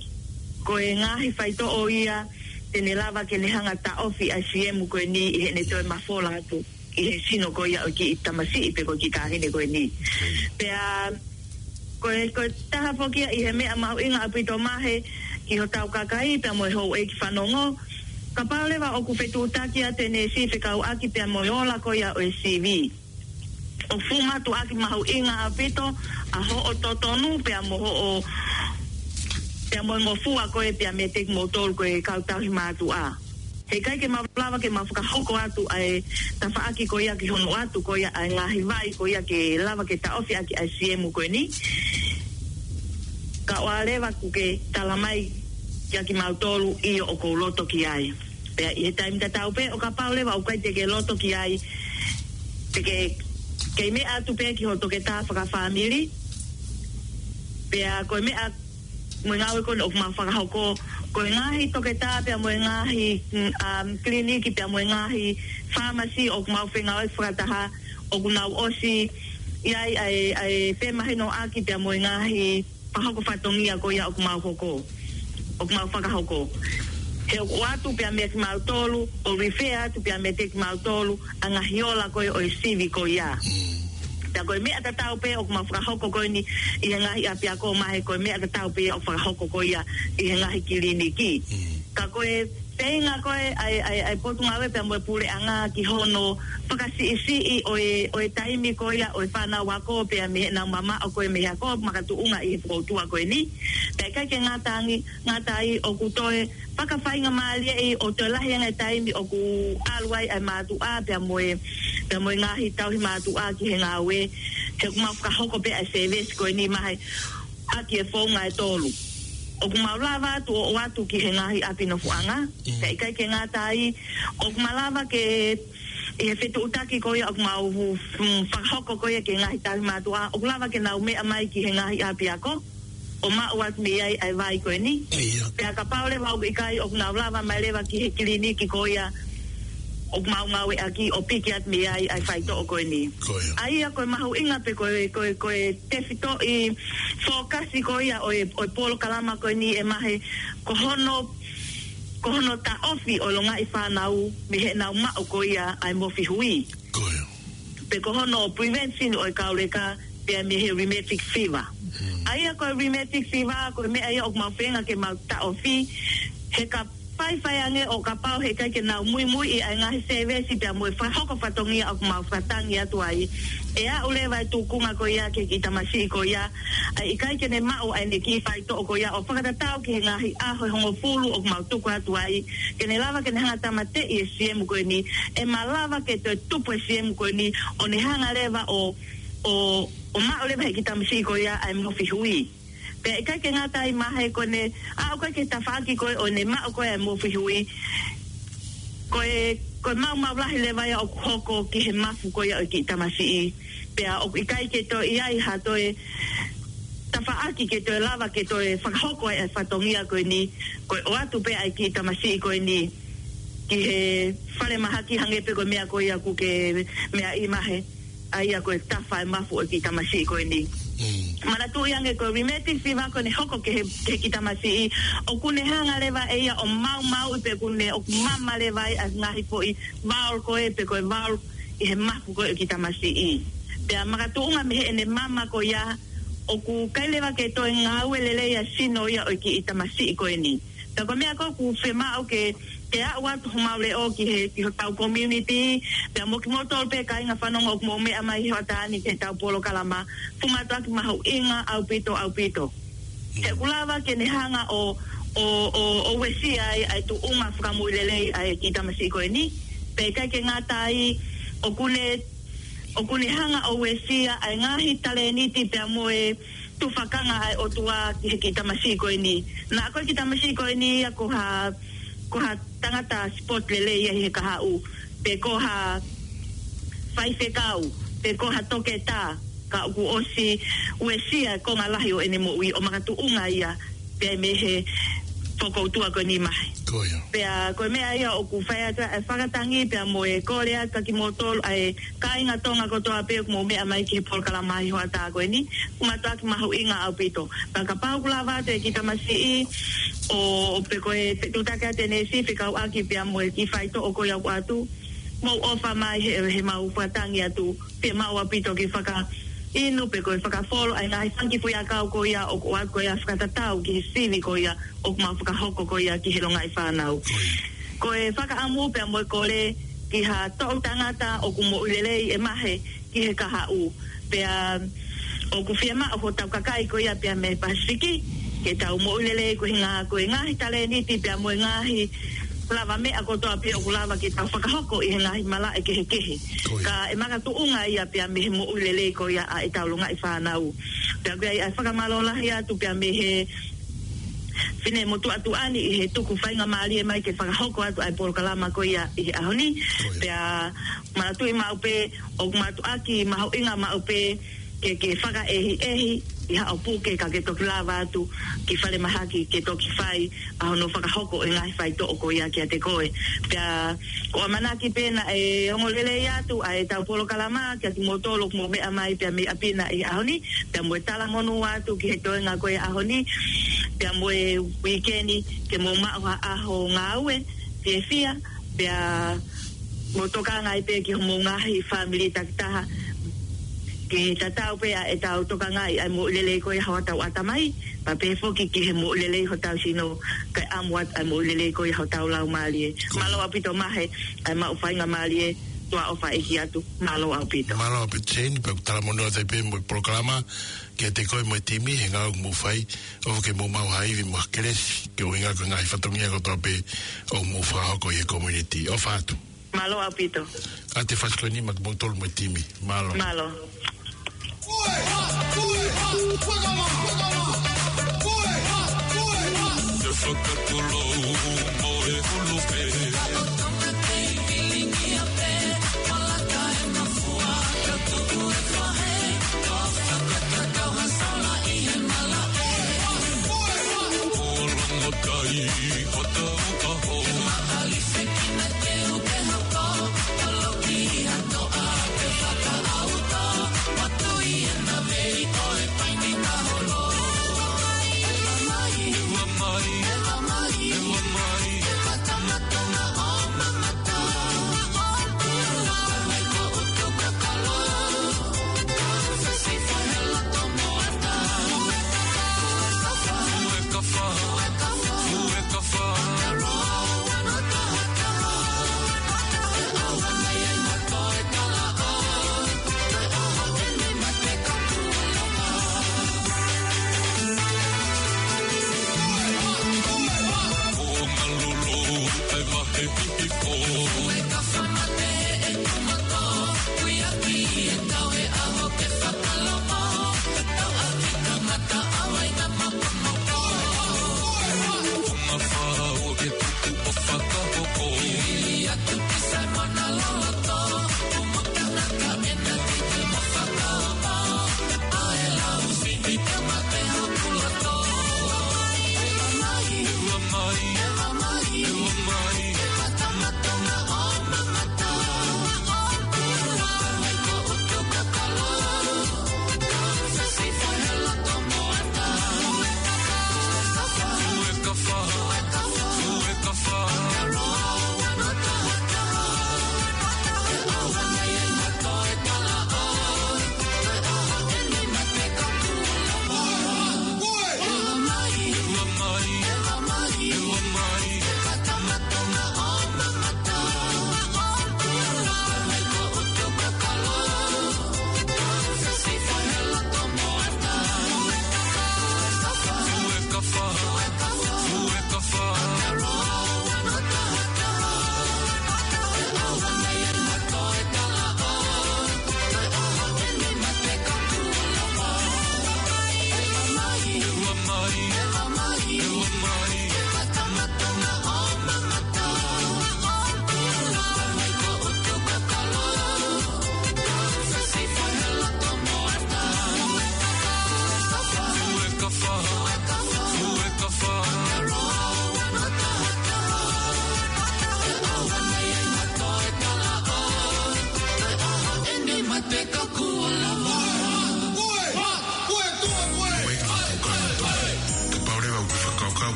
ko e ngaahi faitoʻo ia te ne lava ke ne hanga taʻofi ʻa e siemu ko eni ʻi heʻene toe mafola atu ʻi he sino ko ia ʻo e kiʻi tamasiʻi pe ko e kiʻi taʻahine ko eni. Pea ko e, ko e taha foki ia ʻi he meʻa mahuʻinga ʻaupito mahe ki hotau kakai pea mo e houʻeiki fanongo. Kapau leva ʻoku fetuʻutaki atu e neesi fekauʻaki pea mo e ola ko ia ʻo e sivi, ʻoku fuʻu mātuʻaki mahuʻinga ʻaupito ʻa hoʻo totonu pea mo hoʻo, pea mo e ngofua ko ē pea meiate kimoutolu ko e kau tauhi mātuʻa. Heʻikai ke mau lava ke mau fakahoko atu ʻa e tafaʻaki ko ia ki hono ʻoatu ko ia ʻa e ngaahi vai ko ia ke lava ke taʻofi ʻaki ʻa e siemu ko eni, kae ʻoua leva kuo ke tala mai kiate kimautolu ʻio ʻoku ou loto ki ai. Pea ʻi he taimi tatau pē ʻo kapau leva ʻoku ʻikai te ke loto ki ai, te ke kei meʻa atu pē ki hoʻo toketā fakafāmili. Pea ko e meʻa mo e ngāue ko eni ʻoku mau fakahoko, ko e ngaahi toketā pea mo e ngaahi, mm, um, kiliniki pea mo e ngaahi fāmasi ʻoku mau fengāueʻaki fakataha, ʻoku nau ʻosi ʻi ai ʻa e, ʻa e femahinoʻaki pea mo e ngaahi fakahoko fatongia ko ia ʻoku mau hoko, ʻoku mau fakahoko. He ʻoku ʻoatu pē meiate kimautolu, ʻo refer atu pē meiate kimautolu ʻa e ngaahi ola ko ē ʻo e sivi ko ia. Pea ko e meʻa tatau pē ʻoku mau fakahoko ko eni ʻi he ngaahi ʻapiako mahe, ko e meʻa tatau pē ʻoku fakahoko ko ia ʻi he ngaahi kiliniki. Ka ko e feinga ko ē ʻa e, ʻa e, ʻa e Potungāue pea mo e Puleʻanga ki hono fakasiʻisiʻi ʻo e, ʻo e taimi ko ia ʻo e fānau ako pea mei heʻenau mamaʻo ko ē mei he ako makatuʻunga ʻi he fokoutua ko eni. Pea ʻikai ke ngata ange, ngata ai ʻoku toe fakafaingamālieʻi ʻo toe lahi ange e taimi ʻoku ʻalu ai ʻa e mātuʻa pea mo e, pea mo e ngaahi tauhi mātuʻa ki he ngāue. He ʻoku mau fakahoko pē ʻa e sēvesi ko eni mahe ʻaki e founga ʻe tolu. ʻOku mau lava atu ʻo ʻoatu ki he ngaahi ʻapi nofoʻanga. Pea ʻikai ke ngata ai, ʻoku mau lava ke, ʻi he fetuʻutaki ko ia ʻoku mau, mm, fakahoko ko ia ki he ngaahi tauhi mātuʻa, ʻoku lava ke nau meʻa mai ki he ngaahi ʻapiako ʻo maʻu atu mei ai ʻa e vai ko eni. Pea kapau leva ʻoku ʻikai, ʻoku nau lava mai leva ki he kiliniki ko ia ʻoku mau ngāueʻaki ʻo piki atu mei ai ʻa e faitoʻo ko eni. ʻA ia ko e mahuʻinga pē ko e, ko e, ko e tefitoʻi fōkasi ko ia ʻo e, ʻo e polokalama ko eni ʻe mahe, ko hono, ko hono taʻofi ʻo e longaʻi fānau mei heʻenau maʻu ko ia ʻa e mofi hui. Pe ko hono prevention ʻo e kauleka pea mei he rheumatic fever. ʻA ia ko e rheumatic fever, ko e meʻa ia ʻoku mau feinga ke mau taʻofi, he ka faifai ange ʻo kapau heʻikai ke nau muimuiʻi ʻa e ngaahi sēvesi pea mo e fakahoko fatongia ʻoku mau fakatangi atu ai, ʻe aʻu leva e tūkunga ko ia ki he kiʻi tamasiʻi ko ia, ʻa e ʻikai ke ne maʻu ʻa ʻene kiʻi faitoʻo ko ia ʻo fakatatau ki he ngaahi ʻaho ʻe hongofulu ʻoku mau tuku atu ai, ke ne lava ke ne hanga tāmateʻi e siemu ko eni, ʻe malava ke toe tupu e siemu ko eni, ʻo ne hanga leva ʻo, ʻo, ʻo maʻu leva he kiʻi tamasiʻi ko ia ʻa e mofi hui. Pea ʻikai ke ngata ai, Mahe, ko ʻene aʻu ko ē ki he tafaʻaki ko ē ʻo ne maʻu ko ē ʻa e mofi hui, ko e, ko e maumau lahi leva ia ʻoku hoko ki he mafu ko ia ʻo e kiʻi tamasiʻi. Pea ʻoku ʻikai ke toe ʻi ai ha toe tafaʻaki ke toe lava ke toe fakahoko ai e fatongia ko eni, ko e ʻoatu pē ʻa e kiʻi tamasiʻi ko eni ki he falemahaki, hangē pē ko e meʻa ko ia ʻoku ke meaʻi, Mahe, ʻa ia ko e tafa e mafu ʻo e kiʻi tamasiʻi ko eni. Mm. Manatuʻi ange ko e rheumatic fever ko ʻene hoko ki he, ki he kiʻi tamasiʻi, ʻoku ne hanga leva ʻe ia ʻo maumauʻi pē, ʻoku ne, ʻoku mama leva ai ʻa e ngaahi foʻi valve ko ē, pe ko e valve ʻi he mafu ko ē ʻo e kiʻi tamasiʻi. Pea makatuʻunga mei heʻene mama ko ia, ʻoku ʻikai leva ke toe ngāue lelei ʻa e sino ia ʻo e kiʻi tamasiʻi ko eni. Pea ko e meʻa ko ē ʻoku fiemaʻu ke, ke aʻu atu homau leʻo ki he, ki hotau community, pea mo kimoutolu pē kāinga fanongo ʻoku mou meʻa mai he hoʻatā ni ki heʻetau polokalama, fuʻu mātuʻaki mahuʻinga ʻaupito, ʻaupito. He ʻoku lava ke ne hanga ʻo, ʻo, ʻo, ʻo uesia ai ʻa e tuʻunga fakamoʻui lelei ʻa e kiʻi tamasiʻi ko eni. Pea ʻikai ke ngata ai, ʻoku ne, ʻoku ne hanga ʻo uesia ʻa e ngaahi talēniti pea mo e tufakanga ʻa e ʻOtua ki he kiʻi tamasiʻi ko eni. Naʻa ko e kiʻi tamasiʻi ko eni ia ko ha, ko ha tangata sport lelei ia ʻi he kahaʻu, pe ko ha faifekau, pe ko ha toketā, ka ʻoku ʻosi uesia e konga lahi ʻo ʻene moʻui ʻo makatuʻunga ia pea mei he fokoutua ko eni, Mahe. Ko ia. Pea ko e meʻa ia ʻoku fai atu ʻa e fakatangi pea mo e kole atu kia kimoutolu ʻa e kāinga Tonga kotoa pē ʻoku mou meʻa mai ki he polokalama ʻi he hoʻatā ko eni, fuʻu mātuʻaki mahuʻinga ʻaupito. Pea kapau ʻoku lava atu e kiʻi tamasiʻi ʻo, pe ko e fetuʻutaki atu e neesi fekauʻaki pea mo e kiʻi faitoʻo ko ia ʻoku ʻoatu, mou ʻofa mai he, he mau fakatangi atu, pea maʻu ʻaupito ke fakainu pe ko e fakafolo ʻa e ngaahi fanga kiʻi foʻiʻakau ko ia ʻoku ʻoatu ko ia fakatatau ki he sivi ko ia ʻoku mau fakahoko ko ia ki he longaʻi fānau. Ko e fakaʻamu pea mo e kole ki ha toʻu tangata ʻoku moʻui lelei, ʻe Mahe, ki he kahaʻu. Pea ʻoku fiemaʻu hotau kakai ko ia pea mei he Pasifiki ke tau moʻui lelei ko e ngaahi, ko e ngaahi talēniti pea mo e ngaahi lavameʻa kotoa pē ʻoku lava ke tau fakahoko ʻi he ngaahi malaʻe kehekehe. Ko ia. Ka ʻe makatuʻunga ia pea mei he moʻui lelei ko ia ʻa ʻetau longaʻi fānau. Pea ko ia ʻa e fakamālō lahi atu pea mei he Finemotuʻa Tuʻani ʻi he tuku faingamālie mai ke fakahoko atu ʻa e polokalama ko ia ʻi he ʻaho ni. Ko ia. Pea manatuʻi maʻu pē ʻoku mātuʻaki mahuʻinga maʻu pē ke, ke fakaʻehiʻehi ʻi haʻo puke ka ke toki lava atu ki falemahaki ke toki fai ʻa hono fakahoko e ngaahi faitoʻo ko ia kiate koe. Pea ko e ʻamanaki pē naʻe ongo lelei atu ʻa ʻetau polokalama kia kimoutolu ʻoku mou meʻa mai pea mei ʻapi na ʻi he ʻaho ni, pea mo e talamonū atu ki he toenga ko ia ʻaho ni, pea mo e uikeni, ke mou maʻu ha ʻaho ngāue fiefia, pea mou tokanga ai pē ki homou ngaahi fāmili takitaha, ke tatau pē ʻa ʻetau tokangaʻi ʻa e moʻui lelei ko ia hotau ʻatamai, pea pehē foki ki he moʻui lelei hotau sino, kae ʻamu atu ʻa e moʻui lelei ko ia hotau laumālie. Mālō ʻaupito Mahe, ʻa e maʻu faingamālie, tuʻa ʻofa ʻeiki atu, mālō ʻaupito. Mālō ʻaupito Jane, pea ʻoku talamonū atu ai pē mo e polokalama, kiate koe mo e timi, he ngāue ʻoku mou fai, ʻofa ke mou maʻu ha ivi mo ha kelesi, koeʻuhinga ko e ngaahi fatongia kotoa pē ʻoku mou fakahoko ʻi he community. ʻOfa atu. Mālō ʻaupito. Kātaki e fasi ko eni maʻa kimoutolu mo e timi. Mālō. Mālō.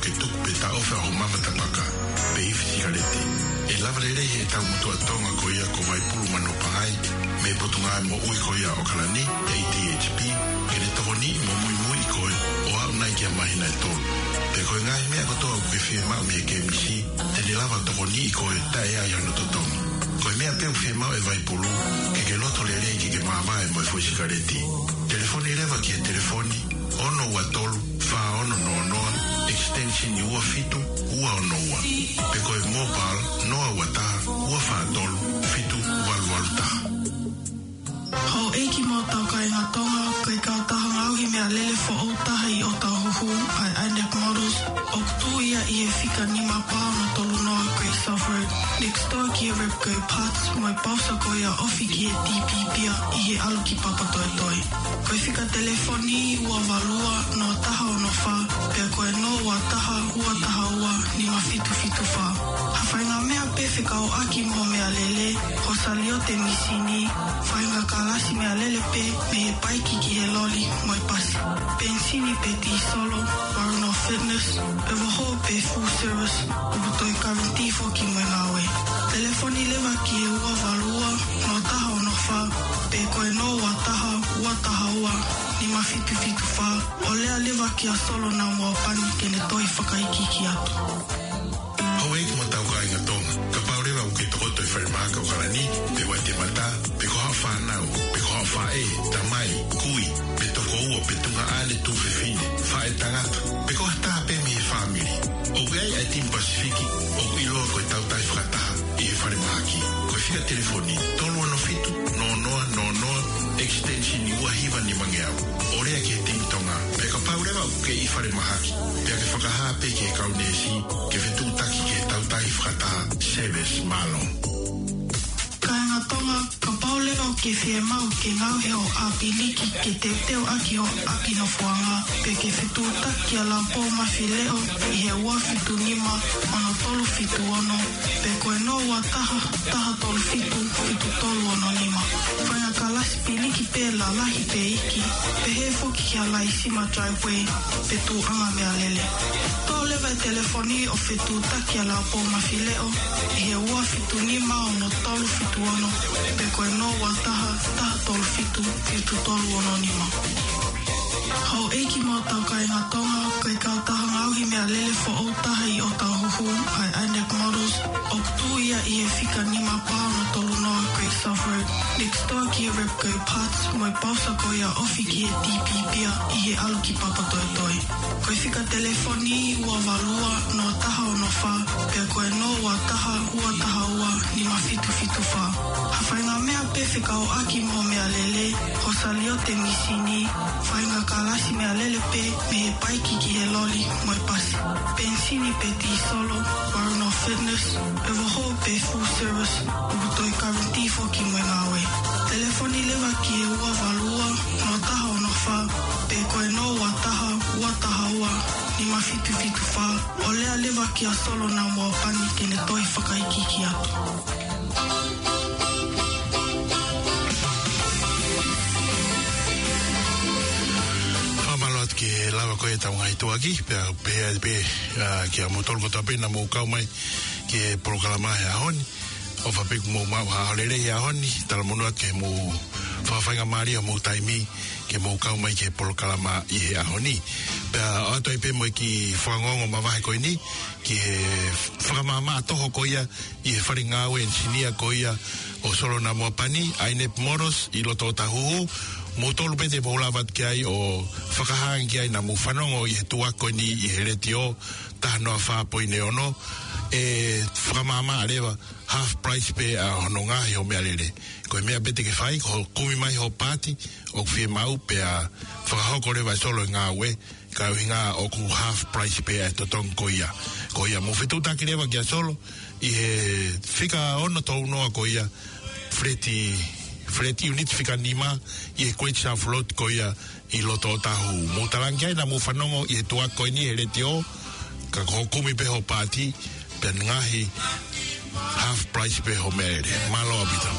ke tuku pe taʻofi hoʻo mama tapaka pe ifi sikaleti. ʻE lava lelei ʻe he tau motuʻa Tonga ko ia ko Vaipulu Manopangai mei he Potungāue Moʻui ko ia ʻo ʻAokalani, A D H P, ke ne tokoniʻi mo muimui koe ʻo aʻu nai ki ha māhina ʻe tolu. Pea ko e ngaahi meʻa kotoa ʻoku ke fiemaʻu mei he K M C, te ne lava tokoniʻi koe taʻe ʻi ai hano totongi. Ko e meʻa pē ʻoku fiemaʻu ʻe Vaipulu, ke ke loto lelei ke ke māvae mo e foʻi sikaleti. Telefoni leva ki he telefoni ono ua tolu fā ono noa noa, extension ua fitu ua ono ua. Pe ko e mobile noa ua taha ua fā tolu fitu valu valu taha. Houʻeiki mo e tau kāinga Tonga, ko e kautaha ngaohi meʻalele foʻou taha ʻi ʻŌtāhuhu, ʻa e Inex Motors, ʻoku tuʻu ia ʻi he fika nima pā ono tolu noa Great South Road, next door ki he Repco Parts, mo e pausa ko ia ofi ki he D P Pier ʻi he ʻalu ki Papatoetoe. Ko e fika telefoni ua valu ua noa taha ono fā, pea ko e noa ua taha ua taha ua nima fitu fitu fā. Ha faʻahinga meʻa pē fekauʻaki mo e meʻalele, hoʻo saliote mīsini, faʻahinga kalasi meʻalele pē mei he paiki ki he loli mo e pasi. Penisini pe tīsolo, Warren Fitness, ʻe vaho pe full service, ʻoku toe guarantee foki mo e ngāue. Telefoni leva ki he ua valu ua noa taha ono fā, pe ko e noa ua taha ua taha ua nima fitu fitu fā, ʻo lea leva kia Solo Namoapani ke ne toe fakaikiiki atu. Houʻeiki mo e tau kāinga Tonga, kapau leva ʻoku ke tokoto ʻi falemahaki ʻo ʻAokalani, pe Waitemata, pe ko haʻo fānau, pe ko haʻo faʻē, tamai, kui, pe tokoua, pe tuongaʻane tuofefine, faʻētangata, pe ko ha taha pē mei he fāmili, ʻoku ʻi ai ʻa e Team Pasifiki ʻoku ʻiloa ko e Tautai Fakataha ʻi he falemahaki. Ko e fika telefoni tolu ono fitu noa noa noa noa, extension ua hiva nima ngeau. ʻO lea ki he Team Tonga, pea kapau leva ʻoku ke ʻi falemahaki, pea ke fakahā pē ki he kau neesi ke fetuʻutaki ki he Tautai Fakataha. Service, mālō. Kāinga Tonga, kapau leva ʻoku ke fiemaʻu ke ngaohi hoʻo ʻāpiliki ke teuteu ʻaki hoʻo ʻapi nofoʻanga, pe ke fetuʻutaki kia Laupōmafileʻo ʻi he ua fitu nima ono tolu fitu ono, pe ko e noa ua taha taha tolu fitu fitu tolu ono nima. Faʻahinga kalasi piliki pē, lalahi pe iiki, pehē foki ki ha laisima driveway pe tuʻuʻanga meʻalele. Toʻo leva e telefoni ʻo fetuʻutaki kia Laupōmafileʻo ʻi he ua fitu nima ono tolu fitu ono, pe ko e noa ua taha taha tolu fitu fitu tolu ono nima. Houʻeiki mo e tau kāinga Tonga, ko e kautaha ngaohi meʻalele foʻou taha ʻi ʻŌtāhuhu, ʻa e Inex Motors, ʻoku tuʻu ia ʻi he fika nima pā ono tolu noa Great South Road, next door ki he Repco Parts, mo e pausa ko ia ofi ki he D P Pier ʻi he ʻalu ki Papatoetoe. Ko e fika telefoni ua valu ua noa taha ono fā, pea ko e noa ua taha ua taha ua nima fitu fitu fā. Ha faʻahinga meʻa pē fekauʻaki mo e meʻalele, hoʻo saliote mīsini, faʻahinga kalasi meʻalele pē mei he paiki ki he loli mo e pasi. Penisini pe tīsolo, Warren Fitness, ʻe vaho pe full service, ʻoku toe guarantee foki mo e ngāue. Telefoni leva ki he ua valu ua noa taha ono fā, pe ko e noa ua taha ua taha ua nima fitu fitu fā, ʻo lea leva kia Solo Namoapani ke ne toe fakaikiiki atu. Fakamālō atu ki he lava ko ē ʻetau ngaahi tuʻuaki, pea pehē pē, ā, kia moutolu kotoa pē naʻa mou kau mai ki he polokalama he ʻaho ni. ʻOfa pē kuo mou maʻu ha ʻaho lelei he ʻaho ni, talamonū atu ke mou fakafaingamālie homou taimi ke mou kau mai ki he polokalama ʻi he ʻaho ni. Pea ʻoatu ai pē mo e kiʻi fakaongoongo mavahe ko eni, ki he fakamaʻamaʻa toho ko ia ʻi he fale ngāue ʻenisinia ko ia ʻo Solo Namoapani, Inex Motors ʻi loto ʻŌtāhuhu. Moutolu pē te mou lava atu ki ai ʻo fakahā ange ki ai naʻa mou fanongo ʻi he tuʻuaki ko eni ʻi he letiō taha noa fā poini ono, ʻe fakamaʻamaʻa leva, half price pē ʻa hono ngaohi hoʻo meʻalele. Ko e meʻa pē te ke fai, ko hoʻo kumi mai hoʻo paati ʻoku fiemaʻu pea fakahoko leva ʻe Solo e ngāue, ka ʻuhinga ʻoku half price pē ʻa e totongi ko ia. Ko ia mou fetuʻutaki leva kia Solo ʻi he fika ono tolu noa ko ia, flat, flat unit fika nima ʻi he Great South Road ko ia ʻi loto ʻŌtāhuhu. Mou talaange ki ai naʻa mou fanongo ʻi he tuʻuaki ko eni he letiō, ka ko hoʻo kumi pē hoʻo paati, pea ngaohi half price pē hoʻo meʻalele. Mālō ʻaupito.